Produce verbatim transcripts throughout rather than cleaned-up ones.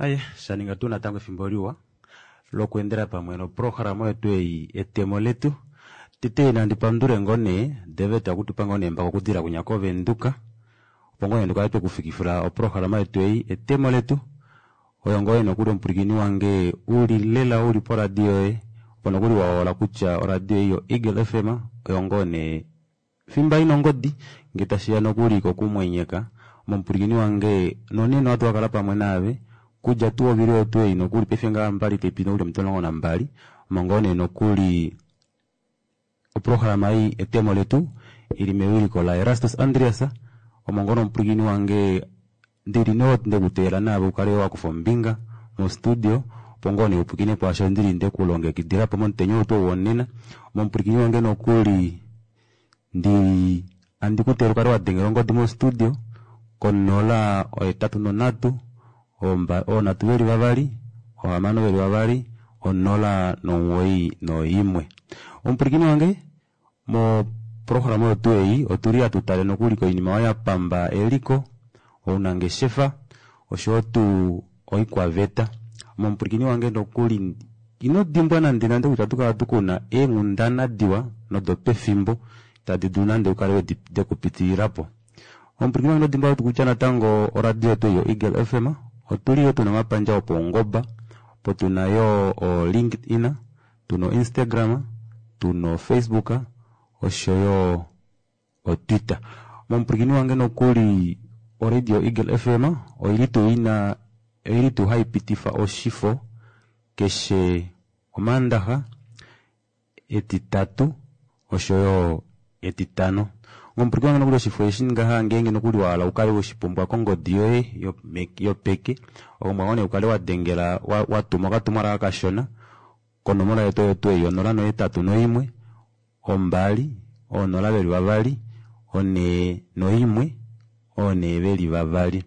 Aye shaninga tuu natango efimbo liwa lokweendela pamwe noprograma yetu ei etemo letu. Tete nandi pandule ngoo nee David akutupa ngoo nee embako okudilila kwinya kovenduka opo ngoo nee tukale twekufikifila oprograma yetu ei etemo letu oyo ngoo nee nokuli omupwilikini wange uli lela uli poradio yoye opo nokuli wahola kutya oradio ei yo Eagle F M oyo ngoo nee fimba ina ongodi ngee tashiya nokuli kokumwenyeka omupwilikini wange nonena ohatu kakala pamwe naave kudja tuu ovili oyo tuu ei nokuli paife ngaha mbali taipi nokuli omiti omulongo nambali omo ngoo nee nokuli oprograma ei etemo letu ili mewiliko la Erastus Andreas omo ngoo nomupwilikini wange ndili no ndekuteelela naave ukale wakufa ombinga mostudio opo ngoo nee upwilikine kwaasho ndili ndekulongekidilapo momutenya ou tuu wonena omupwilikini wange nokuli ndili andi kuteelela ukale wadengela ongodi mostudio konola ohetatu nonhatu oonhatu veli vavali ohamano veli vavali onola nomuwoi noimwe. Omupwilikini wange moprograma oyo tuu ei otuli hatu tale nokuli koinima oyo yapamba eliko, ounangeshefa oshoyo tuu oikwaveta. Omupwilikini wange nokuli ino dimbwa nande nande kutya ohatu kala tukuna eenghundana diwa nodopefimbo tadi dulu nande ukale dekupitililapo. Omupwilikini wange ino dimbwa kutya natango oradio yetu yo Eagle F M otuli yo tuna omapandja opaungoba opo tuna yo o LinkedIn, tuna o Instagram, tuna o Facebook oshoyo o Twitter. Omupwilikini wange nokuli oradio Eagle F M oili tuu ina oili tuu haipitifa oshifo keshe omaandaxa, etitatu oshoyo etitano. Omupwilikini wange nokuli oshifo eshi ngaha ngeenge nokuli wahala ukale weshipumbwa kongodi yoye yopeke opumbwa ngoo nee ukale wadengela watuma okatumwalaka kashona konomola yetu oyo tuu ei onola nohetatu noimwe ombali oonola veli vavali onhee noimwe oonhee veli vavali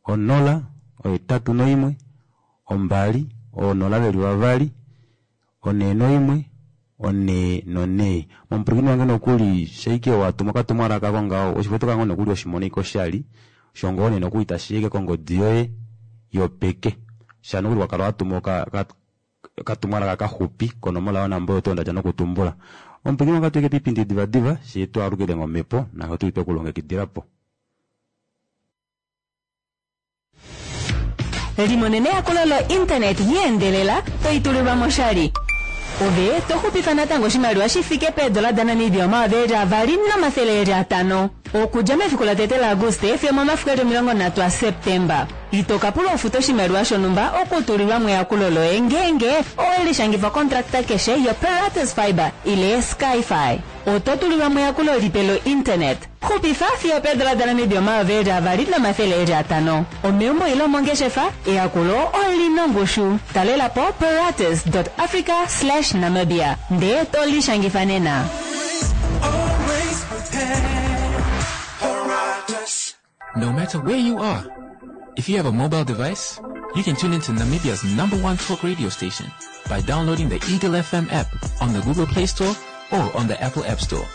onola ohetatu noimwe ombali oonola veli vavali onhee noimwe onhee nonhee. Omupwilikini wange nokuli shaike watuma okatumwalaka kongaho oshifo oto kala ngoo nokuli weshimona ashike oshali osho ngoo nee nokuli tashiya kongodi yoye yopeke sha nokuli wakala watuma okatumwalaka kaxupi konomola yonamba oyo tuu ndadja nokutumbula. Omupwilikini wange ohatu piipindi divadiva shee twaalukile momhepo naasho tuli twekulongekidilapo. Limonene eyakulo lo-internet yeendelela toitulilwa moshali. Ove toxupifa natango oshimaliwa shi fike peedola daNamibia omayovi eli avali nomafele eli atano. Okudja mefiku latete laAguste fiyo omomafiku eli omilongo nhatu aSeptemba. Ito ka pulwa ufuta oshimaliwa shonhumba okutulilwa mo eyakulo loye ngeenge owe lishangifa kontrakta keshe yoPeratus Fibre ile Skyfi. Oto tulilwa mo eyakulo lipe lo-internet. Xupifa fiyo peedola daNamibia omayovi eli avali nomafele eli atano. Omeumbo ile omongeshefa, eyakulo olina ongushu. Talela po peratus dot africa slash namibia ndee to lishangifa nena. No matter where you are, if you have a mobile device, you can tune into Namibia's number one talk radio station by downloading the Eagle F M app on the Google Play Store or on the Apple App Store.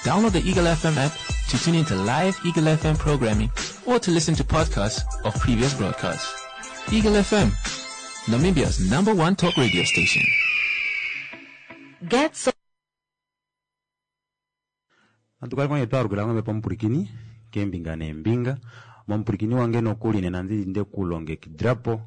Download the Eagle F M app to tune into live Eagle F M programming or to listen to podcasts of previous broadcasts. Eagle F M, Namibia's number one talk radio station. Get so Antukali kwenye twalukila ng'ombe pomupwilikini kembinga nembinga momupwilikini wange nokuli nena ndili ndekulongekidilapo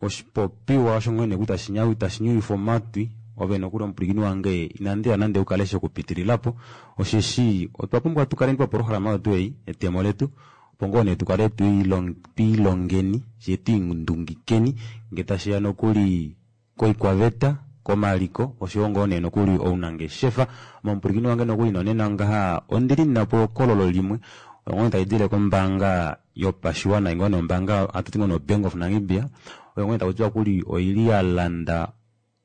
oshipopiwa osho ngwene kuti tashinyuwifa omatwi ove nokuli omupwilikini wange inandiya nande ukale shekupitililapo osheshi otwa pumbwa tukale poprograma yetu ei etemo letu opo ngoo nee tukale twiilongeni shee twiindungikeni ngee tashiya nokuli koikwaveta komaliko oshoyo ngoo nee nokuli ounangeshefa. Momupwilikini wange nokuli nonena ngaha ondili ninapo ehokololo limwe olo ngoo tali dile kombaanga yopashiwana ngoo nee ombaanga hatu ti ngoo nee Bank of Namibia oyo ngoo nee taku tiwa kuli oili ya landa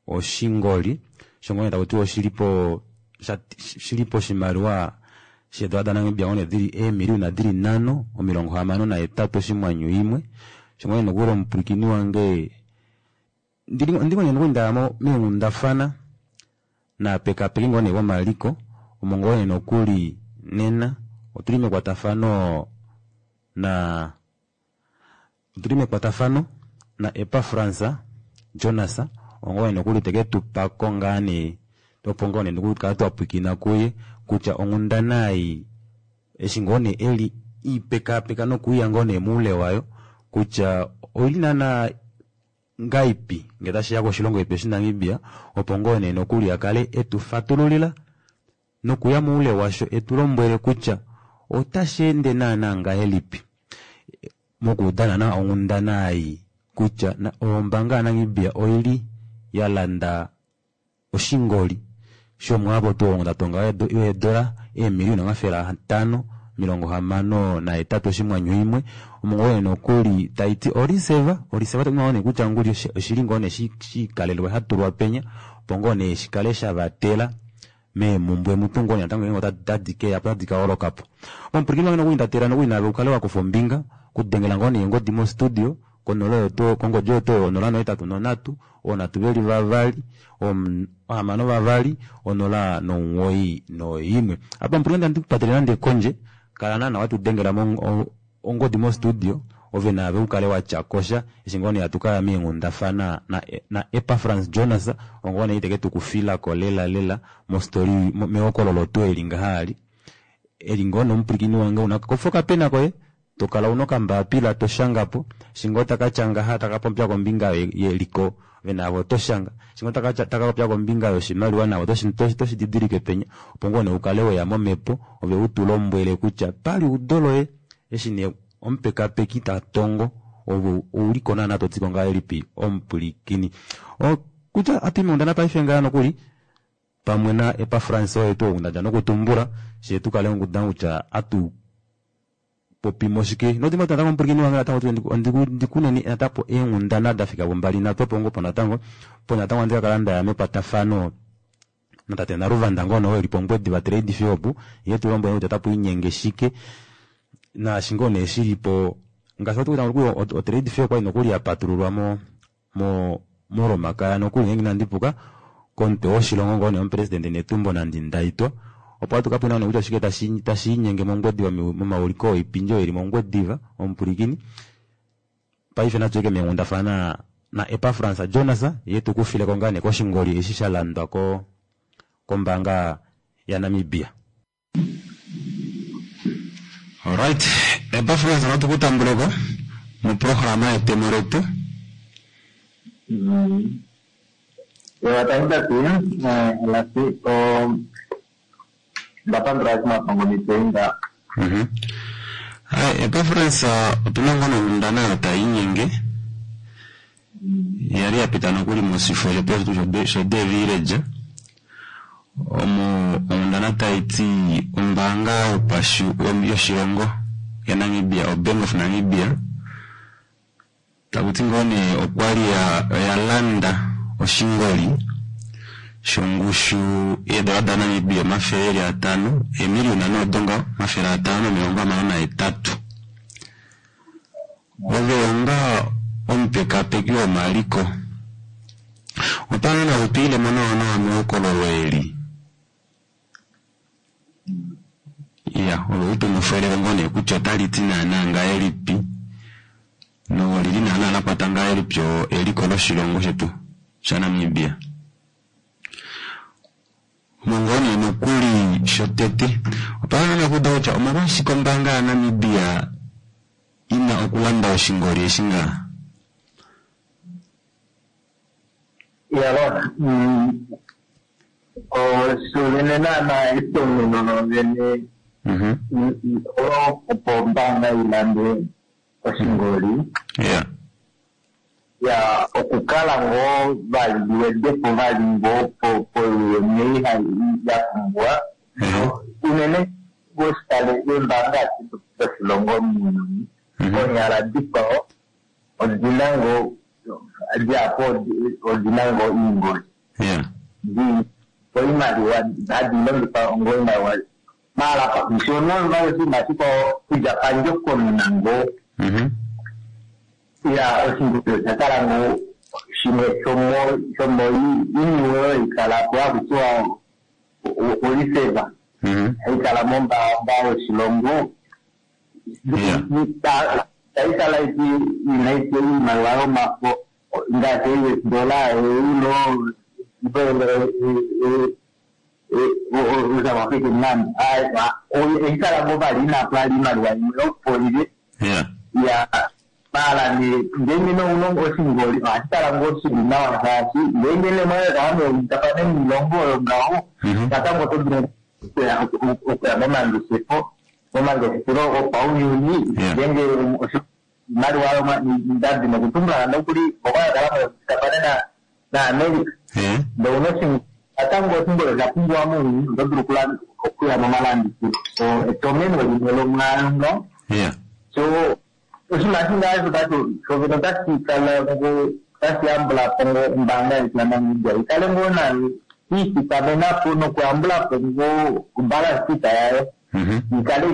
oshingoli osho ngoo nee taku tiwa oshilipo shilipo oshimaliwa sheedola daNamibia ngoo nee dili eemiliyuna dili nhano omilongo hamano nahetatu oshimwanyu imwe osho ngoo nee nokuli omupwilikini wange ndili ngoo nee nokuli ndaya meenghundafana naapekapeki ngoo nee vomaliko omo ngoo nee nokuli nena otuli mekwatafano na otuli mekwatafano na Epafrans Jonas ongoye nokuli teke tu pako ngaa nee opo ngoo nee nokukala twa pwiikina kuye kutya onghundana ei eshi ngoo nee eli ipekapeka nokuya ngoo nee moule wayo kutya oili naana ngaipi ngee tashiya koshilongo shetu shaNamibia opo ngoo nee nokuli akale etu fatululila nokuya moule washo etu lombwele kutya otashi ende naana ngahelipi mokuudana na onghundana ei kutya ombaanga yaNamibia oili ya landa oshingoli shomwaapo tuu ondatonga yeedola eemiliyona omafele atano omilongo hamano nahetatu oshimwanyu imwe omo nokuli taiti oreserve oreserve takuti kutya nguli oshili ngoo nee shikalelwa shatulwa penya opo ngoo nee shikale shavatela meemumbwe mutu ngoo nee natango ngeenge otadi keyapo otadi kaholokapo. Omupwilikini wange nokuli ndatela nokuli naave ukale wakufa ombinga okudengela ngoo nee ongodi mostudio konola oyo kongodi oyo tuu onola nohetatu nonhatu oonhatu veli vavali ohamano vavali onola nomuwoi noimwe. Apa omupwilikini andi kupatele nande kondje kala naana watudengela ongodi mostudio ove naave ukale watyakosha eshi ngoo nee hatu kaya meenghundafana na, na Epafrans Jonas ongoo nee iteke tukufilako lela lela mostori mehokololo tuu eli ngaha ali eli ngoo nomupwilikini wange una kofa okapena koye tokala una okambapila toshangapo eshi ngoo takatya ngaha takapopya kombinga yeliko ove naave otoshanga eshi ngoo takapopya kombinga yoshimaliwa naave otoshididilike penya opo ngoo nee ukale weya momhepo ove utulombwele kutya paliudo loye eshi nee omupekapeki tatongo ove ouliko naana totiko ngahelipi omupwilikini kutya atu meenghundana paife ngaha nokuli pamwe na Epafrans oye tuu ou ndadja nokutumbula shee tukale nguda kutya atu popimo shike nodimwe natango omupwilikini wange natango ndikuneni natango eenghundana dafika pombali nhatu opo ngoo po natango po natango andi kakala ndaya mekwatafano natate Naluvanda ngono eli pOngwediva Trade Fair opu ye tulombwele kutya otapu inyenge shike naashi ngoo nee shilipo ngaashi wati o Trade Fair okwali nokuli yapatululwa mo mo molomakaya nokuli ngeenge inandi puka komutwe woshilongo ngoo nee omupresidente Netumbo Nandi-Ndaitwah opo hatu kapwina nee kutya oshike tashi inyenge mOngwediva momauliko oipindi oyo ili mOngwediva omupwilikini. Paife natu meenghundafana na Epafrans Jonas ye tukufileko ngaa nee koshingoli eshi sha landwa ko kombaanga yaNamibia. Alright, Epafrans natu kutambuleko moprograma yetemo letu. Tati lasi ndapandula eshi mitenga. Hai, Epafrans otuna ngoo nonghundana oyo taiinyenge yali yapita nokuli mosifo shetu sho The Village omo onghundana taiti ombaanga yoshilongo yaNamibia o Bank of Namibia takuti ngoo nee okwali oya landa oshingoli shongushu yeedola daNamibia omafele eli atano eemiliyona noodonga omafele atano nomilongo hamano nahetatu. Ove onga omupekapeki womaliko otwa utwiilemo nawa nawa mehokololo eli iya ove utumufweleko ngoo nee kutya otaliti naana ngahelipi nolili naana lakwata ngahelipi eliko loshilongo shetu shaNamibia. Ngoo nee nokuli shotete otwa hala okuuda kutya omolwashike ombaanga yaNamibia ina okulanda oshingoli eshi ngaha. Yalo, osho naana etomeno lovene olo opo ombaanga ilande oshingoli yeah ya okukala ngoo vali wedepo vali ngoo poyene ya pumbwa unene goshitale eembaanga doshilongo muuyuni konyala dikwao odina ngoo diapo odina ngoo iingoli yeah oimaliwa hadi longifa ongo imaliwa maala shono oshinima shikwao kudja pandjokonona ngoo ya oshingoli osha kala ngoo shimwe shomo shomo iniwe oyo ikala po hakutiwa oreserve haikala mombaanga yoshilongo Itayi kala ina iimaliwa yomafo ngaashi U S dollar, euro, South African rand. Oyi kala ngo vali inapo ali iimaliwa imwe yopondje. Ya mala ne ngenge no uno oshingoli ohashi kala ngoo shili nawa shaashi ngenge ne mwene kaamwe miilongo oyo ngaho natango oto dulu okuya momangeshefo momangeshefelo gopaunyuni ngenge oshimaliwa ndadi nokutumbula nokuli mboka ya kala moyotafane naAmerica ndee una natango oshingoli osha pumbiwa muuyuni oto dulu okuya momalandithilo. So etomeno limwe lomwaayo ngaho. So oshinima ngaa shovene otashi kala ngo otashi yambula po ngo ombaanga yetu yaNamibia ikale ngoo nayo iithikamena po nokuyambula po ngoo obalance sheet yayo ikale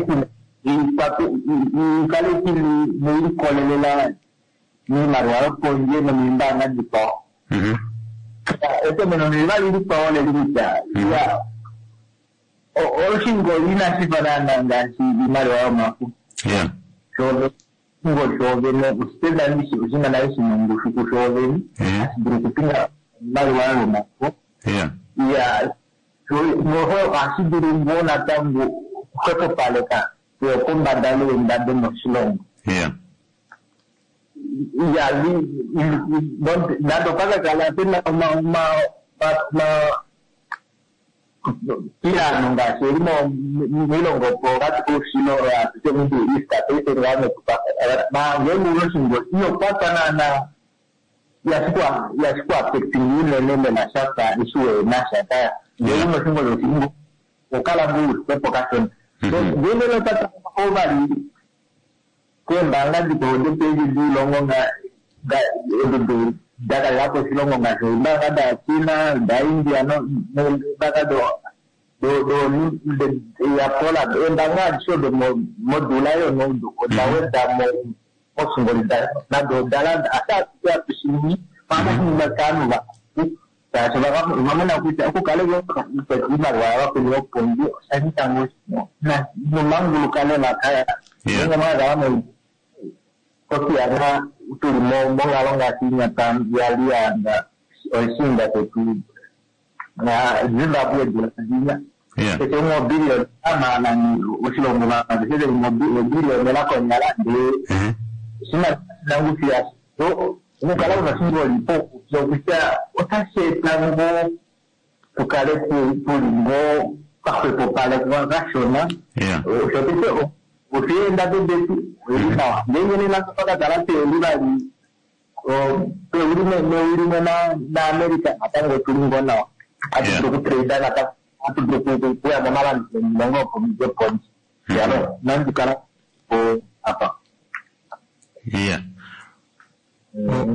ikale iliikolelela miimaliwa yopondje nomiimbaanga dikwawo. Etomeno neliva likwawo leli kutya oshingoli inashi fa naana ngaashi iimaliwa yomafo. Oshingoli shoovene osipenda oshinima nale shina ongushu kushoovene hashi dulu okupinga iimaliwa yomafo. Ya noho ohashi dulu ngoo natango okuhwepopaleka eyopombada leendado moshilongo. Ya nande opakakala pena omapiyano ngaashi eli miilongo pokati koushilo atuti Middle East paife ngenge una oshingoli iyokwatwa naana yashikuafecting unene lela shafa eshi wena sha ngenge una oshingoli oshingo okala ngoo ulixwepo kashona. Ngenge notata vali keembaanga dikwawo dopevi diilongo edo dakalelapo oshilongo ngaashi eembaanga daChina, daIndia neembaanga yaPoland, eembaanga adishe odo modula yono oda weda moshingoli nado odalanda ashike hatushiningi ohatu kaanhu vahapu shaashi ovamona kutya okukala iimaliwa yavakweni yopondje osha nyika ngoo nomanguluka lela kaya. Ngenge mwakala kosiyana tuli monghalo ngaashi inya yali oshiinda shetu Zimbabwe dula keshe umwe obillion amalani oshilongo vanhu obillion konyala ndee shina nangushu yasho. So okukala una oshingoli pokutya otashi eta ngoo tukale tuli ngoo kahwepopalekwa kashona. Shotete osheendado detu oyili nawa. Ngenge nena pakakala peuli vali peuli meuli limwe naAmerica natango otuli ngoo nawa. Hatu dulu okutrade natango hatu dulu okuya momalandithilo miilongo yopondje. Yalo nandikala po apa. Iya.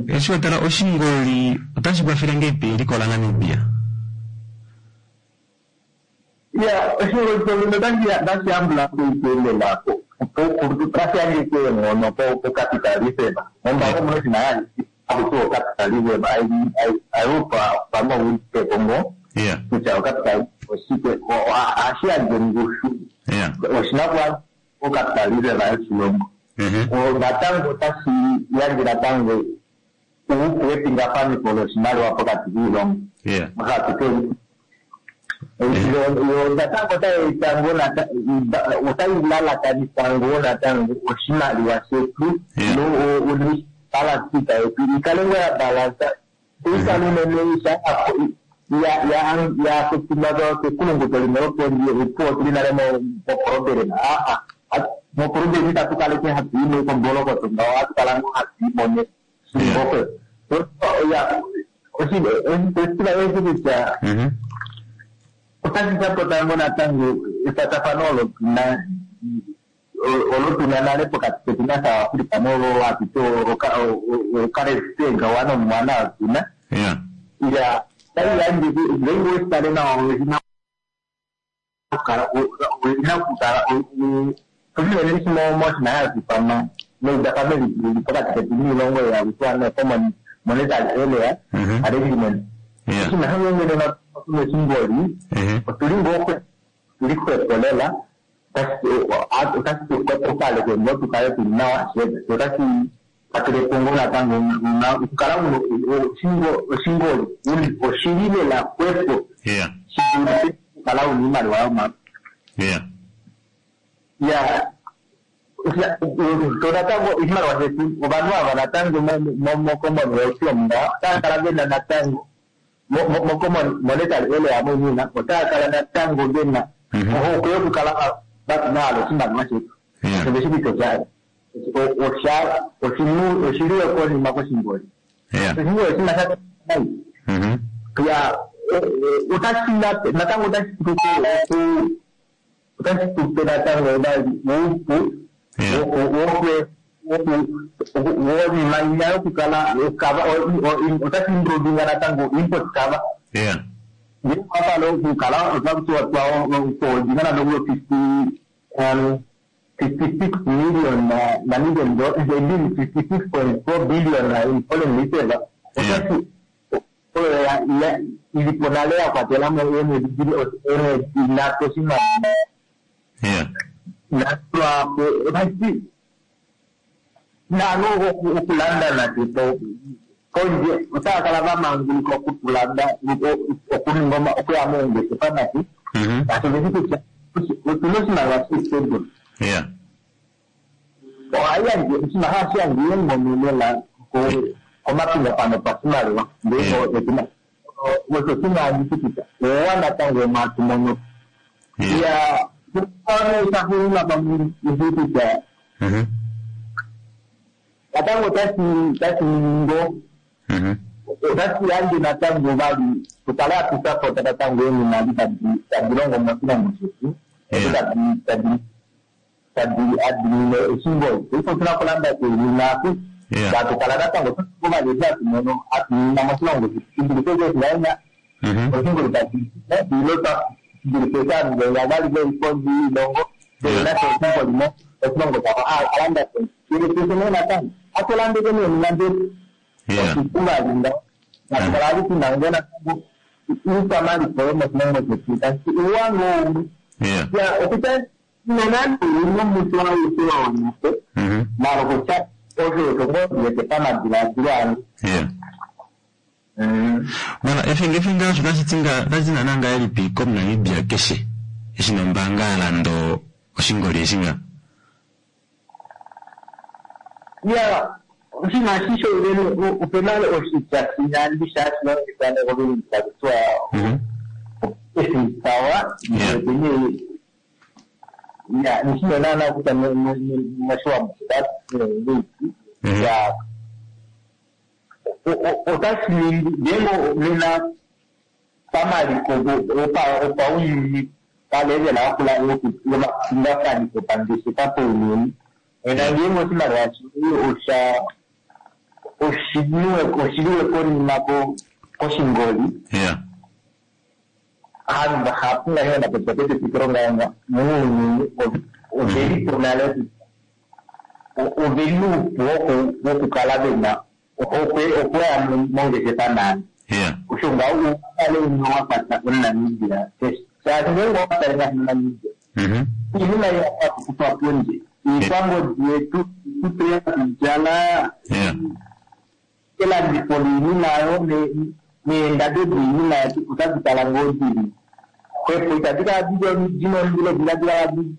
Eshi watala oshingoli otashi kwafele ngeipi eliko laNamibia? Ya oshingoli shovene otashi yambula po lela otashi yandje eenghono po capitalism. Mombaanga omuna oshinima haku tiwa ocapitalism. I hope pamwe ouweteko ngoo kutya ocapitalism oshike ohashi yandje ongushu oshinakuwanifwa ocapitalism yoshilongo. Natango otashi yandje natango uupu wepingafanifo loshimaliwa pokati kiilongo. Natango otayi eta ngoo otayi lalakanitha ngoo natango oshimaliwa shetu balance sheet yetu ikale ngoo ya balansa ikale unene yaafectingwa kekulunguto limwe lopondje opuwo tuli nale moproblem. Aa moproblem itatu kaleke hatu i mekombolokoto ngaho ohatu kala ngoo hatu imone shimbofe. Oshitiva eshi kutya otashi sapota ngoo natango ekwatafano olo tuna olo tuna nale pokati ketu naSouth Africa nolo hatuti okalesitenga wana omwana tuna. Ya tayi yandje ngenge weshitale nawa owina okukala owina okukala oshinene shimwe moshinima hashi ithanwa meudafano lili pokati ketu niilongo yakutiwa nee common monetary area arrangement. Oshinima shongenge nena oshingoli otuli ngoo tuli xwepo lela Otashi tu ngoo tukale tuli nawa, otashi kwatelepo ngoo natango okukala una oshingoli oshili lela xwepo shi dulife okukala una oimaliwa yomafo. Ya to natango oshimaliwa shetu ovanhu ava natango moCommonwealth omu otava kala vena natango moCommon Monetary Area moinina otava kala natango vena ohokwe yokukala vahala oshimaliwa shetu. Osho kutya osha oshiliwe konima koshingoli. Oshingoli oshinima sha nai. Ya otashi natango otashi tupe otashi tupe natango oupu wonima yokukala otashi improvinga natango import cover. Ngeke wapala okukala otwadinga natango fifty fifty-six million Namibian dollars, fifty-six point four billion in foreign reserve. Otashi ilipo nale ya kwatelamo eemwedi nhatu oshimaliwa. Natwapo otashi nalo okulanda nande pondje otava kala vamanguluka okutulanda okuninga okuya moongeshefa nati shaashi oveshi kutya otuna oshimaliwa shi stable. Ohai yandje oshinima hashi yandje eenghono lela komapingafano opashimaliwa ndee otuna osho shimwe handi kutya owa natango omatu mono. Ya shaxuuninwa pamwe ishi kutya natango otashi otashi ningi otashi yandje natango vali tukale hatu sapota natango eenima tadi longo moshilongo shetu tadi tadi adimine oshingoli. Paife otuna okulanda oinima aku tatukala natango vali eshi hatu mono hatu moshilongo shetu shidulife eshi vaina oshingoli tashi ilo shidulife eshi ovanhu vali veli pondje yoilongo nasho oshingoli mo oshilongo shavo alanda pondje nee natango atulandeke neenima detu oshipu vali ngaho natukala vali tuna ngoo natango iikwamaliko yomoshilongo shetu tashi uwa ngoo umwe. Ya okutya nonande omutu aushe wa wanapo mara okutya osho osho ngoo ndiwete pamadiladilo ange. Mara efinga osho otashi nana ngahelipi komuNamibia keshe eshi nombaanga ya landa oshingoli eshi nga? Ya oshinima eshi opena oshitya shinyandi shashi longifwa negovilini takutiwa esipawa ya nishino naana kutya moshiwambo shitati ya otashi ningi ngeenge nena pamaliko opaunyuni palevela yakula yomapingakanitho pangeshefa pounyuni nena ngeenge oshimaliwa osha oshiliwe konima koshingoli aanhu vahapu ngaashi ndapopya petetekelo ngaanga muuyuni ovelipo nale oveli nuupu wokukala vena ohokwe okuya mongeshefa naani. Osho ngaho ukale una wakwata omuNamibia shaashi ngeenge owatale ngaashi moNamibia iinima iyakukufa pondje iikwangodi yetu iikutu yokudjala elandifo liinima yo neendado diinima yetu otadi kala ngoo dili xwepo itadi kala dina ondilo itadi kala dina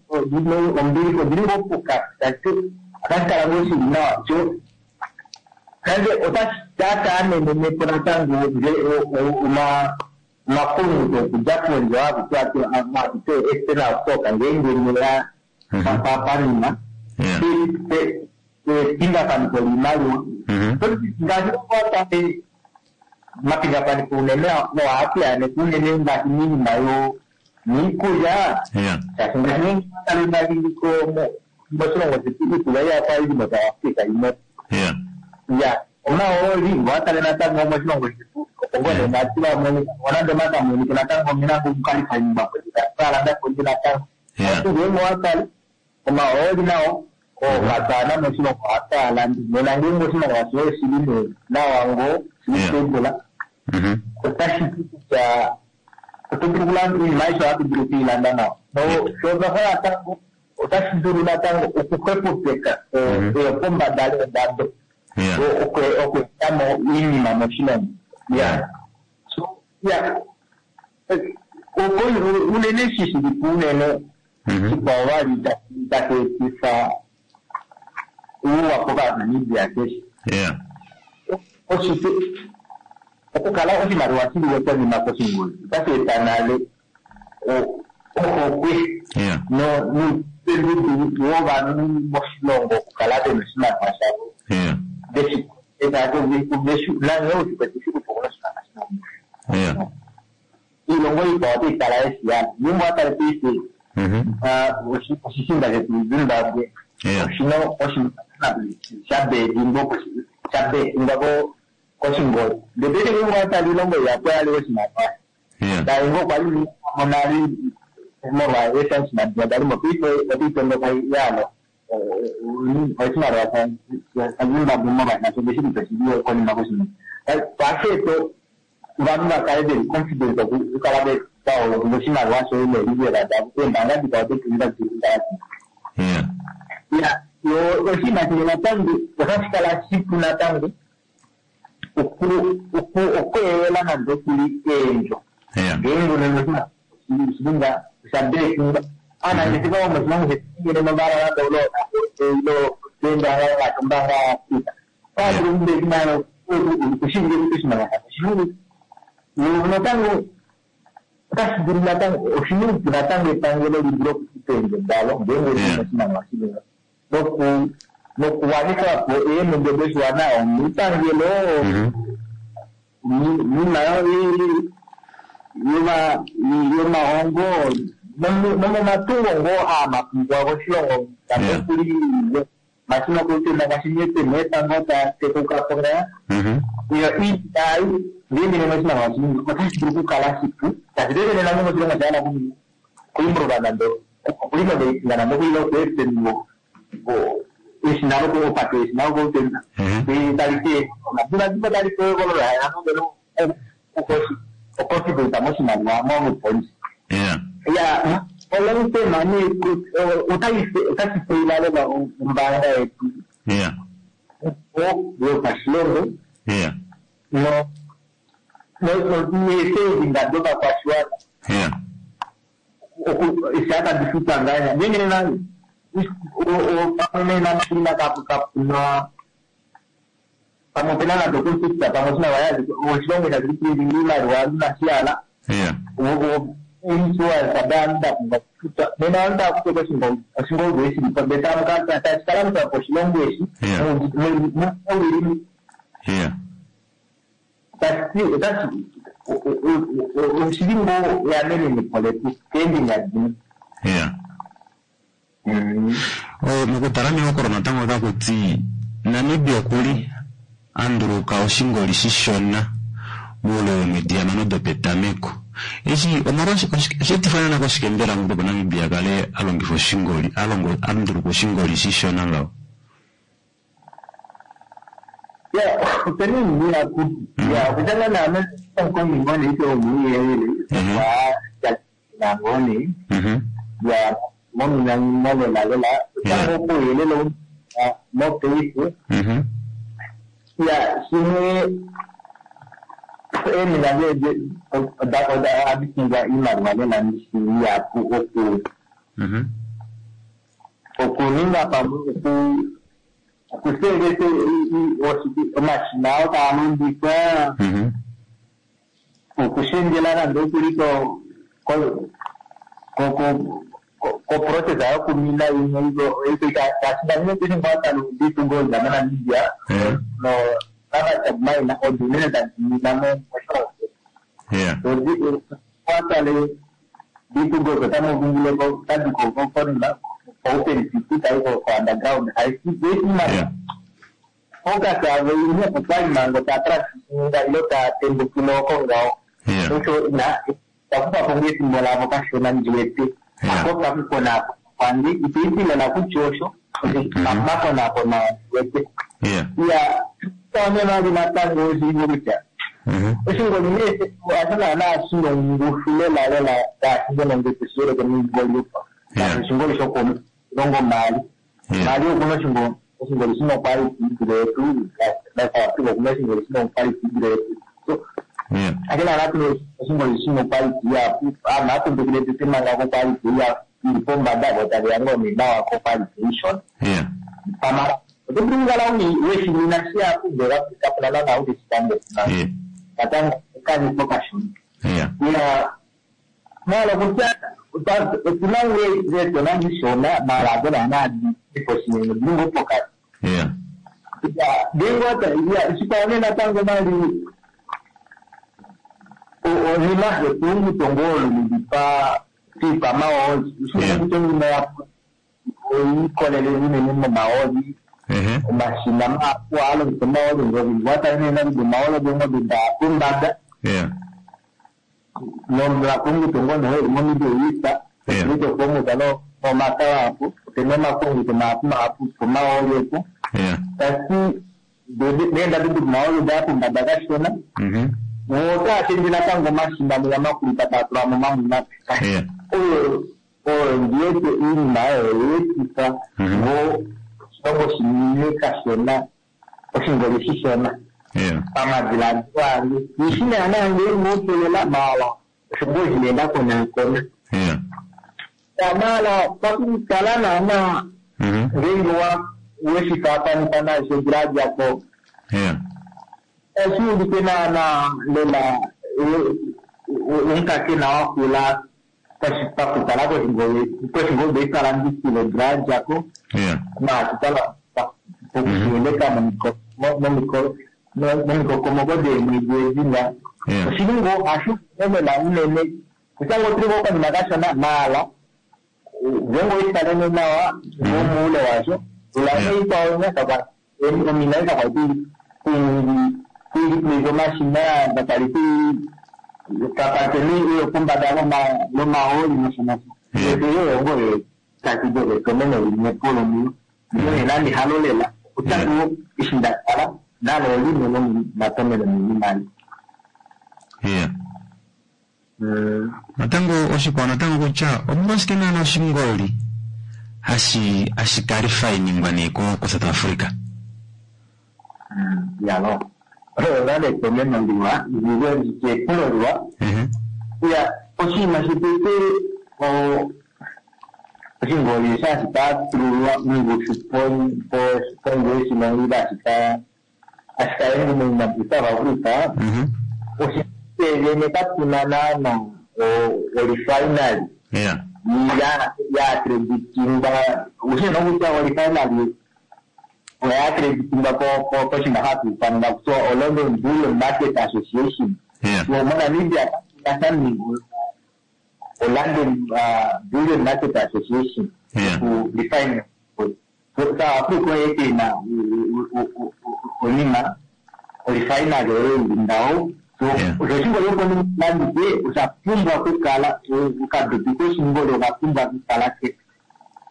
ombilixa odili ngoo pokati tashi otashi kala ngoo shili nawa sho nande otashi amenenepo natango omapunguto okudja pondje hakuti external stock ngeenge neya panima epingakanitho liimaliwa ngaashi owatale mapingakanitho unene ohaatu unene ngaashi miinima yo miikulya shaashi ngaashi tale nali moshilongo shetu iikulya iyafa ili moSouth Africa imwe ya omahooli ngowatale natango moshilongo shetu opo ngoo nee nati vamonika nonande omakamonike natango omena ngomukalifa pondje pondje natango ngeenge owatale omahooli nao ookatana moshilongo ohataalandi nena ngeenge oshimaliwa shoye oshili nee nawa ngoo shili stable otashi ti kutya Oto dulu okulanda oinima aishe ohatu dulu okuilanda nawa. Sho natango otashi dulu natango okuxwepopeka eyopombada leendado okweetamo oinima moshilongo. Ya so ya unene eshi shilipo unene shikwao vali tashi etifa ouwa kOvanamibia keshe oshike okukala oshimaliwa shiliwe konima koshingoli otashi eta nale ohokwe noupendudu wovanhu moshilongo okukala vena oshimaliwa shavo nanghee ushikwete shilipo kuna oshimaliwa shina iilongo ikwao otayi kala yeshiyana ngeenge owatale paife oshishinda shetu Zimbabwe oshina oshimaliwa shabedingwa shabedingwa koshingoli ndele paife ngeenge owatale iilongo ihapu oyali oshimaliwa taingo kwali monali molwa esanshimaliwa dalimo paife otaitondoka yalo oshimaliwa shaZimbabwe molwa nasho shilipo shili konima koshingoli ohashi ovanhu vakale veli confident okukala vaolonga oshimaliwa shoye nelivela davo eembaanga dikwao dotulinga dili ya yo oshinima shimwe natango otashi kala shipu natango okweelela nande okuli eendjo ngeenge unene oshilinga oshabekinga aanangeshefa vomoshilongo shetu ngele novalala ilo ilo ombaanga ngaashi ombaanga yaAfrika otava dulu okubekinga okushinga oshimaliwa shavo oshili natango otashi dulu natango oshina oupu natango epangelo li dule okufuta eendjo dalo ngeenge lina oshimaliwa shili noku nokuwanifa po eemhumbwe doshiwana omipangelo oinima yomahongo nomomatungo ngoo aamapungwa koshilongo tamekuli mashina okutenda ngaashi pena epango tatekukapo ngaa iyo iitayi ngeenge nena oshimaliwa shini otashi dulu okukala shipu tashi tetene nande moshilongo shaana kuimprova nande okuinoveitinga nande okuila okuepeni eshina lokupata eshina lokutenda tali te omadivadivo tali koekolola okonfidenta moshimaliwa momupolisi ya olongitema nee otashi feila lela ombaanga yetu yopashilongo neesevinga dovakwashiwana eshi tadi futwa ngahenya ngeenge nena pamwe nena kapuna pamwe opena nande okonflict pamwe oshimaliwa oshilongo shashi printinga iimaliwa inashiyala insurance adaanhu ndapumbwa okufuta nena ovanhu tava kufa oshingoldo eshilipo ndee tashi kala po oshilongo eshi mowili tashi oshili ngoo eamenenepo letu keembinga dimwe. Mokutala mehokolo natango otaku ti Namibia okuli anduluka oshingoli shishona muule womwedi hamano dopetameko eshi osheetifwa naana koshike mbela opo Namibia akale alongifa oshingoli anduluka oshingoli shishona ngaho? Ya opena oinima ihapu ya okutya ngaa naame omukongi ngoo nee ite womauyelele wa ngoo nee ya mominamino lela lela otango pouyelele mopaife ya shimwe eemina ohadi pumbwa iimaliwa lela ihapu oku okuninga pamwe okusevesa omashina oo taa longifwa okushendjela nande okuli koprocess yokumina imwe ngaashi ngaa moNamibia navaChadmine odo unene tadi mina moshilongo shetu watale ditungo otamu tadi konima open pit tayi ko underground haisi focus yavo imwe okwali mango taa transitinga ilo taa tembukile oko ngaho osho takufapo ngoo efimbo lavo kashona ndiwete ako pakukonakona kwange itoitilela kutya osho pakumakonakona ndiwete ya taone vali natango oshimwe kutya Oshingoli nee osho naana shina ongushu lela lela ngaashi ngeno nge tushiyeleke noingoli opo. Ngaashi oshingoli shokomilongo mbali. Mbali okuna oshingoli oshingoli shina oquality idule yetu, naSouth Africa okuna oshingoli shina oquality idule yetu. So ake naana tuna oshingoli shina oquality ihapu, aanhu ohaya tete manga koquality ili pombada vo taveya ngoo nee nawa koquality ishona. Pamara oto dulu okukala weshimina shihapu ndele kapuna naana ou teshi tambula. Natango okanifo kashona. Ya maala kutya otuna eetona dishona maala hado naana difo shinene odili ngoo pokati. Ngeenge shikwao nee natango vali onima ekulunguto ngoo olo lili piikwamahooli. Kutya onima oyiikolele unene momahooli. Omashina mahapu ohaa longitha omahooli ngoka nee nande omahooli oongobe daa pombada. Nomakulunguto ngoo nee moMiddle East okulunguto nomaka mahapu opena omakulunguto mahapu mahapu pomahooli opo. Tashiti neendado domahooli odaya pombada kashona. Otaa shendje natango omashina mwiya makulu taa tula mo mamwe mape. Oyo oyo ndiwete iinima oyo yeetifa ngoo oshilongo shinine kashona oshingoli shishona. Pamadiladilo ange. Ishi naana ngeenge opelela maala osho ngoo shineenda konakona. Maala pakukala naana ngeenge weshifaafanisa nasho odula yadjako oshuulike naana lela omukakena wakula pakutala koshingoli ikalandithilo odula yadjako maatutala pokushiyeleka momikokomoko deemwedi edi oshili ngoo hashi lela unene kutya ngoo otuli ngoo okanima kashona maala ngeenge oweshi nawa moule washo ula ikwao omina kakwali kuiza omashina kakwali kapateni oyo pombada lomahooli nosho nosho. Oyo ngoo takido etomeno limwe po lomuyo. Nena nehalo lela kutya ngoo eshi ndakala nalo limwe lomomatomeno moinima. Natango oshikwao natango kutya omolwashike naana oshingoli hashi hashi kalifainingwa nee ko South Africa? Yalo oyo nale etomeno liwa epulo liwa. Ya oshinima shotete oshingoli hashi patululwa mongushu pondje yoshilongo ile hashi kaende moSouth Africa oshivene katuna naana orefinery ya accreditingwa. Ushina kutya orefinery oya accreditingwa koshinima hashi ithanwa kutya oLondon Bullion Market Association. MoNamibia katuna sha oLondon Bullion Market Association ku refine. South Africa oyo ena onima orefinery oyo ili ngaho. Osho oshingoli opo landithe osha pumbwa okukala okadopi koshingoli oka pumbwa okukala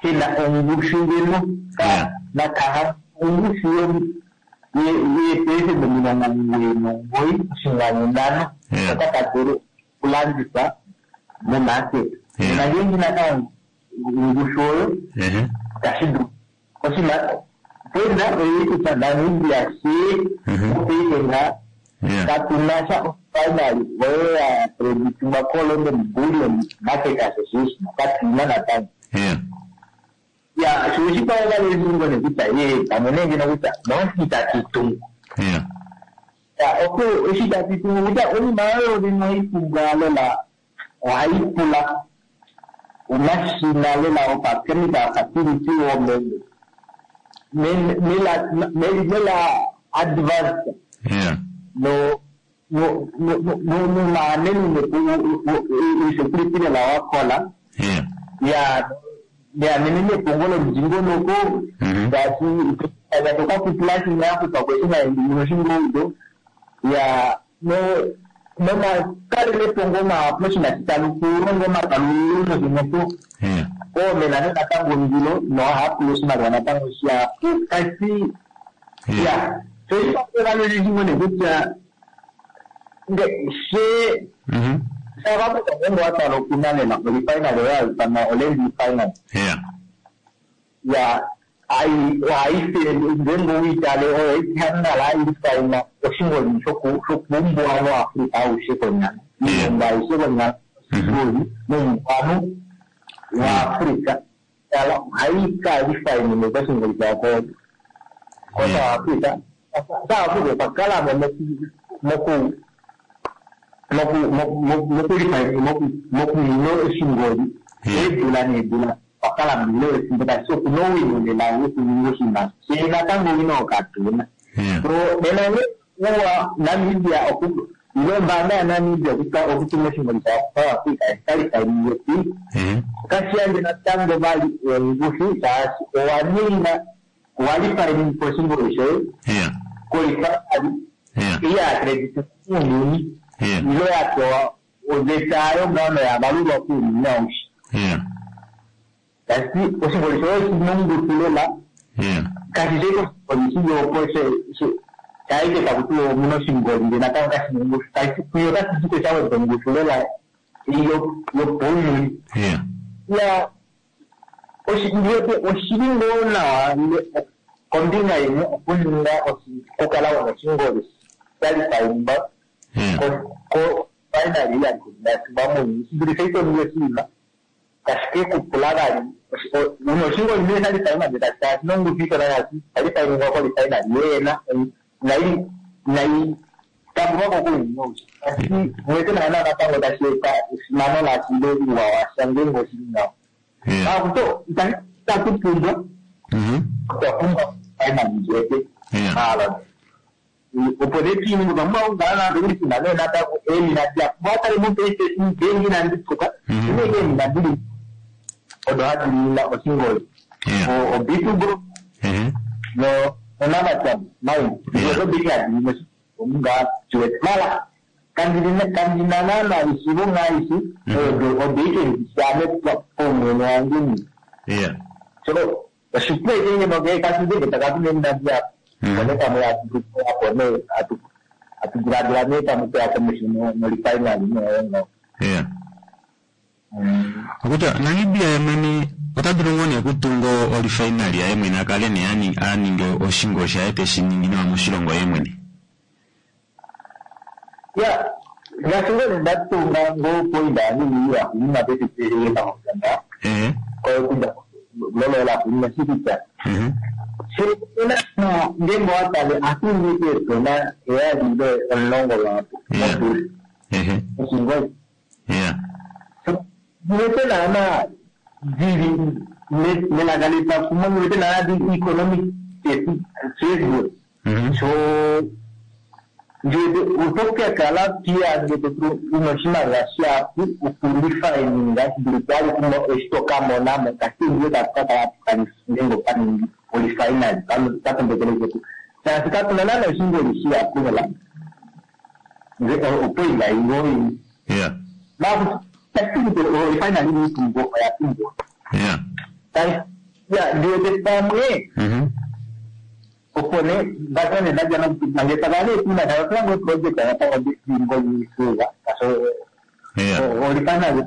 kena ongushu ngeno nakaha ongushu yeepelesenda omilongo omugoyi nomugoyi oshinkwanu nhano oka kadulu okulandithwa momarket. Nena ngeenge inaka ongushu oyo itashi dulu. Oshinima pena oyili kutya Namibia shee mopaife nga katuna sha orefinery oyo ya accreditingwa koLondon Bullion Market Association katuna natango. Ya sho oshikwao vali oshilongo nee kutya ee pamwe nee ngeno kutya noshi itatu tungu. Ya opo eshi itatu tungu kutya oinima oyo vene ohayi pumbwa lela ohayi pula omashina lela opachemical facility mela advanced no no no nomaamenene usecurity lela wakola. Ya liamenene epongo lomudingonoko ngaashi tokapupula yakupa kweshina ya no nomakalele epongo mahapu oshinima shitanu kulonga omakalulu nosho oomena natango ondilo nohahapula oshimaliwa natango shihapu kasi ya so oshipangelo shimwe kutya Nge she Mhm. South Africa ngenge watala okuna lela olifinal oyo hayifanwa oland final. Yeah. Ya ayi hayi ngenge uyitale oyo ihanala ilifayina oshingoli shokuumbuano Afrika aushe konyala. Iilongo ayishe konyala oshingoli muumbuano wa Afrika. Tala hayi kalifayinile koshingoli shako ko South Africa. South Africa okwa mo moku moku moku moku mokumina oshingoli eedula needula okwa milo ethimbo tashi okuna owino lela wokuninga oshinima shee natango owino okatuna. Yeah. So nena uwa Namibia oku ile ombaanga yaNamibia okutuma oshingoli sha South Africa eshikalifayinile ti Eh. okashiyandje natango vali ongushu shaashi owa ninga owalifayinile oshingoli shoye Yeah. kolifaali Yeah. iya credit muuyuni Yeah. ilo yapewa oveta yayo ngaano yavalulwa kuuyuni aushe. Yeah. Tashi oshingoli shoye oshina ongushu lela Yeah. kashi shi oshingoli shili opo shaike taku tiwa omuna oshingoli ndele natango kashina ongushu tashi kuyo otashi ti sha weda ongushu lela yopauyuni. Yeah. Ya oshi oshili ngoo nawa kombinga yimwe okuninga okukala wuna oshingoli shalifayimba Yeah. ko finally yasimba muuyuni shidulithe itoninga oshinima kashi ke kupula vali una oshingoli nee shalifayima ndele tashi kala shina ongushu ishona shaashi shalifayimwa kolifinali yeyena nayi nayi tambulwako kuuyuni aushe. Tashi mwete naana natango tashi eta esimano lashi ile uuwa washa ngenge oshili ngaho. Yeah. Akuto itatu pumbwa Mhm. otwa pumbwa finali ndjete Yeah. maala opo ne timu otwa pumbwa okukala nande uli tuna nee natango eemina diya watale mo PlayStation eemina ndituka Mhm. ine eemina dili odo hadi nina oshingoli Yeah. o B two Gold Eh. no oNamacam mine Yeah. odo biki hadi nina omunga chiwete mala kandina kandina naana ishivo ngaishi Mhm. odo odo ike ndishame pomwene wange ni Yeah. so oshipu eke ngeno kasindenge takatumemina diya Mhm. one pamwe atuapo ne atu atudiladila nee pamwe toya komesho nolifinali noyo Yeah. Okutya Namibia ye mwene ota dulu ngoo nee okutunga olifinali yaye mwene akale nee ani- aninge oshingoli shaye teshi ningi nawa moshilongo ye mwene. Ya ngaashi ngoo nee ndatunga ngoo poinda yanini yakunina pesipeyepamukanda Eh. koyokunda lolola kunina shikutya Mhm. shina ngenge watale atungi etona eyalile omulongo lwapo Yeah. Eh. oshingoli Yeah. ngiwete naana dili melaka lepakumwe ngiwete naana di economic feasible Mhm. so ngiwete utokekala pia ngiwete una oshimaliwa shapu okulifayininga shidulike ali kumo eshitokamonamo kasi ngiwete atukakala tukaningenge opaningi olifinali katombekeleke shaashi katuna naana oshingoli shiyapu lela opoinga ingoyi Yeah. olifinali niitumbo oya pumbwa Yeah. ya ndiwete pamwe Mhm. opo ne batane ndaja mange tagale tuna tawatango project yatawa ngoli suga kaso Yeah. olifinali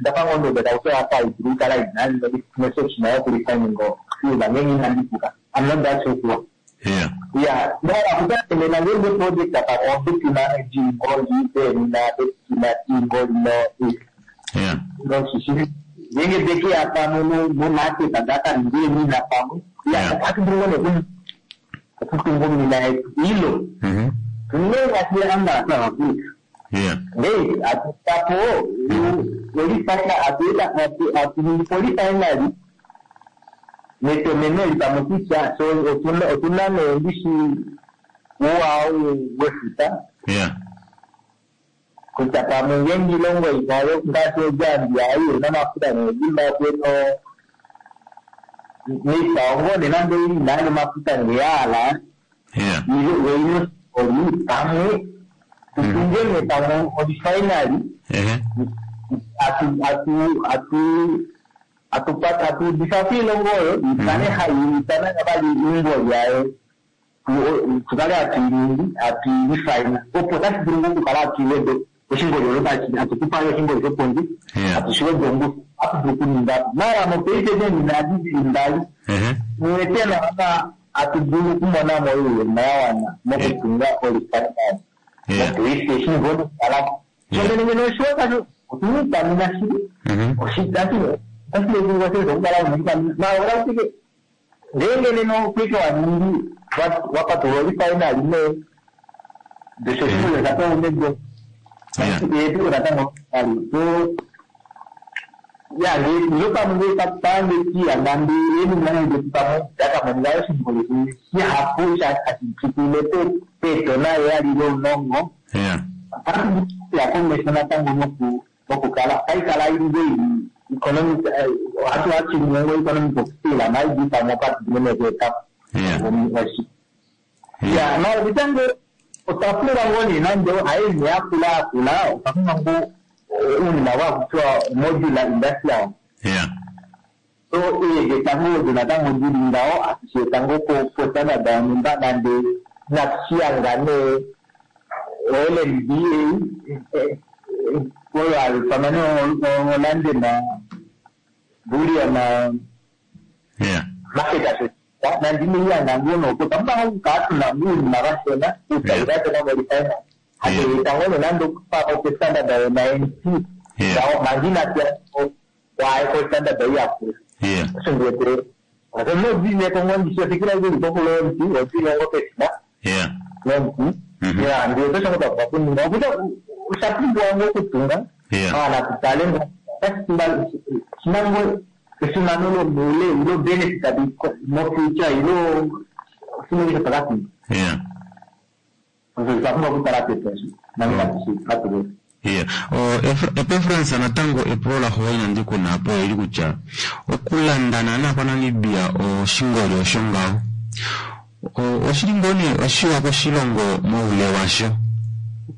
ndapango ndo tauso apa idru kala inani message na yokulifaningo suga ngengi nandikuka I'm not that sure. Yeah. Yeah, no, akutane na ngenge project apa obitina jingoli na betina jingoli no Yeah. no shishi ngenge beki apa no no mate tagata ndiye mina pamwe Yeah. ya akindingo ne okutungo mina ilo Mhm. tunenga siya anga na Afrika Yeah. nei atutapo olifanya atuita atu polifinali netomeno lipamwe kutya so otuna otuna neendishi uwao wefuta Yeah. kutya pamwe ngenge ilongo inayo ngaashi oZambia ayo namafuta neZimbabwe no niikwawo ngoo nande ili nayo mafuta ngeyaala Yeah. weino oli pamwe tutungene pamwe olifinali Eh. atu atu atu atupata atudisafiri ilongo oyo ikale hayi itana vali ingoli yayo Tukale hatu iningi hatu irefine opo tashi dulu ngoo okukala hatu iwede oshingoli olo hatu kupa oshingoli shopondje hatu shiwede ongushu hatu dulu okuninga mara mopaife neenina adi dili mbali niwete naana hatu dulu okumona mo oiyemo ya wana mokutunga orefinery mopaife eshi ngoo nokukalapo shongene ngeno oshiwa otuna iikwamina shili otashi okukala una iikwamina mara oratike ngeenge nena okwike waningi wapatulula orefinery nee ndesho oshingoli oshapewa unedo yetu natango ali so ya nge pamwe nge pange tiya nande eningana ndetu pamwe dakamonika oshingoli shihapu hashi pitile peetona yali lomunongo ya komesho natango noku nokukala kaikala ili economic hatu hachiningo economic of scale maybe pamwe patidimene kuetapo ya mara vitango otwapulwa ngoo nee nande haini yakula akula otwapumbwa ngoo uunima wakutiwa modular industrial so eegeta ngoo olyo natango lili ngawo atushi eta ngoo postandard yonhumba nande inatushiyanga nee o-L N B A oyo pamwe oLondon Bullion Market Association nande ineyanga ngoo nopo twapumbwa ngoo okukala tuna uunima vashona uutayi vashona morefinery hatueta ngoo nonande okupako kostandard yo-ninety ngawo manga inatuya waaye kostandard iyakula osho ndiwete nodineko ngoo ndishi ofikira ili kokulo omuti odile ngoo pefina nomuti ya ndiwete osho ngoo twapumbwa okuninga okutya osha pumbiwa ngoo okutunga maana tutale ngoo shina ngoo esimano lomuule ilo benefit mofuture ilo oshinima osho takapumbwa osho twapumbwa okutala petu osho manga inatu iya epreference natango epulo laxuwa inandi kuna apo eli kutya okulanda naana kwaNamibia oshingoli osho ngaho oshili ngoo nee oshiwa koshilongo moule washo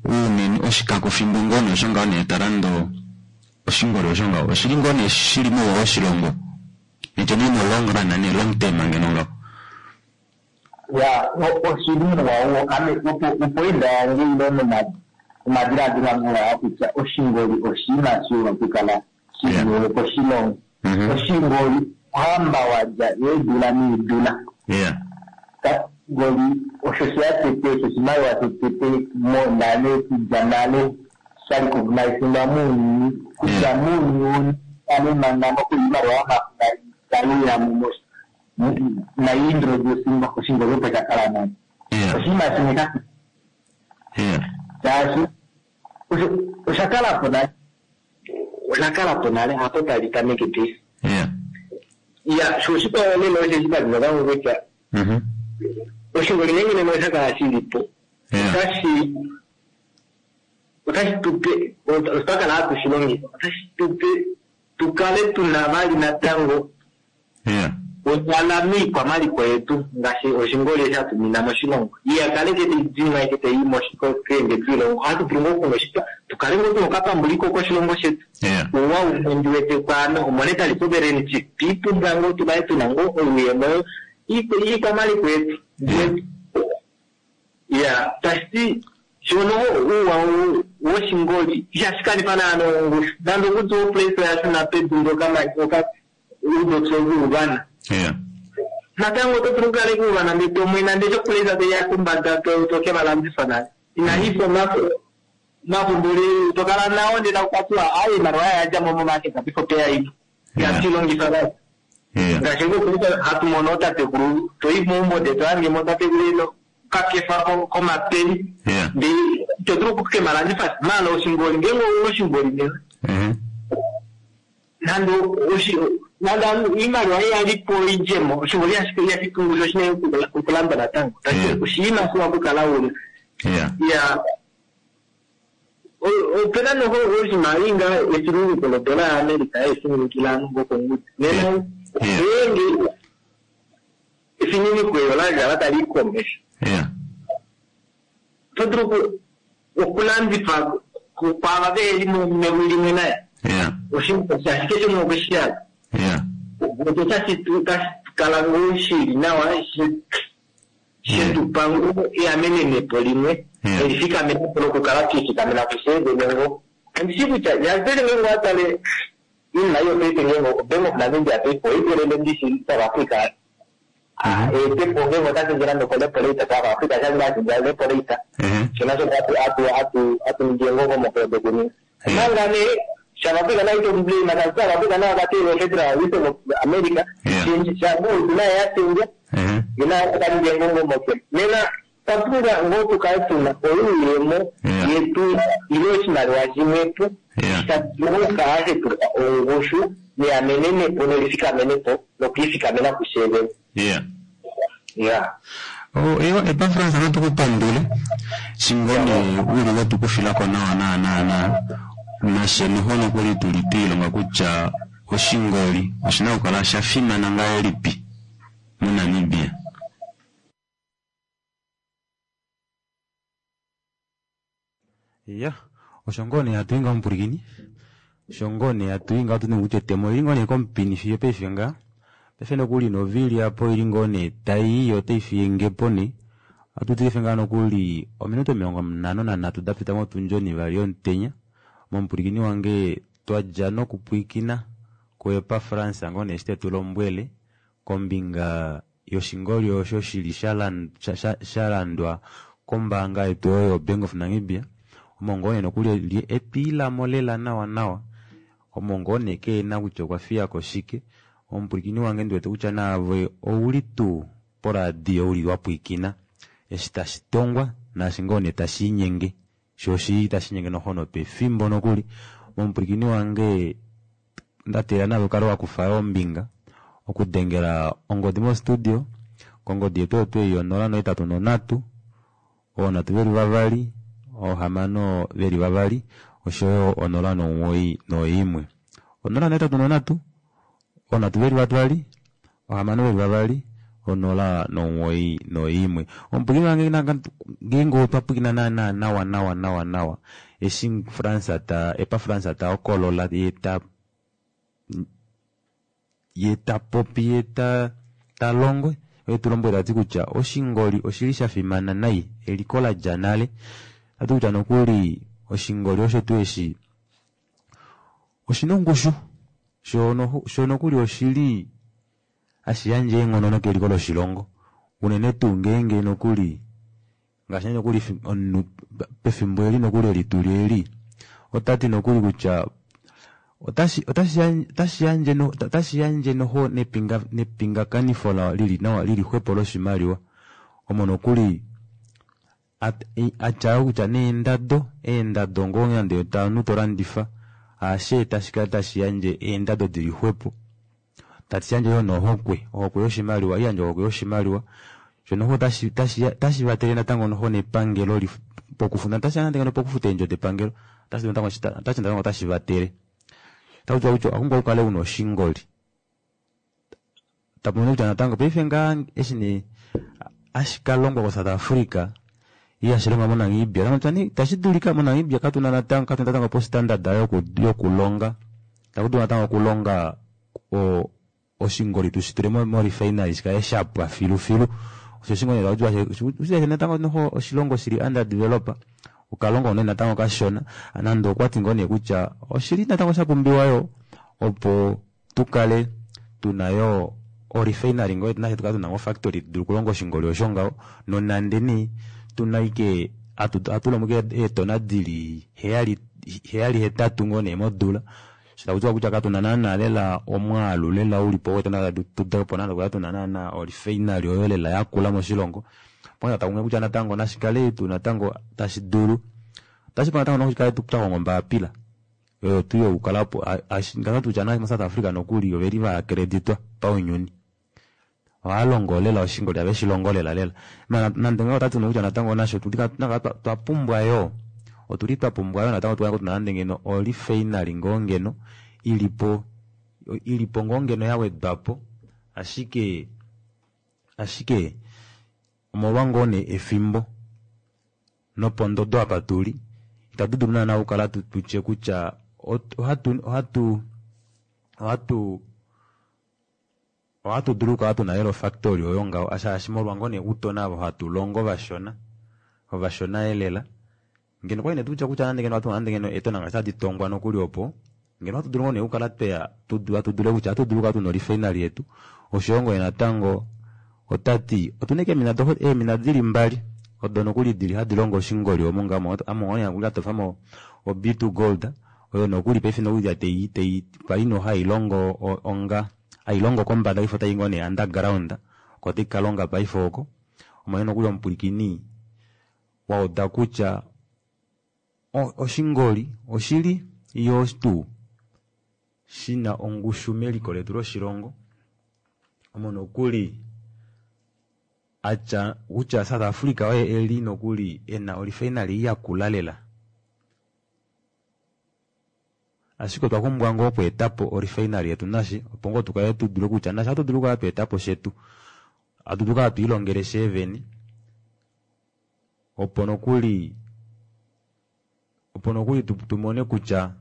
uunene oshikakofimbo ngoo nee osho ngaho nee talando oshingoli osho ngaho oshili ngoo nee shili mouwa woshilongo nityo nee mo long run nee long term ngeno ngaho ya oshili muwa ame opoinda yange ilo nomadiladilo ange oyaa kutya oshingoli oshinima shiwa okukala shiliwe koshilongo oshingoli ohamba wadja eedula needula oshingoli osho sheya tete osho oshimaliwa shotete monale kudja nale sha recognisingwa muuyuni kutya muuyuni ale manga nokuimaliwa yomafo taiuya naiintroducingwa oshingoli opo shakala nale oshinima shimwe sha shaashi osha kalapo nale osha kalapo nale hapo tali tameke paife ya sho oshikwawo nena osheshi padina kutya oshingoli nenge nena osha kala shilipo otashi otashi tupe otwa kala hatu shi longitha otashi tupe tukale tuna vali natango onyala miikwamaliko yetu ngaashi oshingoli eshi hatu mina moshilongo iyakale kete idima kete ii keende kiilongo ohatu vulu ngoo okunoshitwa tukale ngoo tuna okapambuliko koshilongo shetu uwa umwe ndi wete kwaano omonetary sovereignty twiipumbwa ngoo tukale tuna ngoo oyuuyemo iikwamaliko yetu ya tashiti shono uuwa woshingoli ihashi kanifa naana ongushu nande okutya oplace oyashuna pedu ndoka uudotso vuuvana natango oto vulu okukala kuuvana ndee tomwena ndee shoplace teya kombada tokevalandifa nale inaifa mafumbuli tokala nawo ndee takukatiwa ayi iimaliwa yayadjamo momarket before peya imwe ihatu vali ngaashi ngokulika hatu mono otatekulu toyi meumbo ndee tohangemo tatekulu ino kakefa komapeni ndee ito dulu okukemalandifa maala oshingoli ngeenge ouna oshingoli nena nande oshi nande iimaliwa iyalipo idjemo oshingoli ihashi pungusha oshinene okulanda natango oshinima shiwa okukala una ya opena noho oshimaliwa inga efiluluko lodola yaAmerica efininikila ovanhu ngokongudi nena ngeenge efininiko elo lakala tali i komesho oto dulu okulandifa kwaava veheli mewi limwe naye ashike shimwe okweshiyala otashi kala ngoo shili nawa Shetu pangu eamenenepo limwe elifikamenepo lokukala twiifikamena kusheevene ngo andishi kutya yazele ngeenge watale iinima iyo paife ngeenge oBank of Namibia paife oikelele ndishi South Africa eetepo ngeenge otashendje nande okorepo rate South Africa shange ashendja repo rate shona shoka hatu hatu ningi engongo dokuninga omanga nee South Africa nayo itoblame South Africa nayo vakatele Federal Reserve of America shango naye yashendja ina kaningi engongo nena twapumbwa ngoo tukale tuna oyuuyemo yetu ile oshimaliwa shimwepo shadulu okukala shetupa ongushu neyamenenepo nelifikamenepo nokwiifikamena kusheevene. Yeah. Yeah. Oh, ewa Epafras natukupandule shingone uli wetukufilako nawa nawa nawa nawa nashe noho nokuli tuli twiilonga kutya oshingoli oshina okukala shafimana ngahelipi moNamibia. Ya, osho ngoo nee hatu i ngaho mupulikini, osho ngoo nee hatu i ngaho tu kutya etemo oli ngoo nee komupini fiyo paife ngaa. Paife nokuli novili apo ili ngoo nee tai i otai fiyengepo nee. Ohatu paife ngaa nokuli ominute omilongo nhano nanhatu dapita motundi onivali yomutenya. Momupulikini wange twadja nokupwiikina kuEpafrans ngoo nee eshi tetu lombwele kombinga yoshingoli osho shili shalandwa kombaanga yetu oyo yoBank of Namibia. Omo ngoo nee nokuli etwiilamo lela nawa nawa. Omo ngoo nee keena kutya okwa fiyako shike. Omupulikini wange ndiwete kutya naave ouli tuu poradio uli wapwiikina eshi tashi tongwa naashi ngoo nee tashiinyenge shoo oshili tashiinyenge noho nopefimbo nokuli. Momupulikini wange ndateelela naave ukale wakufa ombinga okudengela ongodi mo studio kongodi yetu oyo twei yonola nohetatu nonhatu, oonhatu veli vavali, oohamano veli vavali oshoyo onola nomuwoi noimwe. Onola nohetatu nonhatu, oonhatu veli vavali, oohamano veli vavali, onola nomuwoi noimwe. Omupulikini wange ngeenge otwa pwilikina naana nawa nawa nawa nawa eshi France ta Epafrans ta hokolola ye ta ye ta popi ye ta talongo oye tulombwele tati kutya oshingoli oshili shafimana nai eliko ladja nale. Tati kutya nokuli oshingoli osho tuu eshi oshina ongushu shoo nokuli oshili hashi yandje eenghono nokeliko loshilongo unene tuu ngeenge nokuli ngaashi nokuli omunhu pefimbo eli nokuli eli tuli eli otati nokuli kutya otashi otashi yandje otashi yandje noho nepingakanifo lili nawa lili xwepo loshimaliwa omo nokuli atya kutya neendado eendado ngoo nande omunhu tolandifa aashe tashi kala tashi yandje eendado dili xwepo tashi yandje yoo nohokwe ohokwe yoshimaliwa iyandje ohokwe yoshimaliwa sho noho tashi tashi vatele natango noho nepangelo pokufuta tashi yandje pokufuta eendjo depangelo otashi natango otashi vatele. Takutiwa kutya owapumbwa ukale una oshingoli. Tapumono kutya natango paife ngaa eshi nee hashi kalongwa ko South Africa ihashi longwa moNamibia tashi dulika moNamibia katuna natango katuna natango po standard yokulonga takudulu natango okulonga oshingoli tushi tule mo refinery shikale shapwa filufilu. Osho shingoli takutiwa natango noho oshilongo shili under develop okalongo nee natango kashona nande okwati ngoo nee kutya oshili natango shapumbiwa yoo opo tukale tuna yoo o refinery ngoo nafye tukale tuna o factory tudule okulonga oshingoli osho ngaho nonande nee tuna ashike hatu longo ashike eetona dili heyali heyali hetatu ngoo nee modula sho takutiwa kutya katuna naana lela omwaalu lela ulipo weetona opo naana tukale tuna naana o refinery oyo lela yakula moshilongo. Pona takumwe kutya natango nashikale tuu natango tashi dulu otashi pula natango noshikale twahonga ombaapila oyo tuu yokukalapo ngaashi kutya mo South Africa nokuli oveli vaakreditwa paunyuni. Ohaalongo lela oshingoli have shilongo lela lela. Nande ngaho otati kutya natango nasho twapumbwa yoo otuli twapumbwa yoo natango tukale tuna nande ngeno o refinery ngoo ngeno ilipo ilipo ngoo ngeno yawedwapo ashike ashike omolwa ngoo nee efimbo nopondodo apa tuli itatu dulu naana okukala tutye kutya ohatu ohatu ohatu Ohatu dulu okukala tuna lela ofactory oyo ngaho shaashi molwa ngoo nee utona avo hatu longo vashona ovashona elela ngeno kwali nee tutya kutya nande ngeno ohatu nande ngeno eetona ngaashi tadi tongwa nokuli opo ngeno ohatu dulu ngoo nee okukala tweya hatu dule kutya ohatu dulu okukala tuna orifinary yetu oshoyo ngoo natango otati otuna ashike eemina eemina dili mbali odo nokuli dili hadi longo oshingoli omo ngaho amo ngoo atofamo o B two gold oyo nokuli paife nokuli tei tei kwali no hailongo onga hailongo kombada paife otai ngoo nee underground oko tai kalonga paife oko omanye nokuli omupwilikini wauda kutya oshingoli oshili yo tuu shina ongushu meliko letu loshilongo omo nokuli atya kutya South Africa oye eli nokuli ena orifinary yakula lela ashike otwa pumbwa ngoo okweetapo orifinary yetu nashi opo ngoo tukale tudule kutya nashi ohatu dulu okukala tweetapo shetu hatu dulu okukala twiilongele sheevene opo nokuli opo nokuli tumone kutya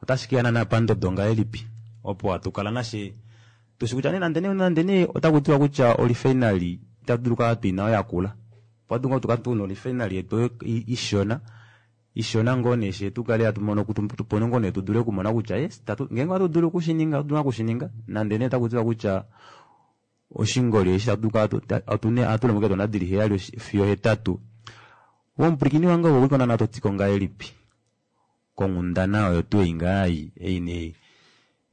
otashi keya naana pandodo ngahelipi opo hatu kala nashe tushi kutya nee nande nee nande nee otaku tiwa kutya orifinary itatu dulu okukala tuina oyo yakula opo hatu tukala tuna orifinary yetu ishona ishona ngoo nee she tukale hatu mono tupone ngoo nee tudule okumona kutya yes ngeenge ohatu dulu okushininga ohatu dulu okushininga nande nee otaku tiwa kutya oshingoli eshi tatu kala ohatu longo eetona dili heyali fiyo hetatu womupwilikini wange owo naana totiko ngahelipi konghundana oyo tuu ei ngaa ei nee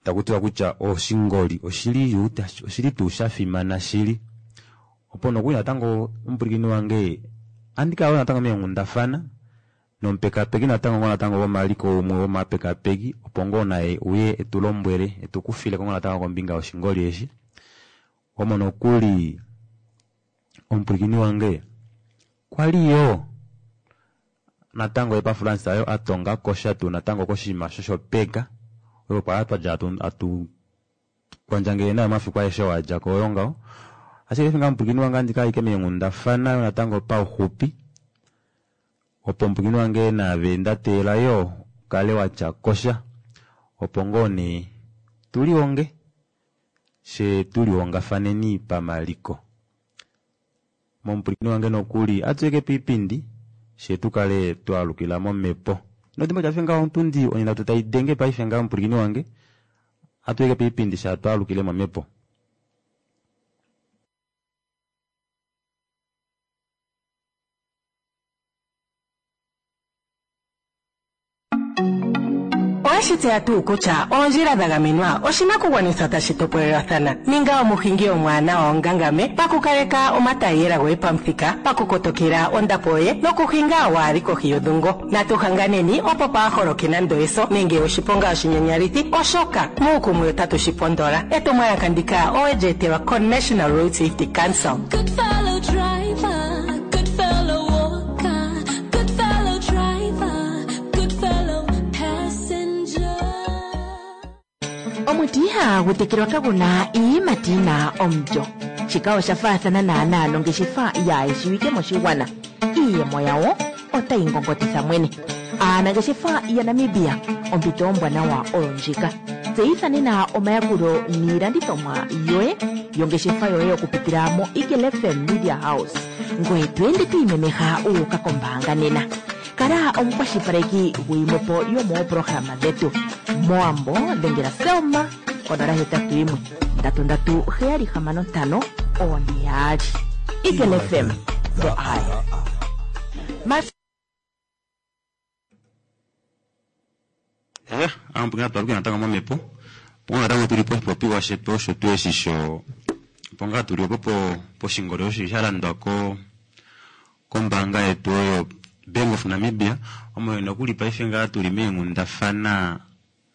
taku tiwa kutya oshingoli oshili oshili tuu shafimana shili opo nokuli natango omupwilikini wange andi kala natango meenghundafana nomupekapeki natango ngoo natango womaliko umwe womapekapeki opo ngoo naye uye etulombwele etukufileko ngoo natango kombinga yoshingoli eshi omo nokuli omupwilikini wange kwali yo natango epafulance ayo atonga kosha tuu natango koshinima shoshopeka oyo kwali twadja atu kwandjangele nayo omafiku aeshe oo adjako oyo ngaho ashike eshi omupwilikini wange andi kala ashike meenghundafana yo natango pauxupi opo omupwilikini wange naave ndateela yo ukale watya kosha opo ngoo nee tulihonge she tulihongafaneni pamaliko momupwilikini wange nokuli atuyeke piipindi she tukale twaalukila momhepo nodimbo tyafe ngaho otundi onhinhatu tai paife ngaho omupwilikini wange atuyeke piipindi sha twaalukile momhepo. Oweshi tseya tuu kutya oondjila dha gamenwa oshinakugwanithwa tashi topolelwathana? Ninga omuhingi omwaanawa ongangame pakukaleka omatayiyela goye pamuthika, pakukotokela ondapo yoye nokuhinga waali kohi yodhungo. Natu hanganeni opo paaholoke nando eso nenge oshiponga oshinyanyalithi, oshoka muukumwe otatu shi pondola. Etumwalaka ndika owe li etelwa ko-National Road Safety Council. Good fellow driver, good fellow walker, good fellow driver, good fellow passenger. Omuti ihagu tekelwa kaguna iiyimati yina omulyo. Shika osha faathana naanaa nongeshefa yaayeshiwike moshigwana. Iiyemo yawo otayi ngongotitha mwene. Aanangeshefa yaNamibia, ompito ombwanawa oyo ndjika. Tseyitha nena omayakulo niilandithomwa yoye yongeshefa yoye okupitila mo Eagle F M Media House. Ngoye to ende to imemeha uuka kombaanga nena. Kala omukwashilipaleki guyimwepo yomoopolohalama dhetu. Moambo dhengela Selma konola hetatu yimwe ndatu ndatu heyali hamano ntano one yaali. Eagle F M, the eye. Mas Eh, amupwilikini atwaluke natango momhepo opo ngoo natango tuli poshipopiwa shetu osho tuu eshi sho opo ngaa tuli opo poshingoli osho sha landwa ko kombaanga yetu oyo Bank of Namibia omo nokuli paife ngaa tuli meenghundafana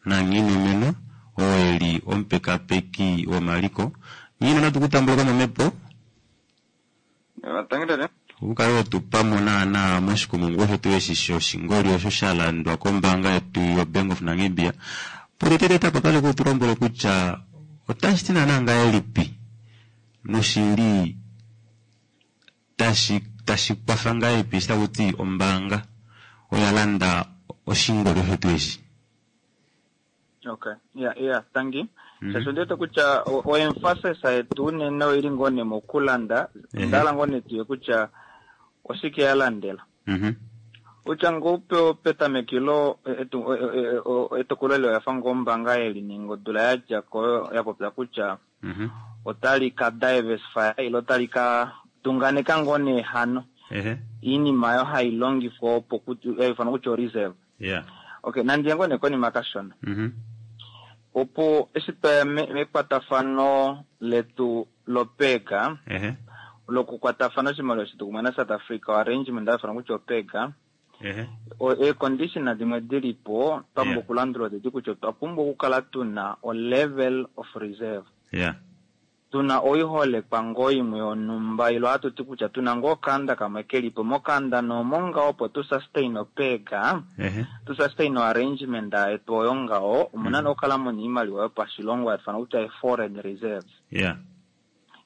naNghinomeno oo eli omupekapeki womaliko. Nghino natu kutambuleko momhepo ukale wetupamo naana moshikumungu osho tuu eshi shoshingoli osho sha landwa kombaanga yetu yo Bank of Namibia. Potetete tapo kutulombwele kutya otashi ti naana ngahelipi noshili tashi tashi kwafa ngahelipi eshi taku ti ombaanga oya landa oshingoli osho tuu eshi. Okay, yeah, yeah, thank you. Shaashi ondi wete kutya o- o-emphasis yetu unene oili ngoo nee mokulanda Ehe. ndala ngoo nee tuye kutya oshike ya landela Mhm. kutya ngoo pe- petamekilo etu- e- e- e- etokolo eli oya fa ngoo ombaanga yelininga odula ya dja ko ya popya kutya Mhm. otali ka diversify ile otali ka tunganeka ngoo nee hano Ehe. iinima oyo hai longifwa opo kuti- ya ifanwa kutya o-reserve Yeah. okay nandiye ngoo nee konima kashona Mhm. opo eshi twaya me- mekwatafano letu lopega Ehe. lokukwatafana oshimaliwa shetu kumwe naSouth Africa arrangement afanwa kutya opega Ehe. eecondition dimwe dilipo twa pumbwa Yeah. okulandula odedi kutya otwa pumbwa okukala tuna o-level of reserve Yeah. tuna oiholekwa ngoo imwe yonhumba ilo hatuti kutya tuna ngoo okanda kamwe kelipo mokanda noomo ngaho opo tu sustain opega Ehe. tu sustain arrangement yetu oyo ngaho omuna mm. okukala muna iimaliwa yopashilongo yatufana kutya e-foreign reserves Yeah.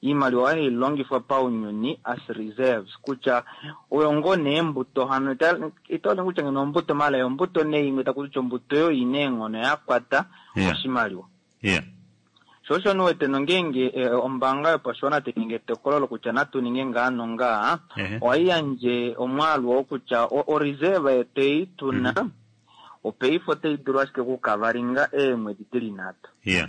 iimaliwa oyo hailongifwa paunyuni as reserves kutya oyo ngoo neembuto hano ita- itaone kutya ngeno ombuto mala ombuto nee imwe taku kutya ombuto oyo ina eenghono yakwata Yeah. oshimaliwa Yeah. sho osho niwete nongeenge eh, ombaanga yopashiwana tainingi etokolo lokutya natu ninge ngaa nongaa Ehe. ohaiyandje omwaalu oo kutya o- oreserve yetu ei tuna Mhm. opaife otai dulu ashike okukavalinga eemwedi dili nhatu Yeah.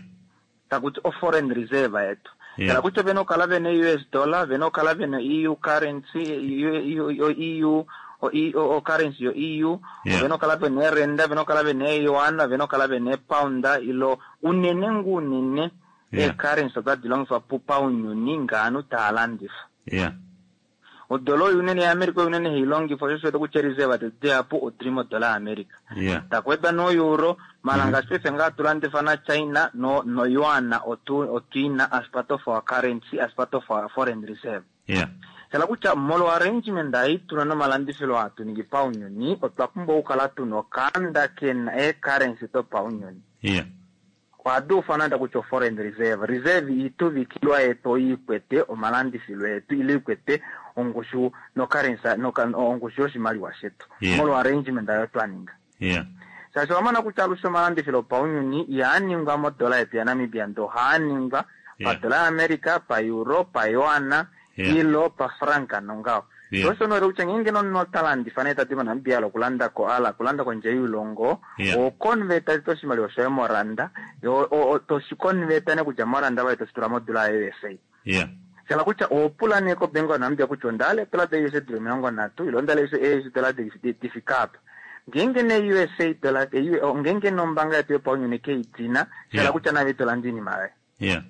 takuti o-foreign reserve yetu Yeah. tala kutya vena okukala vena US dollar vena okukala vena EU currency EU, EU, o, o currency yo EU Yeah. vena okukala vena erenda vena okukala vena eyuan vena okukala vena epounda ilo unene ngu unene Yeah. ee-currency otadi longifwa pu paunyuni ngaanhu taa landifa Yeah. odola oyo unene yaAmerica oyo unene hailongifwa sho osho kutya reserve tetu dihapu odili modola yaAmerica Yeah. takwedwa no-euro mala ngaashi paife ngaa tulandifa naChina no no yuan otu otwiina as part of our currency as part of our foreign reserve Yeah. shala kutya molwa arrangement ei tuna nomalandifilo hatu ningi paunyuni otwa pumbwa okukala tuna okanda kena ee-currency dopaunyuni Yeah. ohadi ufanwa nda kutya o-foreign reserve reserve ituvikilwa yetu oyiikwete omalandifilo etu ile ikwete ongushu no-currency noka- ongushu yoshimaliwa shetu Yeah. molwa arrangement ayo twa ninga Yeah. shaashi owamona kutya alushe omalandifilo opaunyuni ihaaningwa modola yetu yaNamibia ndo ohaaningwa Yeah. padola yaAmerica paeuro payuana Yeah. ilo pafranka nongaho Yeah. sho osho nowete kutya ngeenge nomunhu ota landifa nee tati moNamibia ala okulanda ko ala okulanda kondje yoilongo Yeah. okonveta tete oshimaliwa shoye moranda yo o- o- toshikonveta nee kutya moranda vaye toshitula modola ya-USA Yeah. shala kutya owopula nee kobank yaNamibia kutya ondahala edola da-USA dili omilongo nhatu ile ondahala US dola difika apa ngeenge ne USA dola ngeenge nombaanga yetu yopaunyuni keidina shala Yeah. kutya nave itolanda iinima yoye Yeah.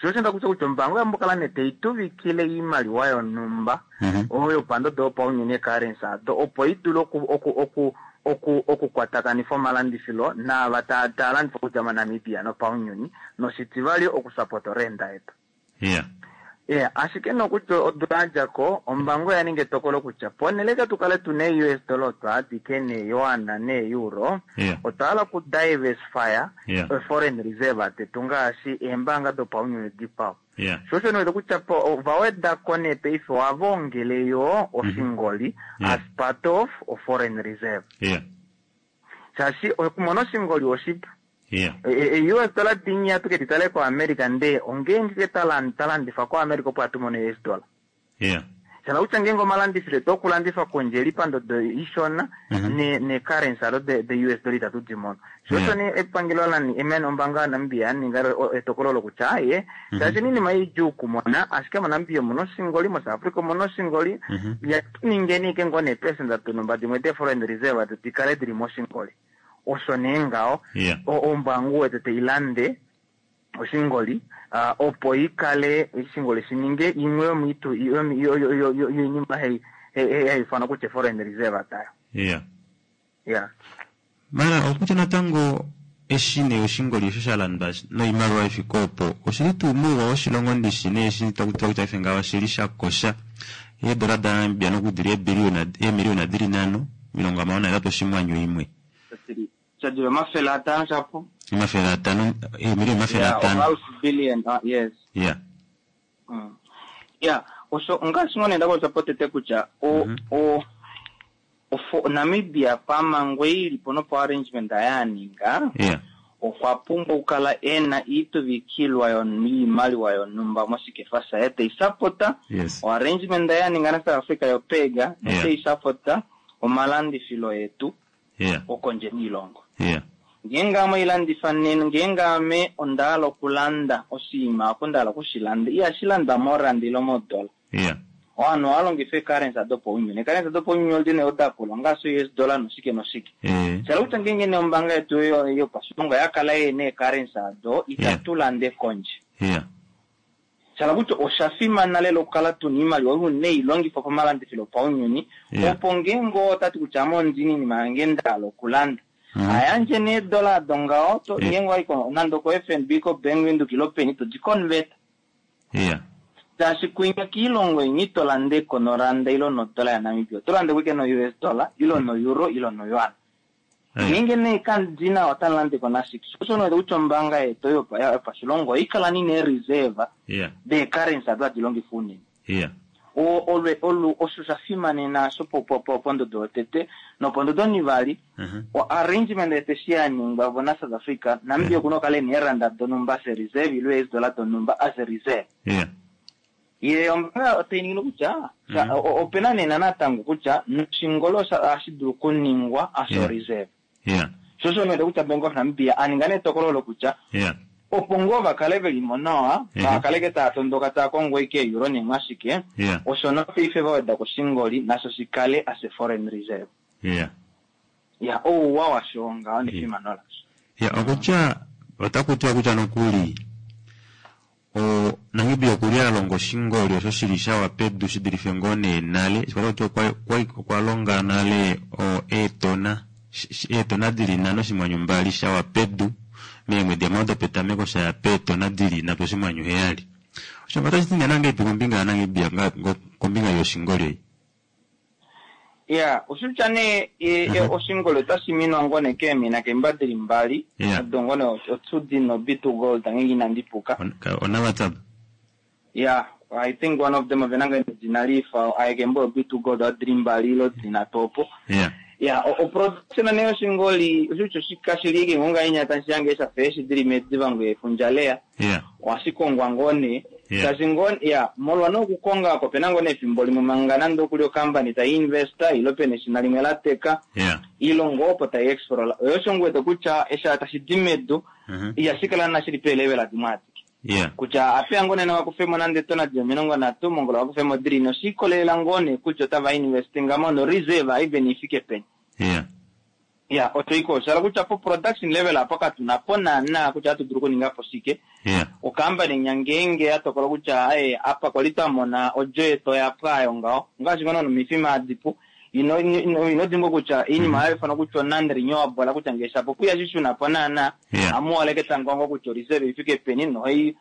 sho osho ndakutya kutya ombaanga oyambo kala nee teituvikile iimaliwa yonhumba Mhm. oyo pandodo yopaunyuni e-currency ado opo idule oku oku oku oku okukwatakanifa omalandifilo naava taa taa landifa okudja moNamibia nopaunyuni noshitivali okusapota orenda yetu Yeah. yeah ashike nokutya odula yadjako ombaanga oya ninga etokolo kutya ponele ka tukale tuna ee-US dollar otwa adike nee-yuan nee-euro Yeah. otwa hala oku diversifya Yeah. foreign reserve tetu ngaashi eembaanga dopaunyuni dikwao Yeah. sho osho niwete kutya po ovawedako nee paife ohava ongele yo oshingoli Yeah. as part of o foreign reserve Yeah. shaashi okumona oshingoli oshipu Yeah. E- e- US dollar dinya tuke titale ko America nde ongeenge ke talan talandifa ko America opo atumone US dollar Yeah. shala kutya ngeenge omalandifilo etu okulandifa kondje eli pandodo ishona Mhm. ne ne currency alo de, de US dollar itatu di mono sho osho Yeah. ne epangelo lani emene ombaanga yaNamibia yaninga o- etokolo lokutya aye shaashi iinima idjuu okumona ashike moNamibia omuna oshingoli moSouth Africa omuna oshingoli Mhm. yatuningeni ike ngoo neepesenda donhumba dimwe de-foreign reserve dikale dili moshingoli osho nee ngaho Yeah. o- ombaanga wete teilande oshingoli ah, opo ikale oshingoli shininge imwe yomiitu yomi- yo- yo- yo- yo- yoinima hai- hai- hai- haifanwa kutya foreign reserve tayo Yeah. yeah Mara okutya natango eshi nee oshingoli osho sha landwa noimaliwa ifika opo oshili tuu muuwa woshilongo ndishi nee eshi takutiwa kutya ife ngaho oshili sha kosha eedola daNamibia nokudili eebiliyona eemiliyona dili nhano omilongo hamano nahetatu oshinghwanyu imwe shadili omafele atano shapo omafele atano eemiliyona omafele yeah, atano half billion ah, yes yeah mm. yeah osho ngaashi ngoo nee ndakopya potete kutya o Mhm. o ofo Namibia pamangwe ilipo nopo arrangement ayaninga yeah Okwa pumbwa okukala ena iituvikilwa yoimaliwa yonhumba moshikefa shaye teisapota Yes. oarrangement ya ninga naSouth Africa yopega Yeah. noteisapota omalandifilo etu Yeah. okondje niilongo. Yeah. Ngeenge ame oilandifa nena ngeenge ame onda hala okulanda oshinima oko nda hala okushilanda ihashi landwa morand ile modola. Yeah. Ovanhu ohava longifa eecurrency dopaunyuni. Eecurrency dopaunyuni odi nee odakula ngaashi US dollar noshike noshike. Eh. Shala kutya ngeenge nee ombaanga yetu yo- yopashilongo oya kala yena eecurrency ado itatu lande kondje. Yeah. Shala kutya osha fimana lela okukala tuna iimaliwa oyo neilongifwa pamalandifilo opaunyuni Yeah. opo ngeenge otati kutya ame ondina iinima yange nda hala okulanda Mhm. ayandje nee eedola ado ngaho to- Yeah. ngeenge wayi ko- nande oko F N B ko Bank Windhoek ilo peni todi convert Yeah. shaashi kwinya kiilongo inyi ito landeko noranda ilo nodola yaNamibia oto lande kuike no U S dollar ilo no euro ilo no yuan. Eh. Ngeenge nee kandina otalandeko nashike sho osho kutya ombaanga yetu yopa- yopashilongo oikala nina ereserve Yeah. deecurrency ado hadi longifwa unene. Yeah. O- olwe olu osho sha fimanena sho po- po- po- pondodo yotete nopondodo onivali Mhm. o arrangement yetu eshi ya ningwa vo naSouth Africa Namibia okuna okukala ena eeranda donhumba as a reserve ilo eedola donhumba as a reserve. Yeah. Ye ombaanga otai ningile kutya Mhm. o- opena nena natango kutya noshingolo osha- ohashi dulu okuningwa as a Yeah. reserve. Yeah. Sho osho nwete kutya Bank of Namibia aninga netokolo lokutya Yeah. opo ngoo vakale velimo nawa Mhm. vakaleke taya tondoka taya kongo ike euro nemwashike Yeah. osho nopaife vaweda koshingoli nasho shikale as a foreign reserve. Yeah. Ya ouwa washo ngaho nefimano lasho. Ya okutya otaku tiwa kutya nokuli o Namibia okuli alonga oshingoli osho shili shawa pedu shidulife ngoo nee nale shikwata kutya okwa, okwa, okwa longa nale o eetona sh- sh- eetona dili nhano oshinghwanyu mbali shawa pedu meemwedi hamano dopetameko shaya peetona dili nhatu oshinghwanyu heyali osho otashi ti nee nangeipi kombinga yaNamibia nga- ngo- kombinga yoshingoli ei? Ya oshitya nee e- e- Mhm. oshingoli otashi minwa ngoo nee keemina keemba dili mbali Yeah. odo ngoo nee otsudi noB two Gold ngenge inandi puka. On- ka- onaWhatsApp. Yeah, I think one of them ovena ngoo edina lifa ayekembo yoB two Gold odili mbali ilo dili nhatu opo. Yeah. Ya o- oproduction nee yoshingoli oshitya oshikashili ngonga inyata shange shafa eshi dili medivango yefundja leya Yeah. ohashikongwa ngoo nee Yeah. shaashi ngoo ya molwa nee okukonga oko opena ngoo nee efimbo limwe manga nande okuli okampani tayi investa ilo pena eshina limwe lateka Yeah. ilo ngoo opo tayi explora oyo osho ngu wete kutya eshi tashi di medu Mhm. ihashi kala na shili peelevela dimwe adike Yeah. kutya apeya ngoo nena vakufemo nande etona di omilongo nhatu mongola vakufemo dili noshiikolelela ngoo nee kutya otava investingamo no reserve even ifike peni. Yeah. Ya osho iko oshala kutya po production level apo katuna po naana kutya atu dulu okuninga po shike. Yeah. Okampani nya ngeenge ya tokola kutya aye apa kwali twamona odjo yetu oya pwa ayo ngaho ngaashi ngono nomifima adipu ino ino ino dimbwa kutya iinima mm -hmm. kutya non renewable kutya ngee shapo kuya shishuna po naana Yeah. amuwaleke tangongo kutya oreserve ifike peni nohai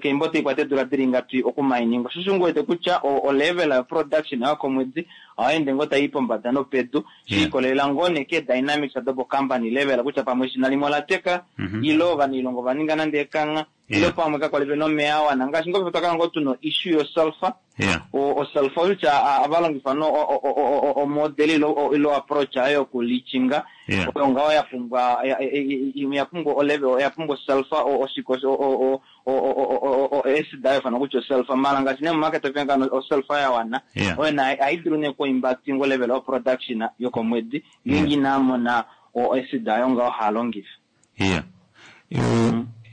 keimbo taikwata eedula dili ngapi okumaininga osho sho ngu wete kutya o- olevel yo production yokomwedi ohaende ngoo tayi pombada nopedu Yeah. shiikolelela ngoo nee ke dynamics dopo company level kutya pamwe eshina limwe ola teka Mhm. ilo ovanailonga ova ninga nande ekangha ilo Yeah. pamwe kakwali pena omeya awana ngaashi ngoo twakala ngoo tuna issue yosulfur Yeah. o osulfur kutya avalongifa no omodel ilo ilo approach ayo yokulichinga Yeah. oyo ngaho ya pumbwa ya- ya- ya- ya pumbwa olevel ya pumbwa sulfur o- oshiko o- o- o- o- o- o- acid ayo fana kutya osulfur mala ngaashi nee mumarket openga osulfur ya wana Yeah. oyo na haidulu nee kuimpactinga olevel of production yokomwedi ngeenge inamona o acid ayo ngaho halongifa. Yeah. Yo,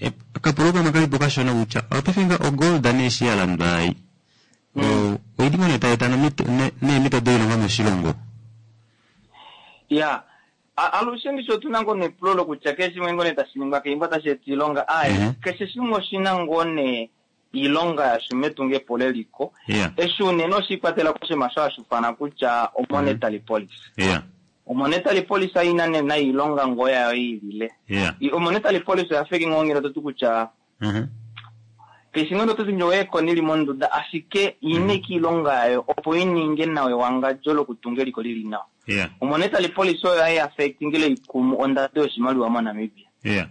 e, kapulo kamwe kalipo kashona kutya opaife nga ogold nee eshi ya landwa ai o oili ngoo nee tai eta nomito- ne- neemito doilonga moshilongo? Ya A- alushe ndicho otuna ngoo nepulo lokutya keshe shimwe ngoo nee tashi ningwa keimbo tashi eta iilonga aye Mhm. keshe shimwe oshina ngoo nee iilonga yasho metungepo leliko Yeah. eshi unene oshiikwatela koshinima sho hashifana kutya omonetary policy. Yeah. Omonetary policy ayina nena iilonga ngoo yayo yiilile. Yeah. I- omonetary policy oya feke ngoo ngele totu kutya Mhm. keshe ngoo totu njo eekoni li monduda ashike iineka iilonga yayo opo ininge nawa ewangadjo lokutunga eliko lili nawa. Yeah. Omonetary policy oyo hayi affectingile ikumu ondando yoshimaliwa moNamibia. Yeah.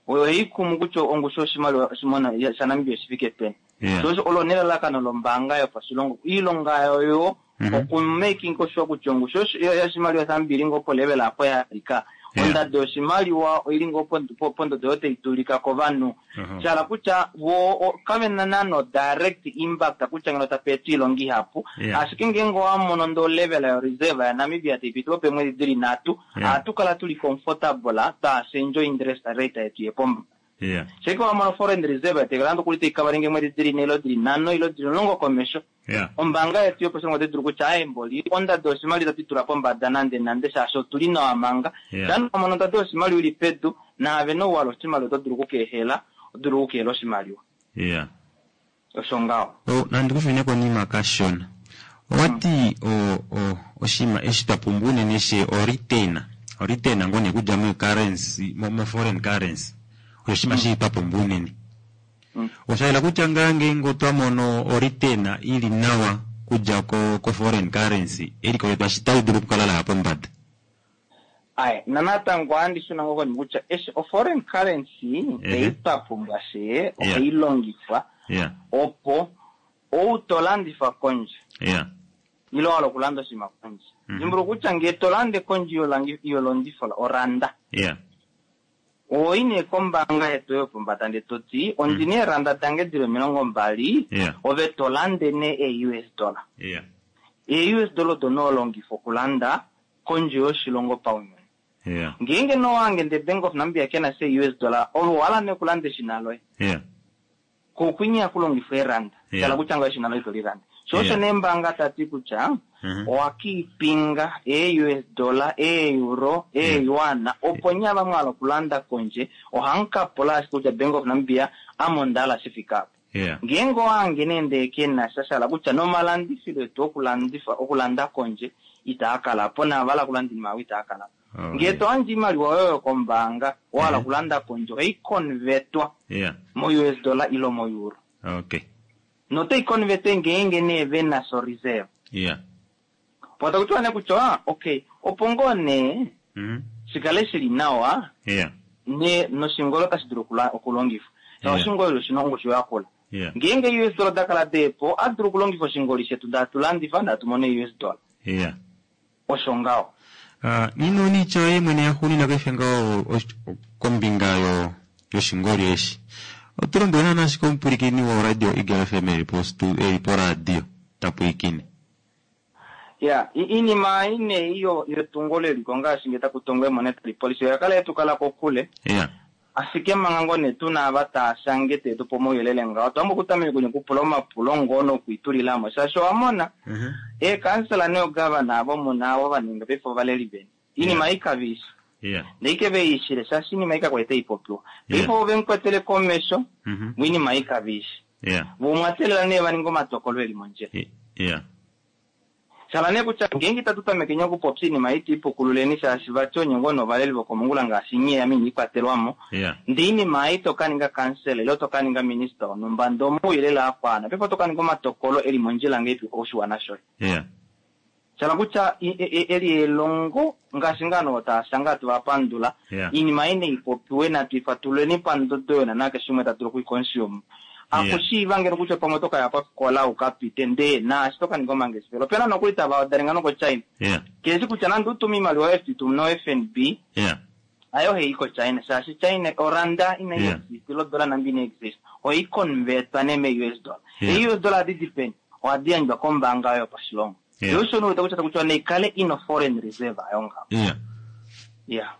Oyo hayi kumu kutya ongushu yoshimaliwa shimona- shaNamibia oshifike peni. Yeah. So osho olo nelalakano lombaanga yopashilongo iilonga yayo Mhm. okumaking sure kutya ongushu yoshi- yoshimaliwa shaNamibia ili ngoo polevel apo ya alika Ondado yoshimaliwa oili ngoo pond- pondodo oyo tai dulika kovanhu. Mhm. Sha hala kutya vo o- kave na naano direct impact kutya ngeno tape etwa iilonga ihapu. Yeah. Ashike ngeenge owa mono ndee olevel yoreserve yaNamibia taipiti peemwedi dili nhatu, Yeah. ohatu kala tuli comfortable taashendja interest rate yetu yepombada. Yeah. Sheke wa mono foreign reserve taikala nokuli taikavalinga eemwedi dili nhee ile dili nhano ile dili omulongo komesho. Yeah. Ombaanga yetu yoposhilongo otai dulu kutya aaye mboli ondado yoshimaliwa itatu i tula pombada nande nande shaashi otuli nawa manga. Yeah. Shaa wa mono ondado yoshimaliwa ili pedu naave nouwala oshimaliwa oto dulu okukeehela, oto dulu okukeehela oshimaliwa. Yeah. Osho ngaho. Oh, nandi kufine konima kashona. Owati o o oshima eshi twa pumbwa unene she o retainer. O retainer ngoo nee kudja mo currency mo, mo foreign currency. Osho oshinima shi twa pumbwa unene. Osha yela kutya ngaa ngeenge otwa mono o retainer ili nawa kudja ko, ko foreign currency, eliko letu ashi tali dulu okukala laya pombada. Aye, nanatango ohandi shuna ngoo konima kutya eshi o foreign currency Ehe. ei twa pumbwa shee ohai longifwa Yeah. opo ou to landifa kondje Yeah. ile wa hala okulanda oshinima kondje. Mhm. Dimbuluka kutya ngee to lande kondje yolangi- yolondifo oranda, Yeah. ohoyi nee kombaanga yetu yopombada ndee toti ondina eeranda dange dili omilongo mbali Yeah. ove to lande nee ee US dollar. Yeah. Ee US dollar odo nee holongifa okulanda kondje yoshilongo paunyuni. Yeah. Ngeenge nee owange ndee Bank of Namibia kena sha US dollar, ove owahala nee okulanda eshina loye. Yeah. Kokwinya hakulongifwa eranda. Yeah. Shala kutya ngaho eshina loye ito lilanda. Sho osho Yeah. nee ombaanga tati kutya Mhm. owakiipinga ee US dollar, ee euro, ee yuan, opo nye ava mwahala okulanda kondje ohamu ashike kutya Bank of Namibia ame ondahala shifike apa. Yeah. Ngeenge owange nee ndee kena sha sha hala kutya nomalandifilo etu okulandifa okulanda kondje itaa kalapo naava hala okulanda oinima yavo itaa kalapo. Oh, Ngee yeah. to yandje oimaliwa yoye yokombaanga wahala Mhm. okulanda kondje ohai convertwa Yeah. mo US dollar ile mo euro. Okay. Notai converte ngeenge nee vena so reserve. Yeah. Po takutiwa nee kutya ah, okay opo ngoo nee Mhm. shikale shili nawa Yeah. ne noshingolo otashi dulu okula- okulongifwa. Yeah. Oshingoli oshina ongushu yakula. Yeah. Ngeenge US dollar dakala deepo ohatu dulu okulongifa oshingoli shetu ndee hatu landifa ndee hatu mono US dollar. Yeah. Osho ngaho. Ah, nino niitya yoye mwene yaxuuninwa paife ngaho osh- kombinga yo yoshingoli eshi. Oto lombwele naana ashike omupwilikini woradio Eagle FM eli po stu- eli poradio tapwilikine. Ya, i- iinima ine iyo yetungo leliko ngaashi ngee taku tongwa monetary policy oya kala yetukala kokule. Yeah. Ashike manga ngoo nee tuna ava taashange teetupe omauyelele ngaho otwambo okutameka kunye okupula omapulo ngoo nokwiitulilamo shaashi owamona Mhm. eekansela neegavana avo muna avo vaninga paife ovaleli veni iinima ei kaveisha Yeah. ndee ike veishile shaashi iinima ei kakwali taipopiwa Yeah. paife ove mukwetele komesho Mhm. moinima ei kaveisha Yeah. vo omwatelela nee vaninga omatokolo eli mondjila Yeah. shala nee kutya ngeenge itatu tamekeni okupopya iinima ei tuipukululeni shaashi vati onye ngoo novaleli vokomongula ngaashi nye ame iniikwatelwamo Yeah. ndee iinima ei tokaninga kansela ile tokaninga minista wonhumba ndee omauyelele akwana paife otokaninga omatokolo eli mondjila ngeipi oshiwana shoye. Yeah. Shala kutya i- e- e- eli elongo ngaashi ngaa notaashanga hatu vapandula Yeah. iinima ei naipopiwe natu ifatululeni pandodo yona nakeshe umwe ta dulu okuiconsume. Akushiiva ngeno kutya pamwe otokaya kofikola ukapite ndee naashi tokaninga omangeshefelo. Opena nokuli tava odalenga nokoChina. Yeah. Keshi kutya nande utume iimaliwa yoye tumu no FNB Yeah. ayo ohei koChina shaashi China oranda inai Yeah. exist ile odola nambi inai exist ohai convertwa nee me US dollar. Yeah. Ei US dollar ohadi di peni? Ohadi yandjwa kombaanga oyo yopashilongo. Yeah. Yo osho nee kutya kutya naikale ina foreign reserve ayo ngaho. Yeah. Yeah.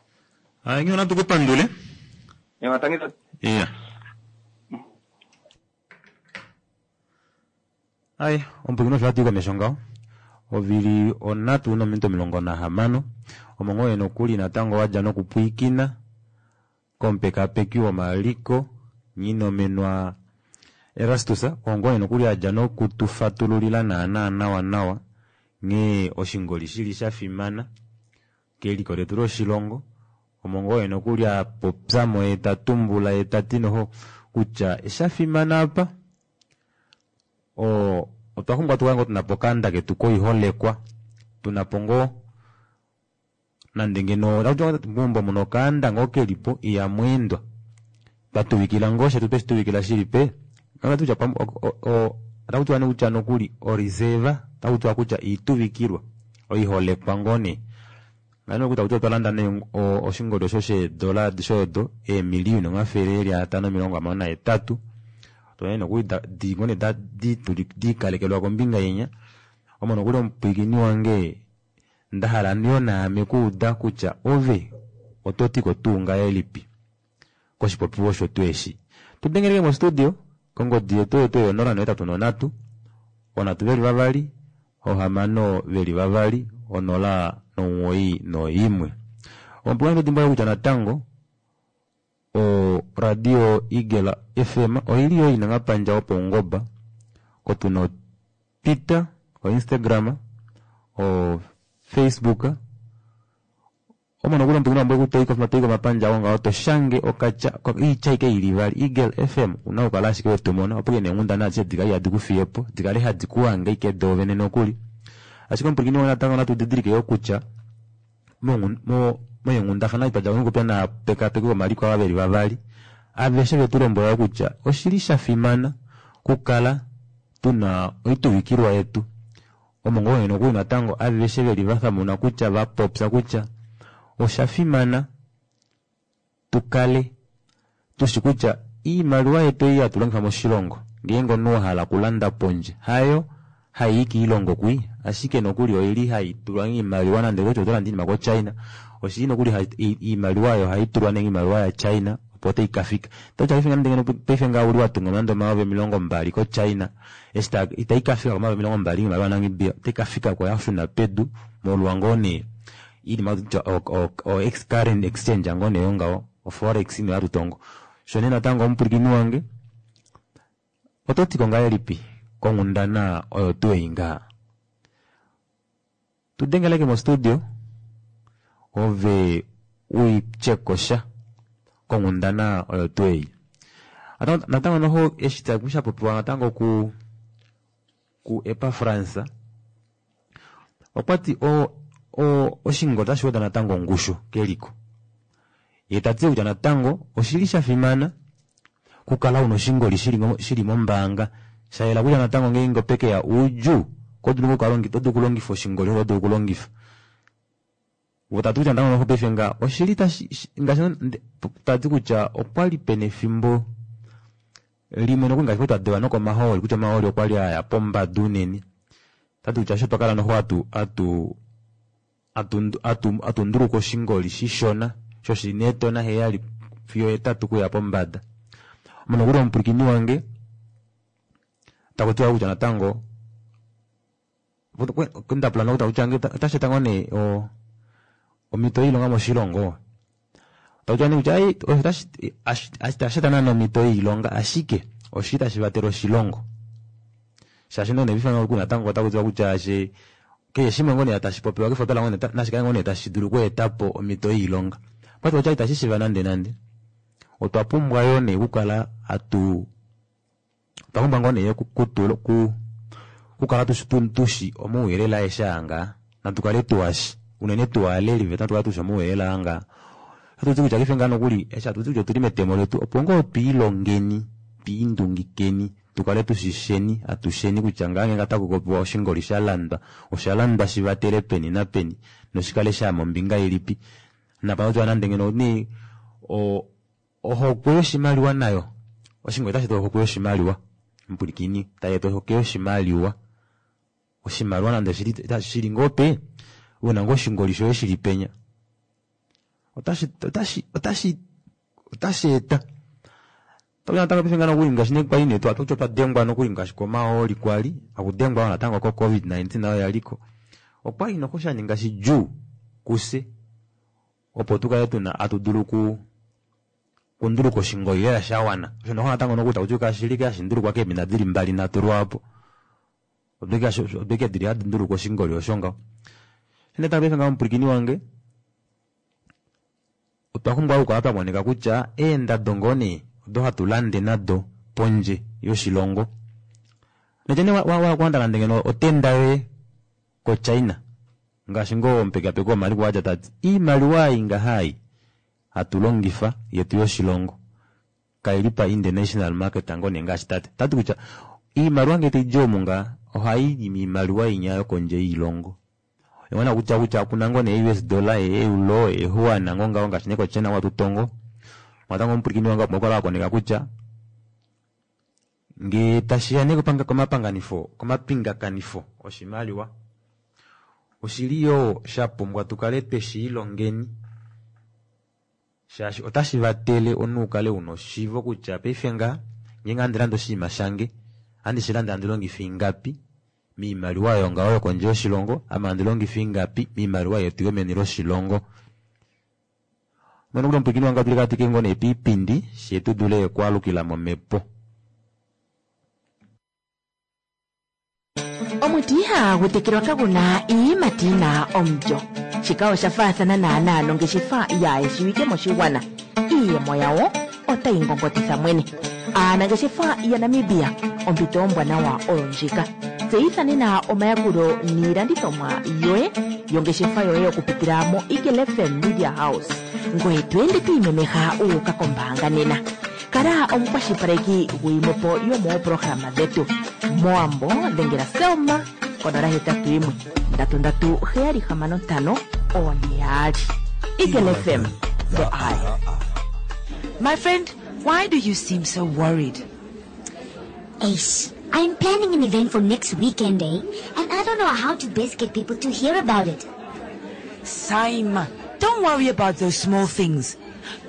Ah, ngiyo natu kupandule. Ewa tangi Yeah. Ai, omupwilikini osho hatu i komesho ngaho. Ovili onhatu nominute omulongo nahamano. Omo ngoo nokuli natango wadja nokupwiikina komupekapeki womaliko Nghinomenwa Erastus oo ngoo nokuli adja nokutufatululila naana nawa nawa nghee oshingoli shili shafimana keliko letu loshilongo. Omo ngoo nokuli apopyamo ye tatumbula ye tati noho kutya shafimana apa o otwa pumbwa tukale ngoo tunapo okanda ketu koiholekwa tunapo ngoo nande ngeno meumbo muna okaanda ngoo kelipo ihamweendwa twatuvikila ngoo shetu tweshituvikila shili pe otakutiwa nee kutya nokuli oreserve otakutiwa kutya oituvikilwa oiholekwa ngoo nee Ngano okuta kuti otwa landa nee oshingoli osho sheedola adishe odo eemiliyuni omafele eli atano omilongo hamano nahetatu. Otwa nokuli di ngoo nee diikalekelwa kombinga yenya. Omo nokuli omupwiikini wange ndahala yo naame kuuda kutya ove oto ti ko tuu ngahelipi koshipopiwa osho tuu eshi. Tudengeleke mostudio kongodi yetu oyo tuu onola nohetatu nonhatu onhatu veli vavali ohamano veli vavali onola nomuwoi noimwe. Omupwiikini dimbuluka kutya natango o radio Eagle F M oili yo ina omapandja opaungoba ko tuna Twitter, o Instagram, o Facebook. Omo nokuli omupwiikini wange toyi komapandja oo ngaho toshange okatya oitya ashike ili ivali Eagle F M una okukala ashike wetumona opo ke neenghundana adishe dikale ihadi kufiyepo dikale hadi kuhange ashike doovene nokuli. Ashike omupwiikini wange natango natu didilike yo kutya meenghundafana twadja nokupya naapekapeki vomaliko ava veli vavali aveshe vetu lombwela kutya oshili shafimana kukala tuna oituvikilwa yetu. Omo ngoo nokuli natango aveshe veli vathamuna kutya vapopya kutya oshafimana tukale tushi kutya iimaliwa yetu ei hatu longifa moshilongo ngeenge omunhu wahala okulanda pondje hayo hayi kiilongo kwi ashike nokuli oili haitulwa iimaliwa nande kutya oto landa iinima ko China oshili nokuli iimaliwa oyo haitulwa nenge iimaliwa ya China opo tai kafika. Paife ngaha uli watunga nande omayovi omilongo mbali ko China eshi itai kafika komayovi omilongo mbali iimaliwa yaNamibia otai kafika ko yashuna pedu molwa ngoo nee iinima o current exchange ngoo nee ngaho o forex ino hatu sho nee natango omupwilikini wange oto tiko ngahelipi konghundana oyo tuu ei ngaha. Tudengeleke mostudio ove uityekosha konghundana oyo tuu ei. Natango noho eshi shapopiwa natango ku ku Epafrans okwati o o oshingoli otashi weda natango ongushu keliko. Ye tati kutya natango oshili shafimana kukala una oshingoli shili mombaanga shayela kutya natango ngeenge opekeya oudjuu kodulu oto dulu okulongifa oshingoli oto dulu okulongifa. Votati kutya natango noho paife nga oshili tashi ngaashi tati kutya okwali pena efimbo limwe nokuli ngaashi twa dewa nokomahooli kutya omahooli okwali aya pombada unene. Tati kutya osho twakala noho atu atu atu atu nduluka oshingoli shishona sho shili neetona heyali fiyo hetatu kuya pombada. Omo nokuli omupwilikini wange taku tiwa kutya natango ndapula nokutya otashi eta ngoo nee omhito yoilonga moshilongo. Taku tiwa nee kutya itashi eta naana omhito yoilonga ashike oshili tashi vatele oshilongo. Shaashi nee nokuli natango otaku tiwa kutya keshe shimwe ngoo nee tashi popiwa kefopela ngoo nee nashi kale ngoo nee tashi dulu okweetapo omhito yoilonga. Okwati kutya itashi shiiva nande nande. Otwa pumbwa yoo nee okukala hatu otwa pumbwa ngoo nee kukala tushi omauyelele aeshe aa ngaa natu kale tuwashi unene tuwaaleli vetu natu kale tushi omauyelele aa ngaa. Ohatuti kutya paife ngaa nokuli eshi hatuti kutya otuli metemo letu opo ngoo twiilongeni twiindungikeni tukale tushisheni atusheni kutya ngaa ngenge otaku popiwa oshingoli shalandwa oshalandwa shivatele peni napeni noshikale shaya mombinga ilipi. Napa nande ngeno nee ohokwe yoshimaliwa nayo oshingoli otashi eta ohokwe yoshimaliwa mupwilikini tayi eta ohokwe yoshimaliwa. Oshimaliwa nande shili ngoo pe una ngoo oshingoli shoye shili penya otashi otashi otashi otashi eta natango paife ngaa nokuli ngaashi nee kwali nee twati otwa dengwa nokuli ngaashi komahooli kwali akudengwa natango ko covid nineteen nayo yaliko okwali noho shaninga shidjuu kufye opo tukale tuna hatu dulu ku kunduluka oshingoli lela shawana. Osho noho natango nokuli takuti kashili hashi ndulukwa keemina dili mbali nhatu lwaapo. Odo ike dili hadi nduluka oshingoli osho ngaho. Natango paife ngaho omupwilikini wange otwa pumbwa okukala twa koneka kutya eendado ngoo nee odo hatu lande nado pondje yoshilongo. Nokutya nee wakulanda nande ngeno otenda yoye ko China ngaashi ngoo omupekapeki womaliko adja tati iimaliwa ei ngaha ei hatu longifa yetu yoshilongo kaili pa international market ngoo nee ngaashi tati. Tati kutya iimaliwa ngee taidi omu ngaa ohayi miimaliwa inya yokondje yiilongo. Ongona kutya kutya kuna ngoo nee U S dollar, euro, ehuana ngoo ngaho ngaashi nee koChina watu tongo. Natango omupwilikini wange opo kala wakoneka kutya ngee tashiya nee komapanganifo, komapingakanifo oshimaliwa oshili yoo shapumbwa tukale tweshiilongeni shaashi otashi vatele omunhu ukale una oshiivo kutya paife nga ngeenge handi lande oshinima shange handi shilande handi longifa ingapi miimaliwa oyo ngaho yokondje yoshilongo, ame handi longifa ingapi miimaliwa yetu yomeni loshilongo. Mwene kuli omupwilikini wange otuli katwike ngoo nee piipindi shee tudule okwaalukila momhepo. Omuti ihagu tekelwa kagu na iiyimati yi na omulyo. Shika osha faathana naanaa nongeshefa yaayeshiwike moshigwana. Iiyemo yawo otayi ngongotitha mwene. Aanangeshefa yaNamibia, ompito ombwanawa oyo ndjika. Tseyitha nena omayakulo niilandithomwa yoye yongeshefa yoye okupitila moEagle F M Media House. Ngoye to ende to imemeha wu uka kombaanga nena. Kala omukwashilipaleki guyimwe po yomooprograma dhetu. MOwambo dhengela Selma konola hetatu yimwe ndatu ndatu heyali hamano ntano oone yaali. Eagle F M, the eye. My friend, why do you seem so worried? Ace, I'm planning an event for next weekend, eh? And I don't know how to best get people to hear about it. Saima, don't worry about those small things.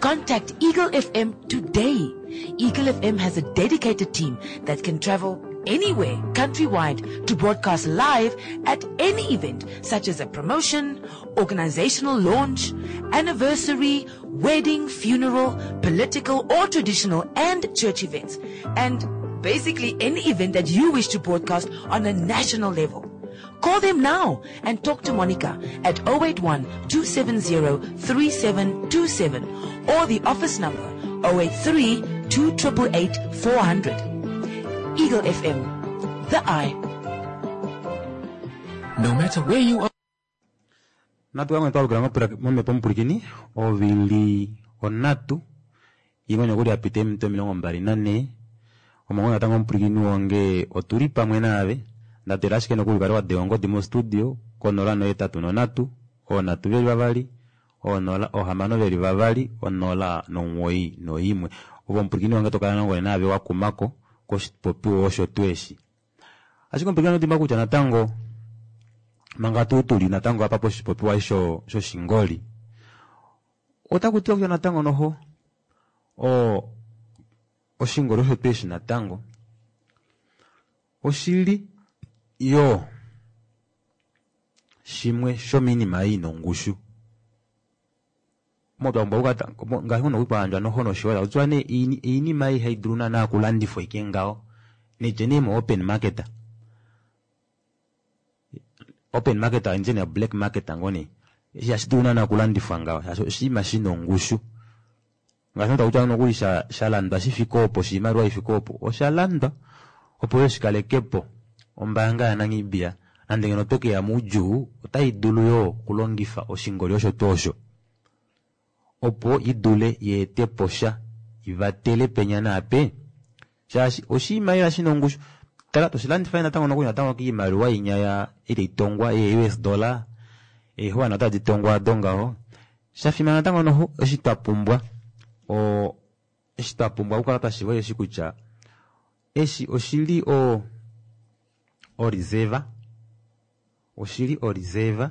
Contact Eagle F M today. Eagle F M has a dedicated team that can travel anywhere countrywide to broadcast live at any event such as a promotion, organizational launch, anniversary, wedding, funeral, political or traditional and church events. And basically any event that you wish to broadcast on a national level. Call them now and talk to Monica at oh eight one two seven zero three seven two seven or the office number oh eight three two eight eight four hundred. Eagle F M, the eye. No matter where you are. Natukamwe twalukila momhepo omupwilikini ovili onhatu imwe nokuli yapita eminute omilongo mbali nanhee omongo natango omupwilikini wange otuli pamwe naave ndatela ashike nokuli ukale wadenga ongodi mostudio konola nohetatu nonhatu oonhatu veli vavali onola ohamano veli vavali onola nomuwoi noimwe ove omupwilikini wange tokala nangone naave wakumako koshipopiwa osho tuu eshi ashike omupwilikini otimba kutya natango manga tuu tuli natango apa poshipopiwa sho shoshingoli otaku tiwa kutya natango noho o oshingoli osho tuu eshi natango oshili yo shimwe shomiinima ei ina ongushu ngaashi ngono kwandjwa noho noshiwala otiwa nee iinima ei haidulu naana okulandifwa ike ngaho nitye nee mo open market, open market ndje ne black market ngoo nee ihashi dulu naana okulandifwa ngaho shaashi oshinima shina ongushu ngaashi takutya nokuli shalandwa shifike opo oshimaliwa ifike opo oshalandwa opo yo shikalekepo ombaanga yaNamibia nande ngeno otokeya moudjuu otai dulu yoo okulongifa oshingoli osho tuu osho opo idule yeetepo sha ivatele penya naape shaashi oshinima lela shina ongushu tala toshilandifa natango nokuli natango kiimaliwa inya ya itaitongwa ee U S dollar eehuana otadi tongwa ado ngaho shafimana natango noho eshi twapumbwa o eshi twapumbwa okukala twashiiva eshi kutya eshi oshili o oreserve oshili oreserve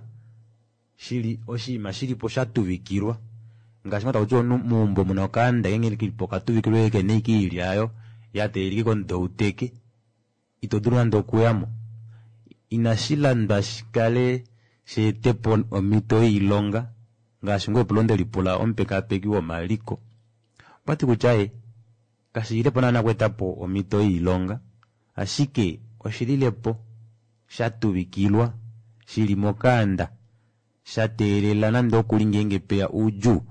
shili oshinima shilipo shatuvikilwa ngaashi ngoo takutiwa omunhu meumbo muna okaanda ngenge kelipo okatuvikilwa kena ashike oilya yayo yateelelika komudo uteke ito dulu nande okuyamo inashi landwa shikale sheetepo omhito yoilonga ngaashi ngoo epulo ndelipula omupekapeki womaliko okwati kutya ee kashililepo naana okweetapo omhito yoilonga ashike oshililepo shatuvikilwa shili mokaanda shateelela nande okuli ngeenge peya oudjuu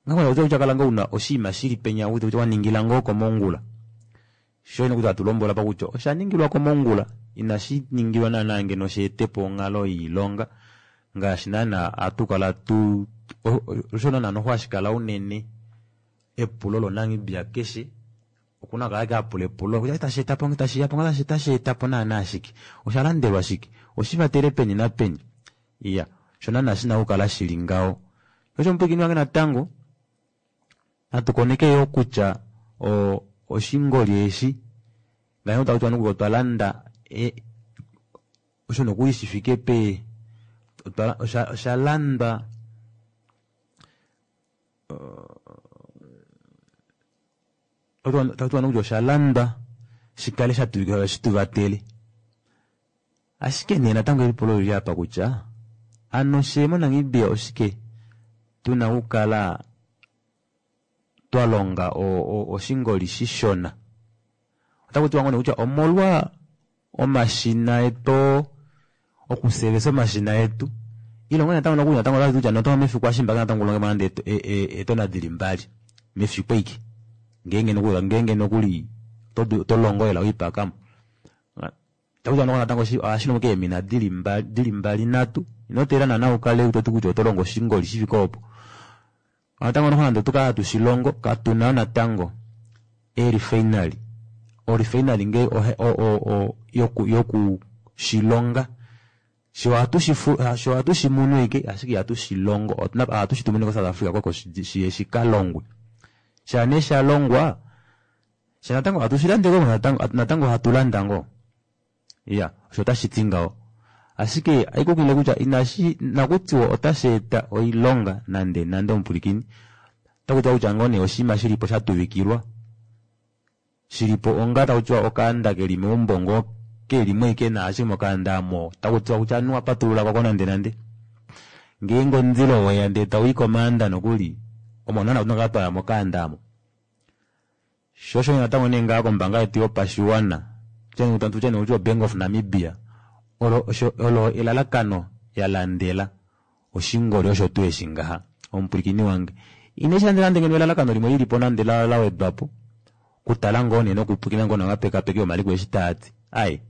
ngakutya kala ngoo una oshinima shili penya waningila ngoo komongula sho ino kutya atulombwela pa kutya oshaningilwa komongula inashi ningilwa naana ngeno sheetepo onghalo yoilonga ngaashi naana atukala tu osho naana noho hashikala unene epulo loNamibia keshe okuna kala ake apula epulo kutya tasheetapo tashiyapo tasheetapo naana shike oshalandelwa shike oshivatele peni napeni. Iya, osho naana shina okukala shili ngaho. Osho omupwilikini wange natango natu koneke yoo kutya o oshingoli eshi ngaashi taku tiwa nokuli otwa landa e, osho nokuli shifike pe otwa osha, osha landwa taku tiwa nokuli osha landwa shikale shatuvikilwa shituvatele. Ashike nee natango elipulo lili apa kutya ano she moNamibia oshike tuna okukala twa longa oshingoli shishona. Otaku tiwa ngoo kutya omolwa omashina etu okusevesa omashina etu ilongo natango nokuli natango otati kutya noto mefiku ashimbaka natango ulonge nande eetona dili mbali mefiku eike ngeenge nokuli ngeenge nokuli to longo lela oipakamo. Taku tiwa natango ohashi longo keemina dili mbali dili mbali nhatu ino teelela naana ukale toti kutya oto longo oshingoli shifike opo. Natango noho nande otukala hatu shilongo katuna natango eerefinery. Orefinery ngee yoku yoku shilonga sho ohatu shifu sho ohatu shimunu ike ashike ihatu shilongo ohatu shitumine ko South Africa koko shiye shikalongwe. Sha nee shalongwa sha natango ohatu shilandeko natango natango ohatu landa ngoo. Iya, osho otashi ti ngaho. Ashike aikukile kutya inashi nakutiwa otashi eta oilonga nande nande omupwilikini. Otaku tiwa kutya ngoo nee oshinima shilipo shatuvikilwa shilipo onga taku tiwa okaanda keli meumbo ngoo kelimo ike naashi mokaanda amo taku tiwa kutya anuwa patulula koko nande nande. Ngeenge omundilo weya ndee tauyi komaanda nokuli omo naana tuna kukala twaya mokaanda amo. Sho osho natango nee ngaa kombaanga yetu yopashiwana tutye nee kutya oBank of Namibia olo osho olo elalakano ya landela oshingoli osho tuu eshi ngaha omupwilikini wange. Ine shi landela nande ngeno elalakano limwe lilipo nande la la wedwapo kutala ngoo nee nokupwilikina ngoo nomapekapeko omaliko eshi taati ai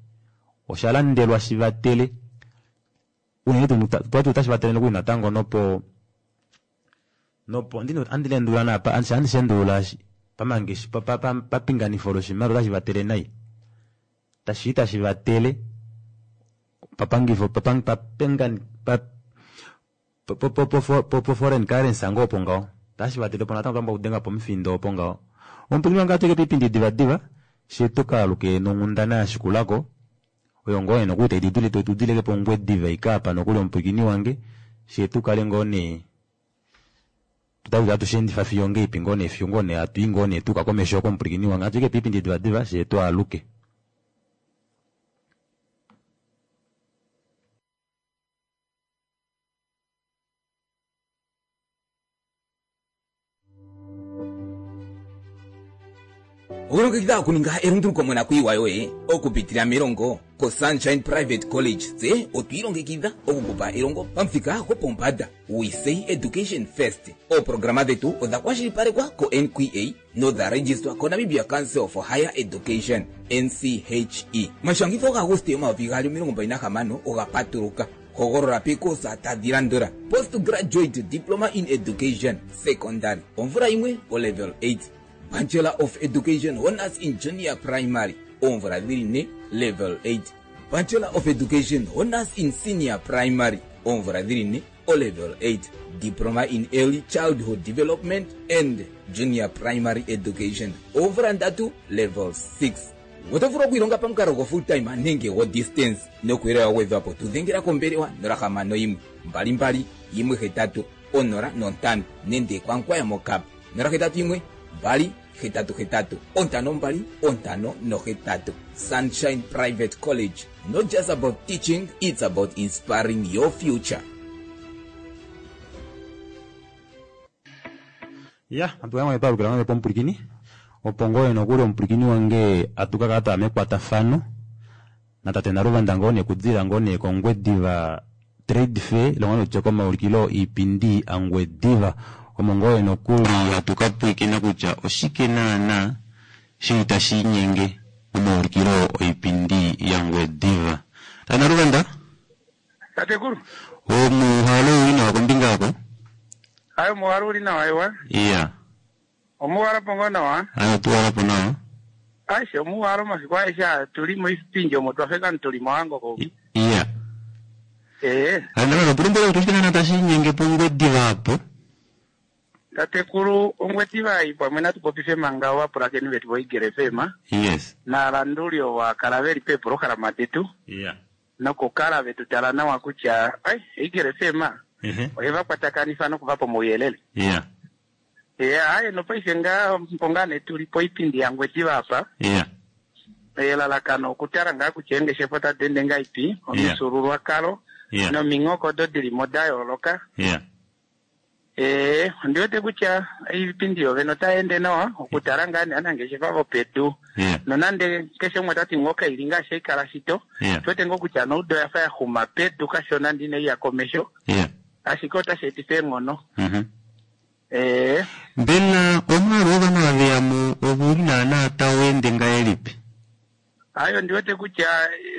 osha landelwa shivatele unene tuu twati otashi vatele nokuli natango nopo nopo ndino andi lendulula napa andi shendulula pamangeshi papinganifo loshimaliwa otashi vatele nai tashi tashi vatele papangifo papang papengani pa po po po po foreign currency ngoo opo ngaho tashi vatele po natango twamba kudenga pomufindo opo ngaho. Omupwilikini wange atuke piipindi divadiva she tukaluke nonghundana ya shikulako oyo ngoo nee nokuli tayi tudileke pOngwediva ika apa nokuli omupwilikini wange she tukale ngoo nee tutakuti hatu shendifa fiyo ngeipi ngoo nee fiyo ngoo nee hatu i ngoo nee tuka komesho komupwilikini wange atuike piipindi divadiva she twaaluke. Okulongekidha okuninga elunduluko monakuyiwa yoye okupitila melongo koSunshine Private College tse otwiilongekidha okukupa elongo pamuthika gopombanda. We say education first. Ooprograma dhetu odha kwashilipalekwa ko-N Q A nodha registrwa koNamibia Council for Higher Education N C H E. Omashangitho gaAguste omayovi gaali omilongo mbali nahamano oga patuluka. Hogolola pekosa tadhi landula: Postgraduate Diploma in Education Secondary omvula yimwe o level eight, Bachelor of Education Honors in Junior Primary oomvula dhili ne level eight, Bachelor of Education Honors in Senior Primary oomvula dhili ne o level eight, Diploma in Early Childhood Development and Junior Primary Education oomvula ndatu level six. Oto vulu okwiilonga pamukalo go full time nenge go distance nokuyelela gwedhwapo tudhengela kombelewa nola hamano yimwe mbali mbali yimwe hetatu onola nontano nenge kwankwaya mokap nola hetatu yimwe mbali hetatu hetatu ontano mbali ontano nohetatu. Sunshine Private College, not just about teaching, it's about inspiring your future. Ya, atu yamwe twalukila ngoo pomupwilikini opo ngoo nokuli omupwilikini wange atuka kala twaya mekwatafano natate Naluvanda ngoo nee kudila ngoo nee kOngwediva Trade Fair longa nokutya komaulikilo iipindi aNgwediva omo ngoo nokuli hatu ka pwilikina kutya oshike naana shili tashi inyenge momaulikilo oipindi yaNgwediva. Tate Naluvanda? Tatekulu. Omuhalo uli nawa kombinga yako? Ayo omuhalo uli nawa ewa. Iya. Omuhalo po ngoo nawa? Ayo tuwala po nawa. Aishe omuhalo omasiku aeshe aa tuli moipindi omo twafeka tuli mohango ko. Iya. Eh. Ee, Ano tulombwele kutya oshike naana tashi inyenge pOngwediva apo. Tatekulu Ongwediva ei pamwe natu popife manga ovapulakeni vetu voEagle F M Yes. naalanduli ovo akala veli peeprograma detu Yeah. nokukala vetu tala nawa kutya ai Eagle F M Ehe. oye va kwatakanifa nokuvapa omauyelele. Yeah. Ee, aye nopaife ngaa mpo ngaa nee tuli poipindi yaNgwediva apa. Yeah. Elalakano okutala ngaa kutya eengeshefa otadi ende ngaipi, omifyuululwakalo Yeah. nominghoko odo dili mo da yooloka. Yeah. Ee, ondi wete kutya iipindi yovene otai ende nawa okutala ngaa nee aanangeshefa vopedu Yeah. nonande keshe umwe otati ngoo kaili ngaashi haikala shito, Yeah. tuwete ngoo kutya noudo oya fa ya xuma pedu kashona ndi inai ya komesho, Yeah. ashike otashi etifa eenghono. Mhm. Ee, Mbela omwaalu wovanhu ava mo ouli naana tau ende ngahelipi? Ayo ndi wete kutya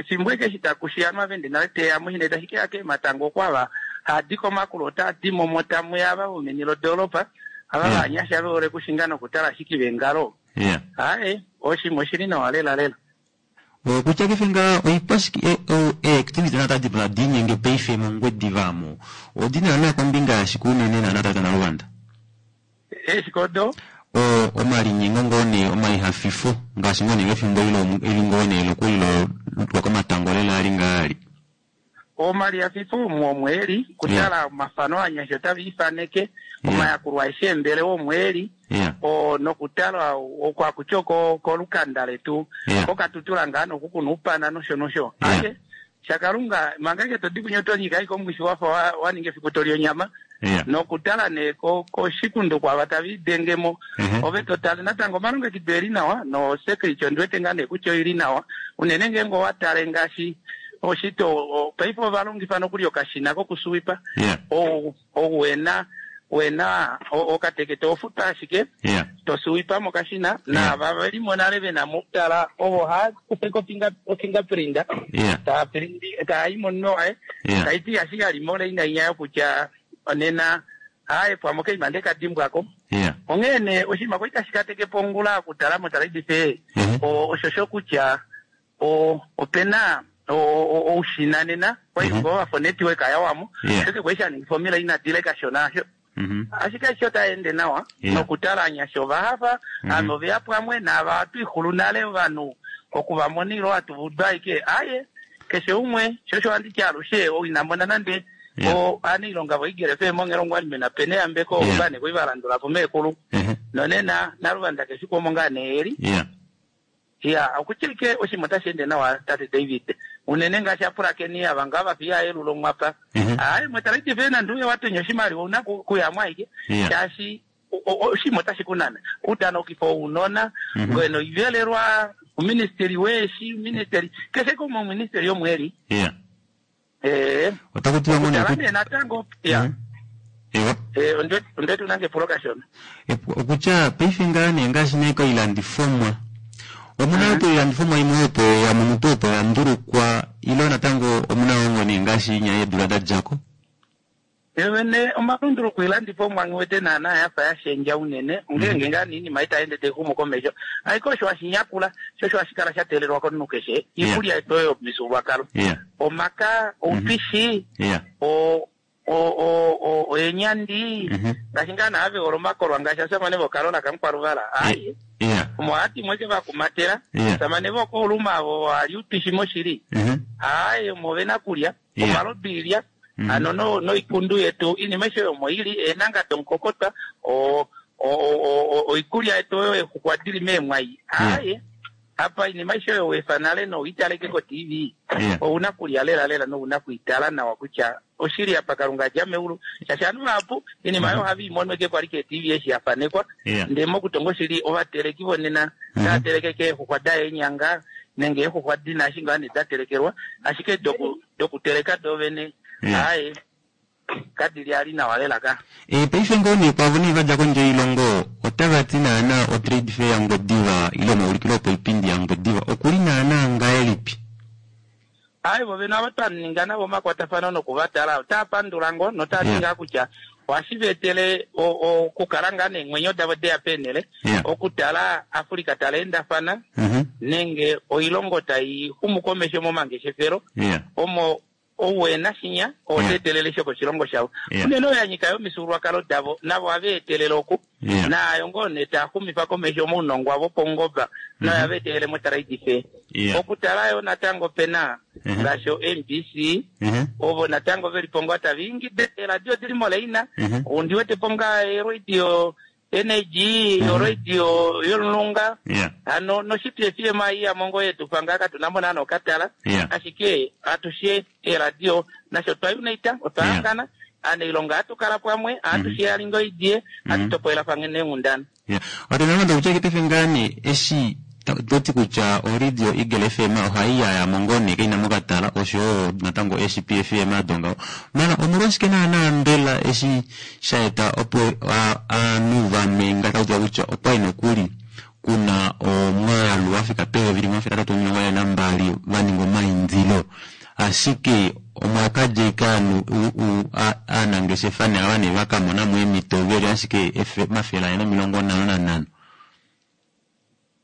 efimbo eke eshi takushi anu avende nale teya mo shine tashi keya keematango okwava haadi komakulo otaadi momo tamuya ava vomeni lodoolopa ava vanyasha vehole kushinga nokutala ashike vengalo. Yeah. Aye, oshima oshili nawa lela lela. Okutya kefe ngaa oikwashike eactivity naana tadi pula diinyenge paife mOngwediva amo odi naana kombinga yashike unene naana tata Naluvanda? Eshikodo O omalinyengo ngoo nee omalihafifo ngaashi ngoo nee efimbo ilo eli ngoo nee lokuli lo lwokomatango lela ali ngaali. Omalihafifo omo omweli kutala omafano anyasha otava ifaneke omayakulo aeshe embelewa omweli Yeah. o nokutala okwakutya oko kolukanda letu Yeah. kokatutula ngaa nokukuna upana nosho nosho. Aye, shakalunga manga ke todi kunya otonyika aike omwifi wafa wa- waninga efiku toli onyama Yeah. nokutala nee ko- koshikundu kwava tava idengemo Mhm. ove totale natango omalongekido eli nawa no security ondiwete ngaa nee kutya oili nawa unene ngeenge owatale ngaashi oshito o- paife ovalongifa nokuli okashina kokusuwipa Yeah. ou ou wena wena o- okatekete ofuta ashike Yeah. tosuwipa mokashina naava velimo nale vena mokutala ovo haakufeko ofingerprint Yeah. taaprinti taayi momunwe waye Yeah. taiti ashike alimo leinainya yokutya onena aye pwamwe okaima nde kadimbwako. Yeah. Onghee nee oshinima kwali tashi katekepo ongula okutala motalaidife osho sho kutya o- opena o- o- oushina nena kwali ngoo wafa onetwork yawamo Yeah. sheke kwali shaningifa omila inadile kashona asho, Mhm. ashike aishe otai ende nawa Yeah. nokutala anyasha ovahafa ame oveya pamwe naava twixulu nale ovanhu okuvamona ilo hatuvudu aike aye keshe umwe shosho handiti alushe inamona nande o anailonga voEagle F M ongelongo alimena pene yambeko Yeah. ovane koi valandulapo meekulu nonena naluvanda keshe kuomo ngaa neeli. Yeah. Ya okutya ike oshinima otashi ende nawa tate David unene ngaashi apulakeni ava ngaa vafiya elulo mwapa aye mwetalaitife nande uye watonya oshimaliwa una ku- kuyamo aike Yeah. shaashi o- o- oshinima otashi kunana udanokifo ounona ngoye noivelelwa uministeri weeshi uministeri keshe kumwe uministeri yomweli. Yeah. Ee, Otaku tiwa ngoo nee okutala kut- nee natango ya Ewa. Eh, onde onde tunange epulo kashona. Okutya paife ngaa nee ngaashi nee koilandifomwa omuna tuu oilandifomwa imwe opo ya mutu opo ya ndulukwa ilo natango omuna wo nee ngaashi inya yeedula da djako? Yovene omalunduluko ilandifomwa ngiwete naana yafa yashendja unene ongenge ngaa niinima itaende taixumu komesho aike osho hashinyakula sho osho hashi kala sha teelelwa komunhu keshe iikulya yetu oyo yomifyuululwakalo Yeah. omaka oupishi Yeah. o o o o oenyandi Mhm. ngaashi ngaa naave hole omakolwa ngaashi asamane vokalola kamukwaluvala aye Yeah. omo hati mweke vakumatela Yeah. samane vokouluma avo hali upishi moshili Mhm. aye omo vena kulya Yeah. omalodu ilya Mhm. ano no noikundu yetu inima isho yomo ili eenanga domukokotwa o o- o- o- oikulya yetu oyo exukwa dili meemwai aye apa inima isho oyo wefa nale nouitaleke ko T V Yeah. ouna kulya lela lela nouna kuitala nawa kutya oshili apa kalunga dja meulu shaashi ovanhu vahapu inima oyo ohava imonweke kwali ke T V eshi yafanekwa. Yeah. Ndee mokutonga oshili ovateleki vonena tava teleke keexuxwa daeenyanga nenge eexuxwa dina ashi ngaa nee da telekelwa ashike doku dokuteleka dovene Yeah. aye kadili ali nawa lela ka. E, paife ngoo nee kwavo nee vadja kondje yoilongo otava ti naana otrade fair yaNgwediva ile omaulikilo opoipindi yaNgwediva okuli naana ngahelipi? Aye vo vene ava twaninga navo omakwatafano nokuvatala otaa pandula ngoo notaa ti Yeah. ngaa kutya ohashi veetele okukala ngaa neemwenyo davo deya peenele Yeah. okutala Africa taleendafana Mhm. nenge oilongo tai xumu komesho momangeshefelo Yeah. omo Ou ena shinya ote etelele sho koshilongo shavo. Yeah. Unene oyo ya nyika yomifyuululwakalo davo navo ohava etelele oku. Yeah. Naayo ngoo nee taa xumifa komesho omaunongo avo paungoba nayo ohava etelele moTrade Fair. Yeah. Okutala yo natango pena Mhm. ngaashi o-M B C Mhm. ovo natango veli po ngoo tava ingida eeradio odili moleina. Mhm. Ondi wete po ngaa eradio N A G, oradio yolunga. Yeah. Hano noshiti F M I ya mongo yetu panga katuna mo naana okatala. Yeah. Ashike atushe eradio nasho twa unite otwa hangana anailonga hatu kala pamwe atushe alingo idie hatu topolelafana neenghundana. Yeah. Watenalonda kutya kitefe ngani eshi toti kutya oradio Eagle F M ohayi yaya mongone kaina mokatala oshowo natango eshi P F M adonga. Mala omolwashike naana mbela eshi shaeta opo aanhu vamwe ngatautiwa kutya okwali nokuli kuna omwaalu wafika peyovi limwe omafele atatu omilongo ane nambali vaninga omaindilo ashike omwakadja ike aanhu aanangeshefa ne ava ne vakamonamo eemhito veli ashike omafele ane nomilongo nhano nanhano.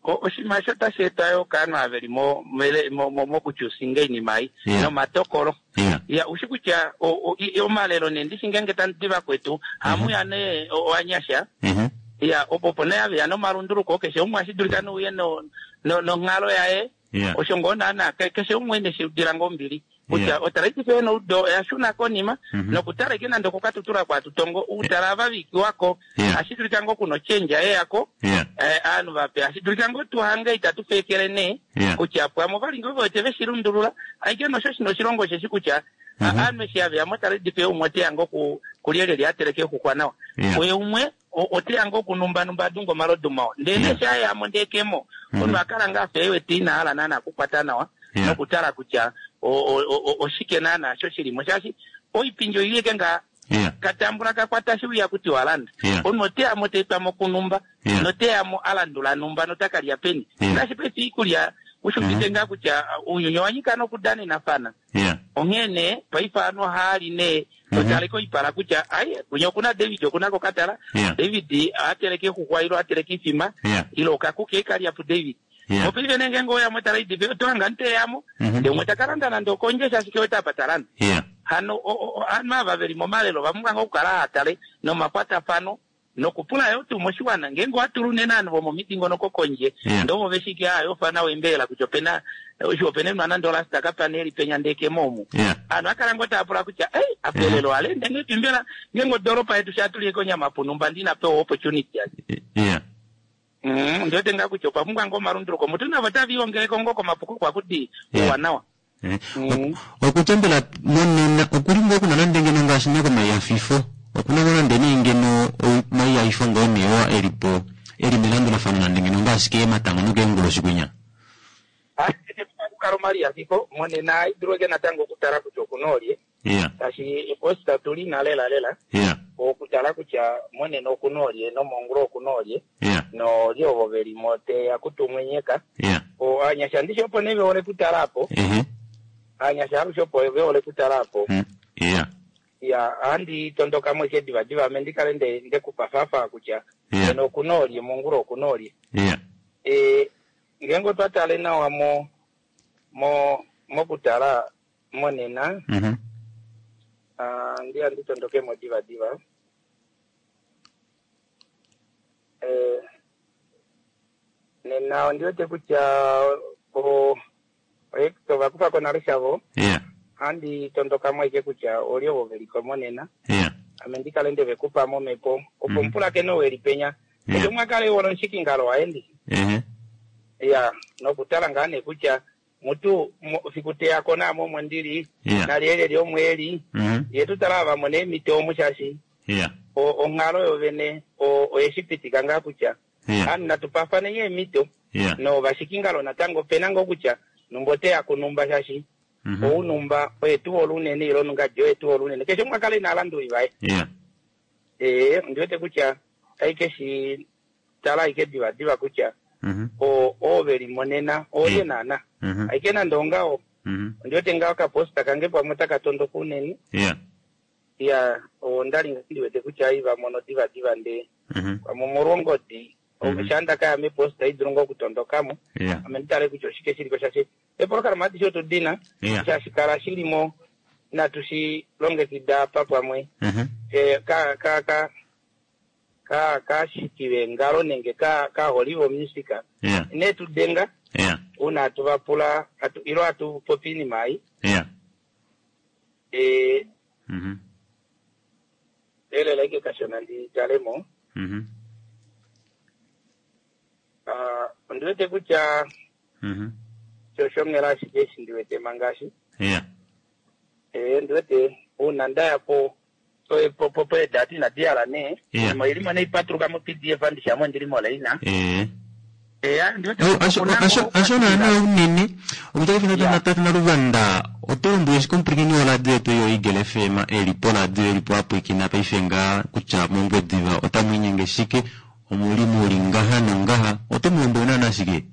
Oshinima osho otashi etwa yo kaanhu ava veli mo- mele- mo- mo- mokuchusinga oinima ei Yeah. nomatokolo. Yeah. Ya, ushi kutya o- o- i- omalelo nee ndishi ngeenge tandi vakwetu hamuya nee ovanyasha. Mhm. Ya, opo opo nee haveya nomalunduluko keshe umwe ohashi dulika nouye no- no- nonghalo yaye. Yeah. Osho ngoo naana ke- keshe umwe neshi udila ngoo ombili. Kutya Yeah. oTrade Fair noudo oya shuna konima Mhm. nokutala ike nande okukatutula kwatutongo utala ava vikiwako Yeah. ashi dulika ngoo kuno change yeyako Yeah. eh, aanhu vape ashi dulika ngoo tuhange itatu feekele nee Yeah. kutya pwamwe ovali ngoo vewete veshilundulula aike nosho shino oshilongo sheshi kutya Mhm. aanhu eshi haveya moTrade Fair umwe oteya ngoo ku- kulyelye ateleke exuxwa nawa. Yeah. Oye umwe o- oteya ngoo kunumbanumba adunga omalodu mawa ndee Yeah. neshi ayamo ndeekemo Mhm. omunhu akala ngaa afa ewete ina hala naana okukwata nawa Yeah. nokutala kutya o- o- o- oshike naana sho shilimo shaashi oipindi oileke ngaa Yeah. katambula kakwata shiuya kuti walanda. Yeah. Omunhu oteyamo teetwamo kunumba Yeah. noteyamo alandula numba notakalya peni. Yeah. Ngaashi paife iikulya ushuvite ngaa kutya uunyuni owa nyika nokudanenafana. Yeah. Onghee nee paife aanhu ohaali nee totaleka oipala kutya ai kunya okuna David okuna kokatala. Yeah. David ateleke exuxwa ilo ateleke ifima Yeah. ilo okakuki ekalya puDavid. Yeah. Mopaife nee ngeenge oya moTrade Fair oto hanga niteyamo Mhm. ndee umwe takalanda nande okondje shaashi kewete apa talanda. Yeah. Hano o- o- o- aanhu ava veli momalelo vapumbwa ngoo okukala haatale nomakwatafano nokupula yo tuu moshiwana ngeenge owatula unene aanhu vomomidingonoko kondje Yeah. ndoo veshike aa yofana wembeela kutya opena osho opena nande olasta kapana eli penya ndekemo omu. Yeah. Aanhu akala ngoo taapula kutya ei apelelo alende ngepi mbela ngeenge odoropa yetu shatuliyeko onyama punumba ndinapewa opportunity yake. Yeah. Mm, ndiwete ngaa kutya opwa pumbwa ngoo omalunduluko mutu navo taviiongeleko ngoo komapuko kwakuti Yeah. ouwanawa. Eh. Okutya mbela monena okuli ngoo kuna nande ngeno ngaashi nekomaiyafifo okuna ngoo nande nee ngeno omaiyafifo ngoo nee oo elipo eli melandulafano nande ngeno ngaashi keematango nokeenguloshi kwinya. Okukala omaliyafifo monena idulweke natango okutala kutya okuna olye Yeah. shaashi eposta tuli na lela lela Yeah. okutala kutya monena okuna olye nomongula okuna olye Yeah. nolye ovo velimo teya kutumwenyeka. Yeah. O aanyasha ndishi opo nee vehole kutala apo. Ehe. Aanyasha alushe opo vehole kutala apo. Mm. Yeah. Ya ohandi tondokamo ike divadiva ame ndikale nde ndekupa fafa kutya Yeah. nena okuna olye mongula okuna olye. Yeah. E, ngeenge otwa tale nawa mo mo mokutala monena Mhm. ah, ndiya nditondokemo divadiva. Eh, nena ondiwete kutya o o ovakufako nale shavo Yeah. ohandi tondokamo ike kutya olye ovo veliko monena Yeah. ame ndikale ndevekupa momhepo opo Mhm. mupulakene ou eli penya Yeah. keshe umwe akale ehole omushikingalo waye ndishi. Ehe. Ya nokutala ngaa nee kutya mutu mo- fiku teyako naame omo ndili Yeah. nalyelye lyomweli Mhm. ye tutala ava mone eemhito omu shaashi Yeah. o- onghalo yovene o- oyeshi pitika ngaa kutya Yeah. aanhu natupafaneni eemhito Yeah. novashikingalo natango opena ngoo kutya numba oteya kunumba shaashi Mhm. ounumba oye tuhole unene ilo nungadi oye tuhole unene keshe umwe akale naalanduli vaye. Yeah. Ee ondiwete kutya aike shi tala aike divadiva kutya Mhm. o- oove limonena olye naana Mhm. aike nande ongaho Mhm. ondiwete ngaho okaposta kange pamwe otakatondoka unene. Yeah. Ya ondali ndiwete kutya ai vamono divadiva ndee Mhm. pamwe omolwongodi Mhm. shaa ndakaya meposta idulu ngoo okutondokamo Yeah. ame nditale kutya oshike shiliko shaashi epolokalama adishe otu dina Yeah. shaashi kala shilimo Inatu shi longekida apa pamwe Mhm. Eh, ka ka ka ka kaashiki veengalo nenge ka kaaholi vomusika Yeah. ine tu denga Yeah. uuna hatu va pula atu ilo hatu popi iinima ayi Yeah. eh, Mhm. elela ike kashona ndi talemo Mhm. Ah, ondi wete kutya Mhm. shoshongela ashike eshi ndi wete mangaashi Yeah. eh, ndi wete uuna ndaya po po- po- po- po edati inadi yala nee Yeah. mo ilimo neipatuluka mo pdf andishamo ndilimo leina Eh. Eh, ah, ndi wete Oh, asho asho asho naana unene okutaka tata luvanda oto lombwele shike omupulakeni woradio yetu yo Eagle FM eli poradio eli po apwikina paife nga kutya mongwediva otamu inyenge shike omuli muli ngaha nongaha oto mu lombwele naana shike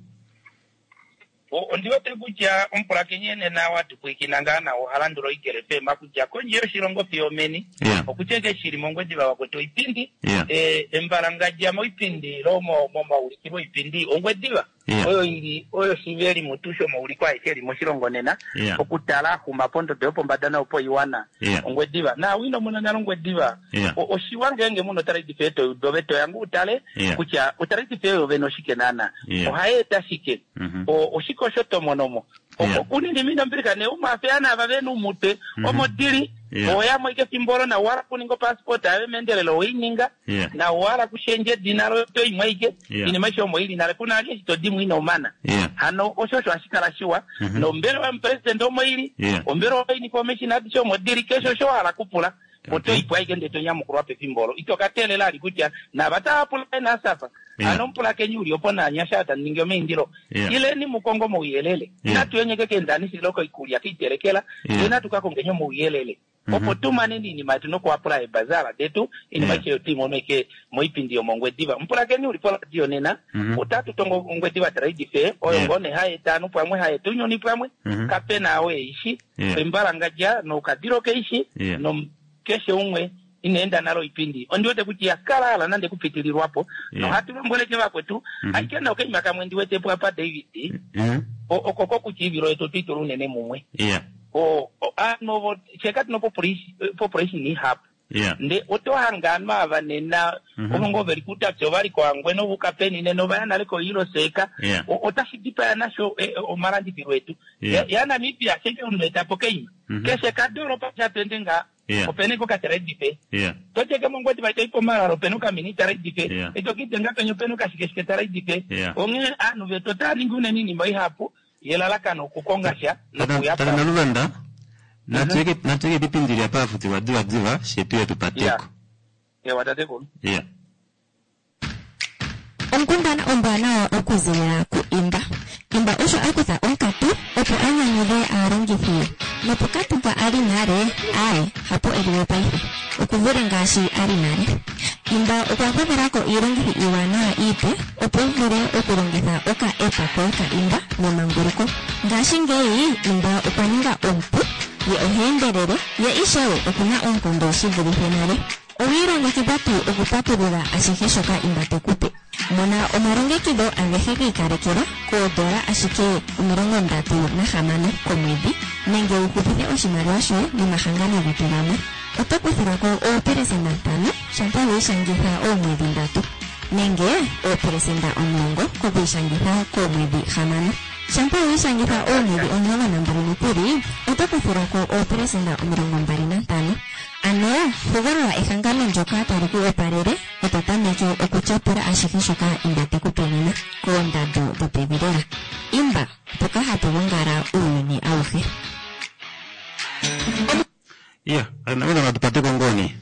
O- ondi wete kutya omupulakeni nena watupwikina ngaa nawo oha landula oEagle FM kutya kondje yoshilongo fiyo meni Yeah. okutya ke shili mongwediva wakwetu oipindi Yeah. eh, embalangadja moipindi ilo mo- momaulikilo oipindi ongwediva Yeah. oyo ili oyo shiveli mutu shomauliko aeshe eli moshilongo nena Yeah. okutala axuma pondodo yopombada nopoiwana Yeah. ongwediva na wino muna nale ongwediva Yeah. O- oshiwa ngeenge muna otalaidifa etoyudo vetoyangu utale Yeah. kutya otalaidifa eyo vene oshike naana Yeah. ohayeeta shike Mhm. O- oshike osho tomonomo Yeah. unini minombirika ne umafeana ava vena umutwe Mhm. omo dili Yeah. oyamo ike efimbo olo na owala kuninga opassport ayo meendelelo oininga Yeah. na owala kushendja edina loyo toimwa ike Yeah. inima isho omo ili nale kuna ali eshi todimwa ina omana Yeah. hano osho osho hashi kala shiwa Mhm. nombelewa yomupresident omo ili Yeah. ombelewa yoinformation adishe omo dili keshe osho wahala kupula otoipwa aike ndee tonyamukulwa pefimbo olo ito katelela ali kutya nava tava pula nasafa Yeah. ano omupulakeni uli opo naanyasha taningi omaindilo Yeah. ileni mukongo mouyelele Yeah. natu yenyeke keendanisilo koikulya kiitelekela Yeah. ye natu kakongenye mouyelele Mhm. opo tumaneni iinima yetu nokuapula ebazala detu iinima Yeah. ishe yotuimono ike moipindi yomongwediva mupulakeni uli poradio nena Mhm. otatu tongo ongwediva trade fair oyo Yeah. ngoo ne haeta anu pamwe haeta unyuni pamwe Mhm. kapena awo eishi Yeah. embalangadja nokadilo keishi Yeah. no keshe umwe inaenda nalo ipindi ondiwete kuti yakalala nande kupitililwapo Yeah. nohatu lombweleke vakwetu Mhm. aike nokaima kamwe ndiwetepo apa David Mhm. o- oko kokuchiivilo yetu twitula unene mumwe Yeah. o o- ano vo cheka tino population population ihapu Yeah. nde otohanga anu ava nena Mhm. ovongo veli kutapya ovali koangwe novukapeni nena ovaya nale koiloseka Yeah. O- otashi dipaya nasho eh, eh, omalandithilo etu Yeah. Ya- ya Namibia sheke omunhu etapo keima Mhm. keshe kadoropa shatwende nga Yeah. opena iko katrade Yeah. tocheke mongwediva itoipo omalalo opena okamini trade fair Yeah. itokitenga penya opena okashikeshike trade fair Yeah. onghee aanhu vetu otaya ningi unene iinima ihapu yelalakano okukonga sha nokuya Tata Naluvanda natuweke natuweke pipindi lya pafutilwa diva diva shetu yetu pateko. ewa tatekulu Yeah. Onkundana ombwanawa okuzilila ku Imba. Imba osho a kutha onkatu opo a nyanyudhe aalongithi ye. Nopokatu mpa a li nale, aye, hapo e li we paife. Okuvule ngaashi a li nale. Imba okwa gwedhela ko iilongithi iiwanawa iipe opo wu vule okulongitha oka-app koye ka Imba memanguluko. Ngashingeyi Imba okwa ninga omupu, ye oha endelele, ye ishewe okuna oonkondo shi vulithe nale. Owi ilongekidha tuu okupatulula ashihe shoka Imba te ku pe? Mona omalongekidho agehe gi ikalekelwa koodola ashike omilongo ndatu nahamano komwedhi nenge wu hupithe oshimaliwa shoye nomahangano getu gamwe. Oto kuthilwa ko oopelesenda ntano shampa wi ishangitha oomwedhi ndatu nenge oopelesenda omulongo kokwiishangitha koomwedhi hamano. Shampa wi ishangitha oomwedhi omulongo nambali nokuli oto kuthilwa ko oopelesenda omilongo mbali nantano. Ano hogolola ehangano ndyoka tali ku opalele e to tameke okutyapula ashihe shoka Imba te ku pe nena koondando dhopevi lela. Imba, mpoka hapu gongala uuyuni awuhe. Yeah. Tata Naluvanda tupateko ngoni.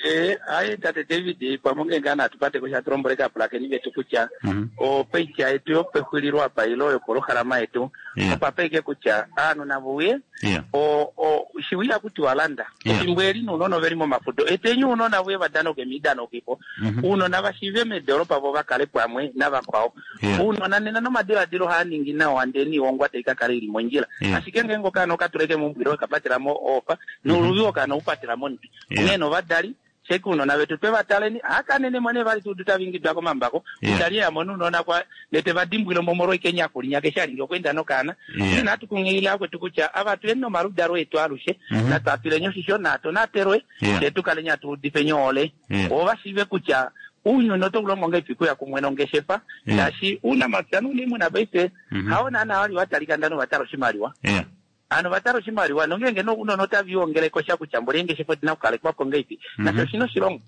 Eh, ayi tate David pamwe nge ngaa natupateko sha tulombweleke aapulakeni vetu kutya Mhm. opeitya yetu yopexulilo apa ilo yopolohalama yetu Yeah. opapeike kutya aanhu navuye Yeah. o o shiwiya kuti walanda Yeah. efimbo eli nuunona oveli momafudo etenyu uunona vuye vadanoke miidanokipo Mhm. uunona vashive medoolopa vo vakale pamwe navakwao Yeah. uunona nena nomadiladilo haaningi nawa ndee niiwongwa taikakala ili mondjila Yeah. ashike ngeenge okaana okatuleke mombwilo ekapatela mo ofa nuuluvi okaana upatela mondwi Yeah. onghee novadali Sheke uunona vetu twe va taleni akanene mo nee vali tuudu tava ingidwa komambako Yeah. utali yamona uunona kwa ndee teva dimbwile mo omolwa ike enyaku linya keshe alingi okweenda nokaana Yeah. ine natu kunghilile akwetu kutya ava tuyeni nomaludalo etu alushe Mhm. natwapileni oshisho natonatelwe Yeah. ndee tukaleni atuudifeni ohole Yeah. oo vashiive kutya uunyuni oto ulongo ngaipi kuya kumwe nongeshefa Yeah. shaashi uunamapya nuuniimuna paife Mhm. hawo naana wali watalika ndano vatala oshimaliwa Yeah. ano vatala oshimaliwa nongenge nounona otaviwongeleko sha kutya mboli eengeshefa odina okukalekwapo ngaipi Mhm. nasho oshina oshilongo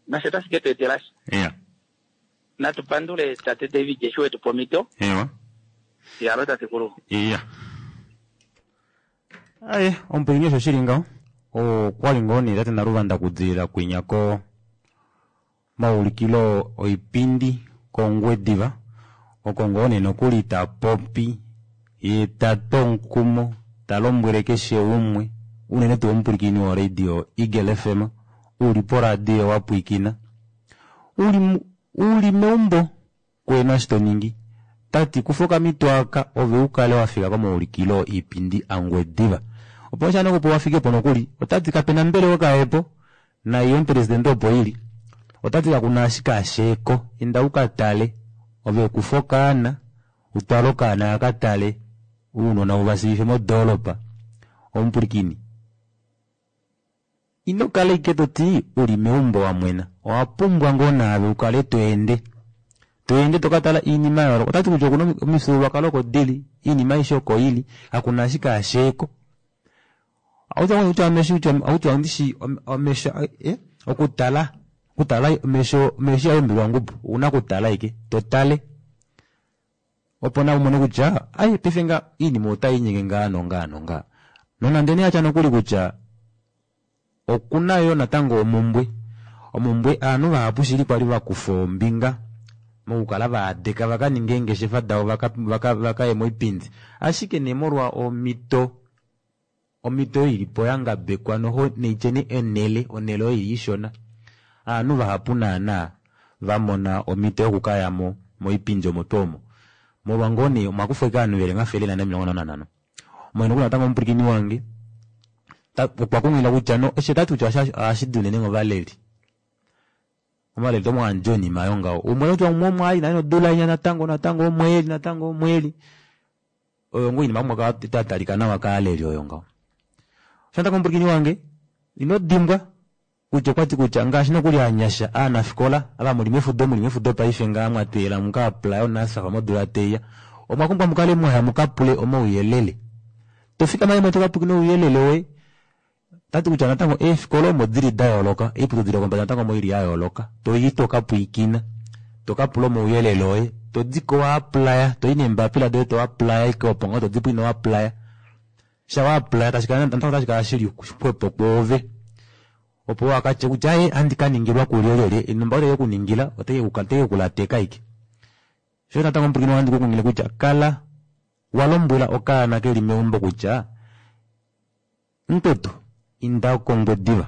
nasho otashi ke tu etelasha Yeah. natu pandule tate David eshi wetu pomito Ewa. yalo tatekulu Iya. Aye, omupwilikini osho shili ngaho okwali ngoo nee tate Naluvanda kudilila kwinya ko maulikilo oipindi kOngwediva oko ngoo nee nokuli tapopi ye tatu omukumo talombwele keshe umwe unene tuu omupwilikini woradio Eagle F M uli poradio wapwiikina uli, mu- uli meumbo kuena eshi toningi tati kufa okamito aka ove ukale wafika komaulikilo iipindi aNgwediva opo osha nokupo wafikepo nokuli otati kapena mbelewa kaepo naiyo omupresidente opo ili otati kakuna ashike asheeko inda ukatale ove kufa okaana utwale okaana akatale uunona uvasiife modoolopa omupulikini ino kala ike toti uli meumbo wamwena owapumbwa ngoo naave ukale toende toende tokatala iinima yayooloka otati kutya okuna omifyuululwakalo oko dili iinima aishe oko ili kakuna ashike asheeko akutya kutya omesho kutya akutya ndishi omesho eh, okutala okutala omesho omesho ihaumbilwa ongubu ouna okutala ike totale opo na umone kutya ai paife nga iinima otayiinyenge ngaa nongaa nongaa nonande nee atya nokuli kutya okuna yo natango omumbwe omumbwe aanhu vahapu shili kwali vakufa ombinga mokukala vaadeka vakaninga eengeshefa davo vaka- vaka- vakaye moipindi ashike nee molwa omito omito oyo ilipo yangabekwa noho neityeni enele onele oyo ili ishona aanhu vahapu naana vamona omito yokukayamo moipindi omo tuu omo molwa ngoo nee omwakufwa ike ovanhu veli omafele ane nomilongo nhano nanhano omwene nokuli natango omupwilikini wange ta- okwa kunghilila kutya no eshi otati kutya osha- ohashidi unene ngovaleli omaleli tomwandja onima yongaho umwe kutya umwe omwali nale nodula inya natango natango omweli natango omweli oyo ngoo inima kumwe tatalika nawa kaaleli oyo ngaho osho natango omupwilikini wange ino dimbwa kutya okwati kutya ngaashi nokuli anyasha aanafikola ava muli mefudo muli mefudo paife ngaa mwateela muka apply oNSFAF modula teiya omwa pumbwa mukale mwaya mukapule omauyelele tofikama imwe tokapukina ouyelele woye tati kutya natango eefikola omo dili da yooloka oiputudilo yopombada natango omo ili ya yooloka toyi tokapwiikina tokapula omauyelele oye todiko wa applya toyi neembapila doye to applya ike opo ngoo todipo ino applya sha wa applya tashikala natango tashikala shili xwepo kwoove opo wakatye kutya aye andi kaningilwa kulyelele enomba otaike kuningila otaike kulateka ike sho natango omupwilikini wange kukungile kutya kala walombwela okaana keli meumbo kutya mukwetu inda kOngwediva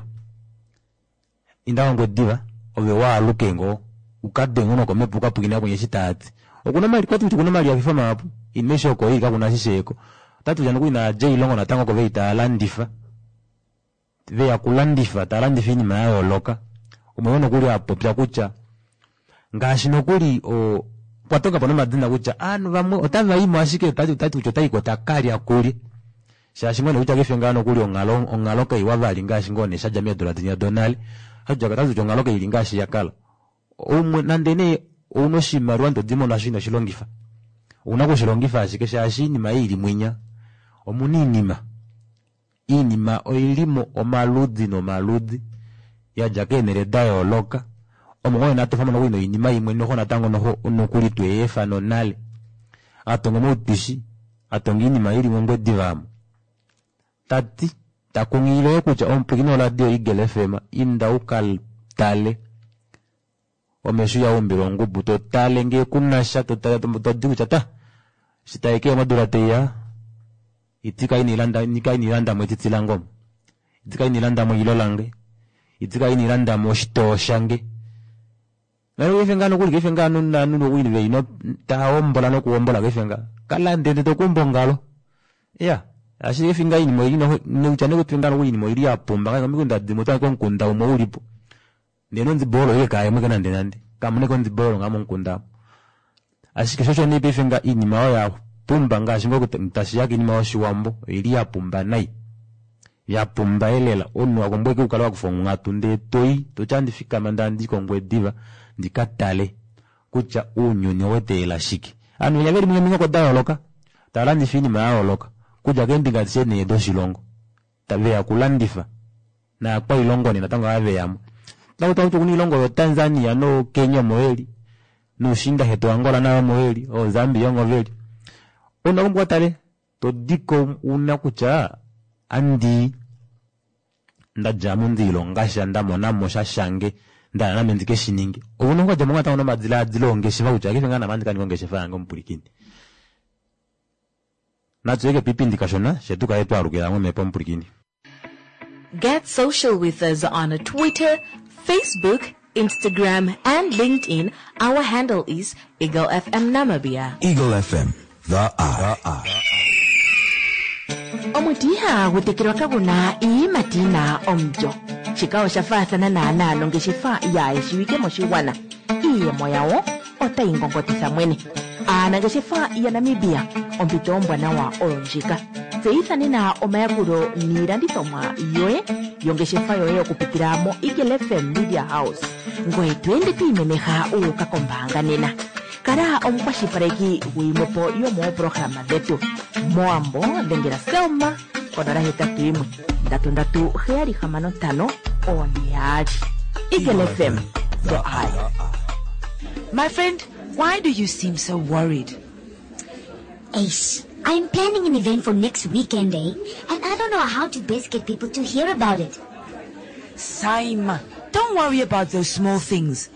inda kOngwediva ove waaluke ngoo ukadenge nokomepo ukapwiikine kwenye eshi taati okuna omali kwati kutya okuna omalihafifo mahapu inima eshi oko ili kakuna eshi sheeko otati kutya nokuli naadja oilongo natango oko veli taalandifa veya kulandifa taalandifa oinima yayooloka umwe nokuli apopya kutya ngaashi nokuli o okwa tongapo nomadina kutya aanhu vamwe otavaimo ashike tati tati kutya otaiko takalya kulye shaashi mwene kutya kaife ngaa nokuli onghalo onghalo kaiwa vali ngaashi ngoo nee shadja meedula dinya donale otati kutya onghalo kaili ngaashi yakala umwe nande nee ouna oshimaliwa ndee todimono asho inoshilongifa ouna okushilongifa ashike shaashi iinima ei ili mwinya omuna iinima iinima oilimo omaludi nomaludi yadja keenele da yooloka omo ngoo natofamo nokuli noinima imwe noho natango noho nokuli tweefa nonale atonga omautwishi atonga iinima ili mOngwediva aamo tati takunghilile kutya omupwilikini woradio Eagle F M inda ukatale omesho ihaumbilwa ongubu totale ngee kunasha totale todi kutya ta eshi taikeya modula teiya iti kainilanda kainilandamo etiti lange omo iti kainilandamo ilo lange iti kainilandamo oshitoo shange nale ngaa nokuli kaife ngaa nanu nokuli veino taahombola nokuhombola kaife nga kalande ndee tokumba ongalo iya ashike kaife ngaa iinima oili noho kutya nekutya ngaa nokuli iinima oili yapumba komikunda dimwe otwaange komukunda umwe ulipo Ndee nondiboolo ile kaayemo ike nande nande. Kamuna ike ondiboolo ngaa momukunda amu. Ashike sho osho nee paife nga iinima oyo ya pumba ngaashi ngoo tashiya kiinima yoshiwambo oili ya pumba nai. Ya pumba elela omunhu wapumbwa ike ukale wakufa onghatu ndee toyi toti andi fikama ndee andii kOngwediva ndika tale kutya ounyuni oweteela shike. Ovanhu venya veli momihoko da yooloka tava landifa oinima ya yooloka okudja keembinga adishe nhee doshilongo veya okulandifa naakwailongo nee natango ava veyamo. Otaku tiwa kutya okuna oilongo yoo Tanzania noo Kenya omo veli noushiinda shetu Angola nayo omo veli oo Zambia omo veli. Omunhu owapumbwa utale todiko una kutya andii ndadjamo ndiilongasha ndamonamo sha shange ndahala name ndikeshininge. Ouna okukadjamo natango nomadilaadilo ongeshefa kutya paife ngaa name ohandi kaninga ongeshefa yange omupwilikini. Natuyeke piipindi kashona fye tukale twaalukila momhepo omupwilikini. Get social with us on Twitter, Facebook, Instagram, and LinkedIn. Our handle is Eagle FM Namibia. Eagle FM, the eye. Omuti ihagu tekelwa kagu na iiyimati yi na omulyo. Shika osha faathana naanaa nongeshefa yaa shiwike moshigwana. Iiyemo yawo otayi ngongotitha mwene. Aanangeshefa yaNamibia, ompito ombwanawa oyo ndjika. Tseyitha nena omayakulo niilandithomwa yoye yongeshefa yoye okupitila moEagle FM Media House. Ngoye to ende to imemeha wu uka kombaanga nena. Kala omukwashilipaleki guyimwe po yomooprograma dhetu. Mowambo dhengela Selma konola hetatu yimwe ndatu ndatu heyali hamano ntano oone yaali. Eagle FM, the eye. My friend, why do you seem so worried? Ace, I'm planning an event for next weekend, eh? And I don't know how to best get people to hear about it. Saima, don't worry about those small things.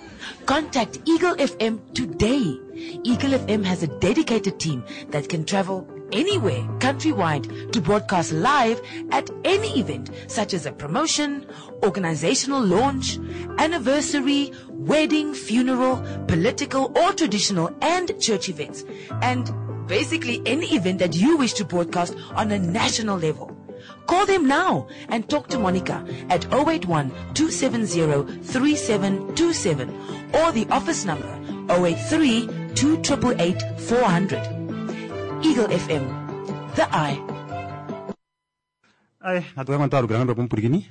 Contact Eagle FM today. Eagle FM has a dedicated team that can travel anywhere countrywide to broadcast live at any event such as a promotion, organizational launch, anniversary, wedding, funeral, political or traditional and church events. And basically any event that you wish to broadcast on a national level. Call them now and talk to Monica at oh eight one, two seven zero, three seven two seven or the office number oh eight three, two triple eight, four hundred. Eagle F M, the eye. Aye, natu kale twalukila ngoo pomupwilikini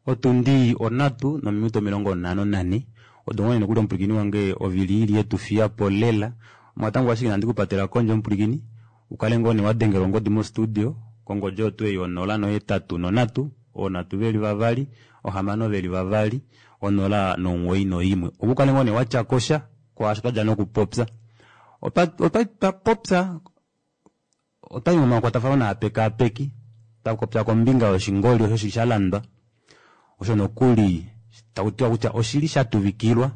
otundi onhatu nominute omilongo nhano nanhe odo ngoo nokuli omupwilikini wange ovili ili yetufiyapo lela omatango ashike inandi kupatela kondje omupwilikini ukale ngoo nee wadengelwa ongodi mostudio kongodi oyo tuu ei onola nohetatu nonhatu oonhatu veli vavali ohamano veli vavali onola nomuwoi noimwe opo ukale ngoo nee watyakosha kwaasho twadja nokupopya. Otwa popya otwayi momakwatafano naapekaapeki twapopya kombinga yoshingoli osho shili shalandwa osho nokuli takutiwa kutya oshili shatuvikilwa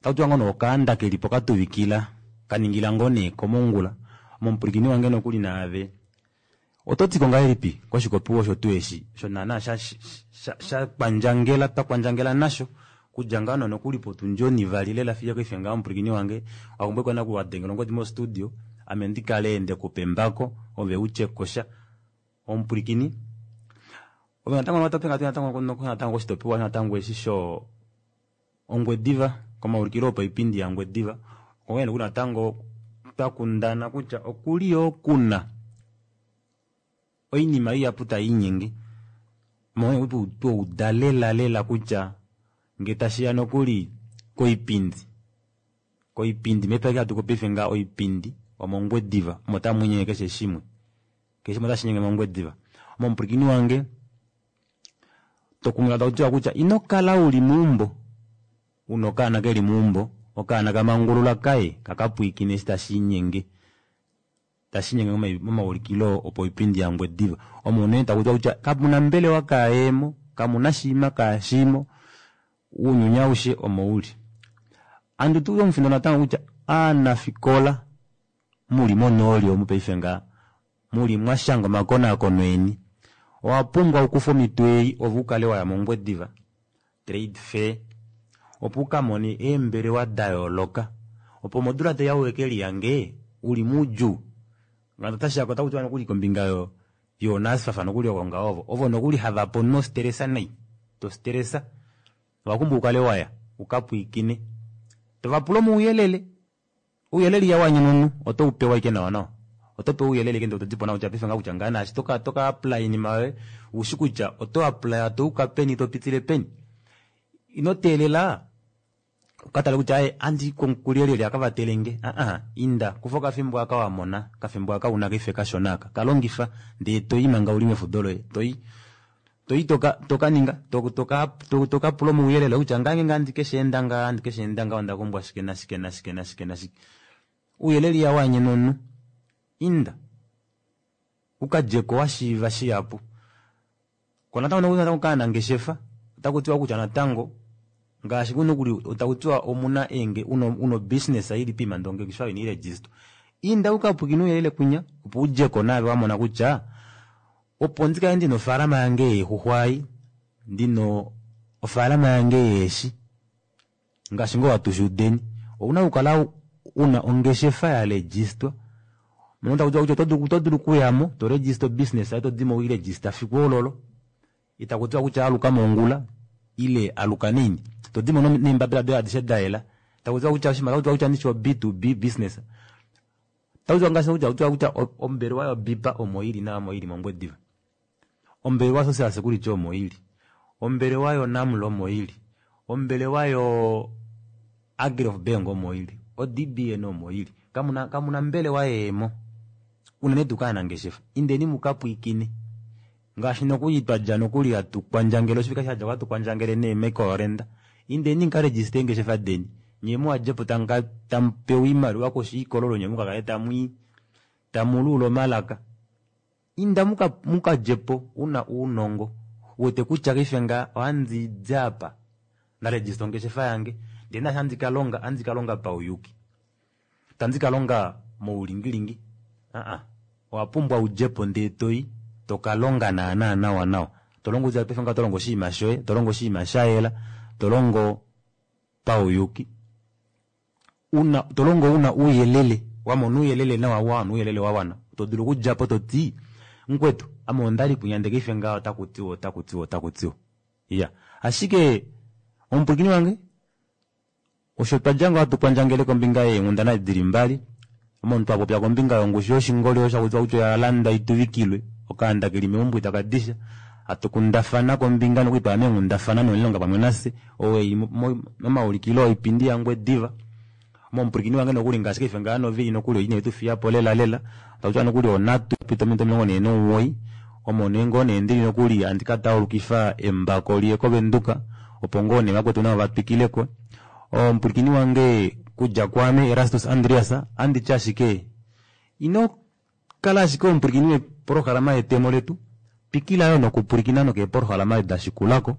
otakutiwa ngoo nee okaanda kelipo katuvikila kaningila ngoo nee komongula omupwilikini wange nokuli naave ototiko ngahelipi koshikopiwa osho tuu eshi osho naana shakwandjangela twakwandjangela nasho kudja ngaa nokuli potundi onivali lela fiyo paife ngaha omupwilikini wange wapumbwa ashike wadengela ongodi mostudio ame ndikale ndekupa embako ove utyekosha omupwilikini ove natango natango koshitopiwa natango eshi sho Ongwediva komaulikilo opaipindi yaNgwediva onghee nokuli natango twakundana kutya okuli yoo kuna oinima ihapu taiinyenge twauda lela lela kutya ngee tashiya nokuli koipindi koipindi mepya hatu paife ngaha oipindi omOngwediva omo tamwiinyenge keshe shimwe keshe shimwe otashiinyenge mOngwediva omupwilikini wange tokunghililwa takutiwa kutya ino kala uli meumbo una okaana keli meumbo okaana kamangulula kaye kakapwiikine eshi tashiinyenge tashiinyenge momaulikilo opoipindi yaNgwediva omo nee takutiwa kutya kamuna mbelewa kaayemo kamuna shiima kaashimo ounyuni aushe omo uli. Handi tu omufindo natango kutya aanafikola muli monooli omu paife ngaha muli mwashanga omakonaakono eni owapumbwa ukufe omhito ei ove ukale waya mOngwediva Trade Fair opo ukamone eembelewa dayooloka opo modula taiya uke lihange uli moudjuu ngaashi otashiya otakutiwa nokuli kombinga yoNSFAF nokuli oko ngaho ovo ovo nokuli havape omunhu ostresa nai tostresa. Owapumbwa ukale waya ukapwiikine tovapula omauyelele ouyelele ihawanyene omunhu oto upewa ashike nawa nawa otopewa ouyelele ashike ndee todipo nawa kutya paife ngaha kutya ngaa naashi toka toka apply oinima yoye ushi kutya oto apply touka peni topitile peni ino teelela ukatale kutya aaye andii kulyelyelye akavatelenge aa inda kufa okafimbo aka wamona okafimbo aka una paife kashona aka kalongifa ndee toyi manga uli mefudo loye toyi toyi toka tokaninga toka tokapula omauyelele kutya ngeenge handi kesheenda ngaha handi kesheenda ngaha ondapumbwa shike nashike nashike nashike nashike ouyelele ihawanyene omunhu inda ukadjeko washiiva shihapu koo natango natango kovanangeshefa otakutiwa kutya natango ngaashi nokuli takutiwa omuna enge una obusiness ili poima ndee ongeshefa oyo inairegister inda ukapwiikine ouyelele kunya opo udjeko naave wamona kutya opo ndikale ndina ofaalama yange yeexuxwa ei ndina ofaalama yange yeeshi ngaashi ngoo hatushuudeni ouna okukala una ongeshefa yaregistwa mono takutiwa kutya otodulu okuyamo toregister obusiness yoye todimo weiregister fiku ololo itakutiwa kutya aluka mongula ile aluka naini todimo neembapila doye adishe dayela takutiwa kutya oshinima otakutiwa kutya ndishi o B to B business takutiwa ngaashi takutiwa kutya ombelewa yo BIPA omo ili nayo omo ili mOngwediva ombelewa social security omo ili ombelewa yo NAML omo ili ombelewa yo Agrihof Bank omo ili o D_B_N omo ili kamuna kamuna mbelewa yeemo unene tuu kovanangeshefa indeni mukapwiikine ngaashi nokuli twadja nokuli hatu kwandjangele oshivike shadjako ohatu kwandjangele nee Michael indeni mukaregister eengeshefa deni nyee muhadjepo tamupewa oimaliwa koshi yoikololo nyee mukakale tamwii tamuluula omalaka inda mukadjepo una ounongo uwete kutya paife ngaha ohandidi apa ndaregister ongeshefa yange ndee naashi handi kalonga ohandi kalonga pauyuki itandi kalonga moulingilingi aa owapumbwa udjepo ndee toyi tokalonga naana nawa nawa tolongo kutya paife ngaha otolongo oshinima shoye tolongo oshinima shayela tolongo pauyuki una tolongo una ouyelele wamona ouyelele nawa wawana ouyelele wawana todulu okudjapo toti mukwetu ame ondali kwinya ndee paife ngaha otakutiwa otakutiwa otakutiwa iya ashike omupwilikini wange osho twadja ngoo hatu kwandjangele kombinga yeenghundana dili mbali omo twapopya kombinga yongushu yoshingoli osho hakutiwa kutya oyalanda ituvikilwe okaanda keli meumbo itakadisha hatu kundafana kombinga nokuli twaya meenghundafana nomuilonga pamwe nafye ou eli momaulikilo oipindi yaNgwediva omo omupwilikini wange nokuli ngaashi paife ngaha novili nokuli ine tufiyapo lela lela takutiwa nokuli onhatu yapita ominute omilongo nhee nomugoyi omo nee ngoo nee ndili nokuli handi kataulukifa embako liye kovenduka opo ngoo nee vakwetu navo vatwikileko omupwilikini wange kudja kwaame Erastus Andreas anditi ashike ino kala ashike omupwilikini weprograma yetemo letu twikila yoo nokupwilikina nokeeprograma dashikulako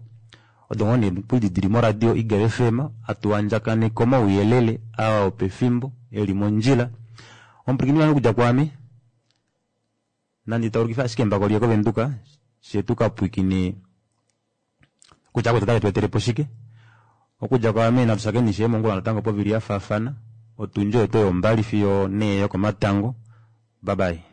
odo ngoo nee nokuli dili moradio Eagle F_M hatu andjakaneke omauyelele aa opefimbo eli mondjila omupwilikini wange okudja kwaame nandi taulukife ashike embako liye kovenduka fyee tukapwiikine kutya vakwetu otave tweetelepo shike okudja kwaame natu shakeni ishewe mongula natango povili yafaafana otundi oyo oyo ombali fiyo nhee yokomatango bye bye.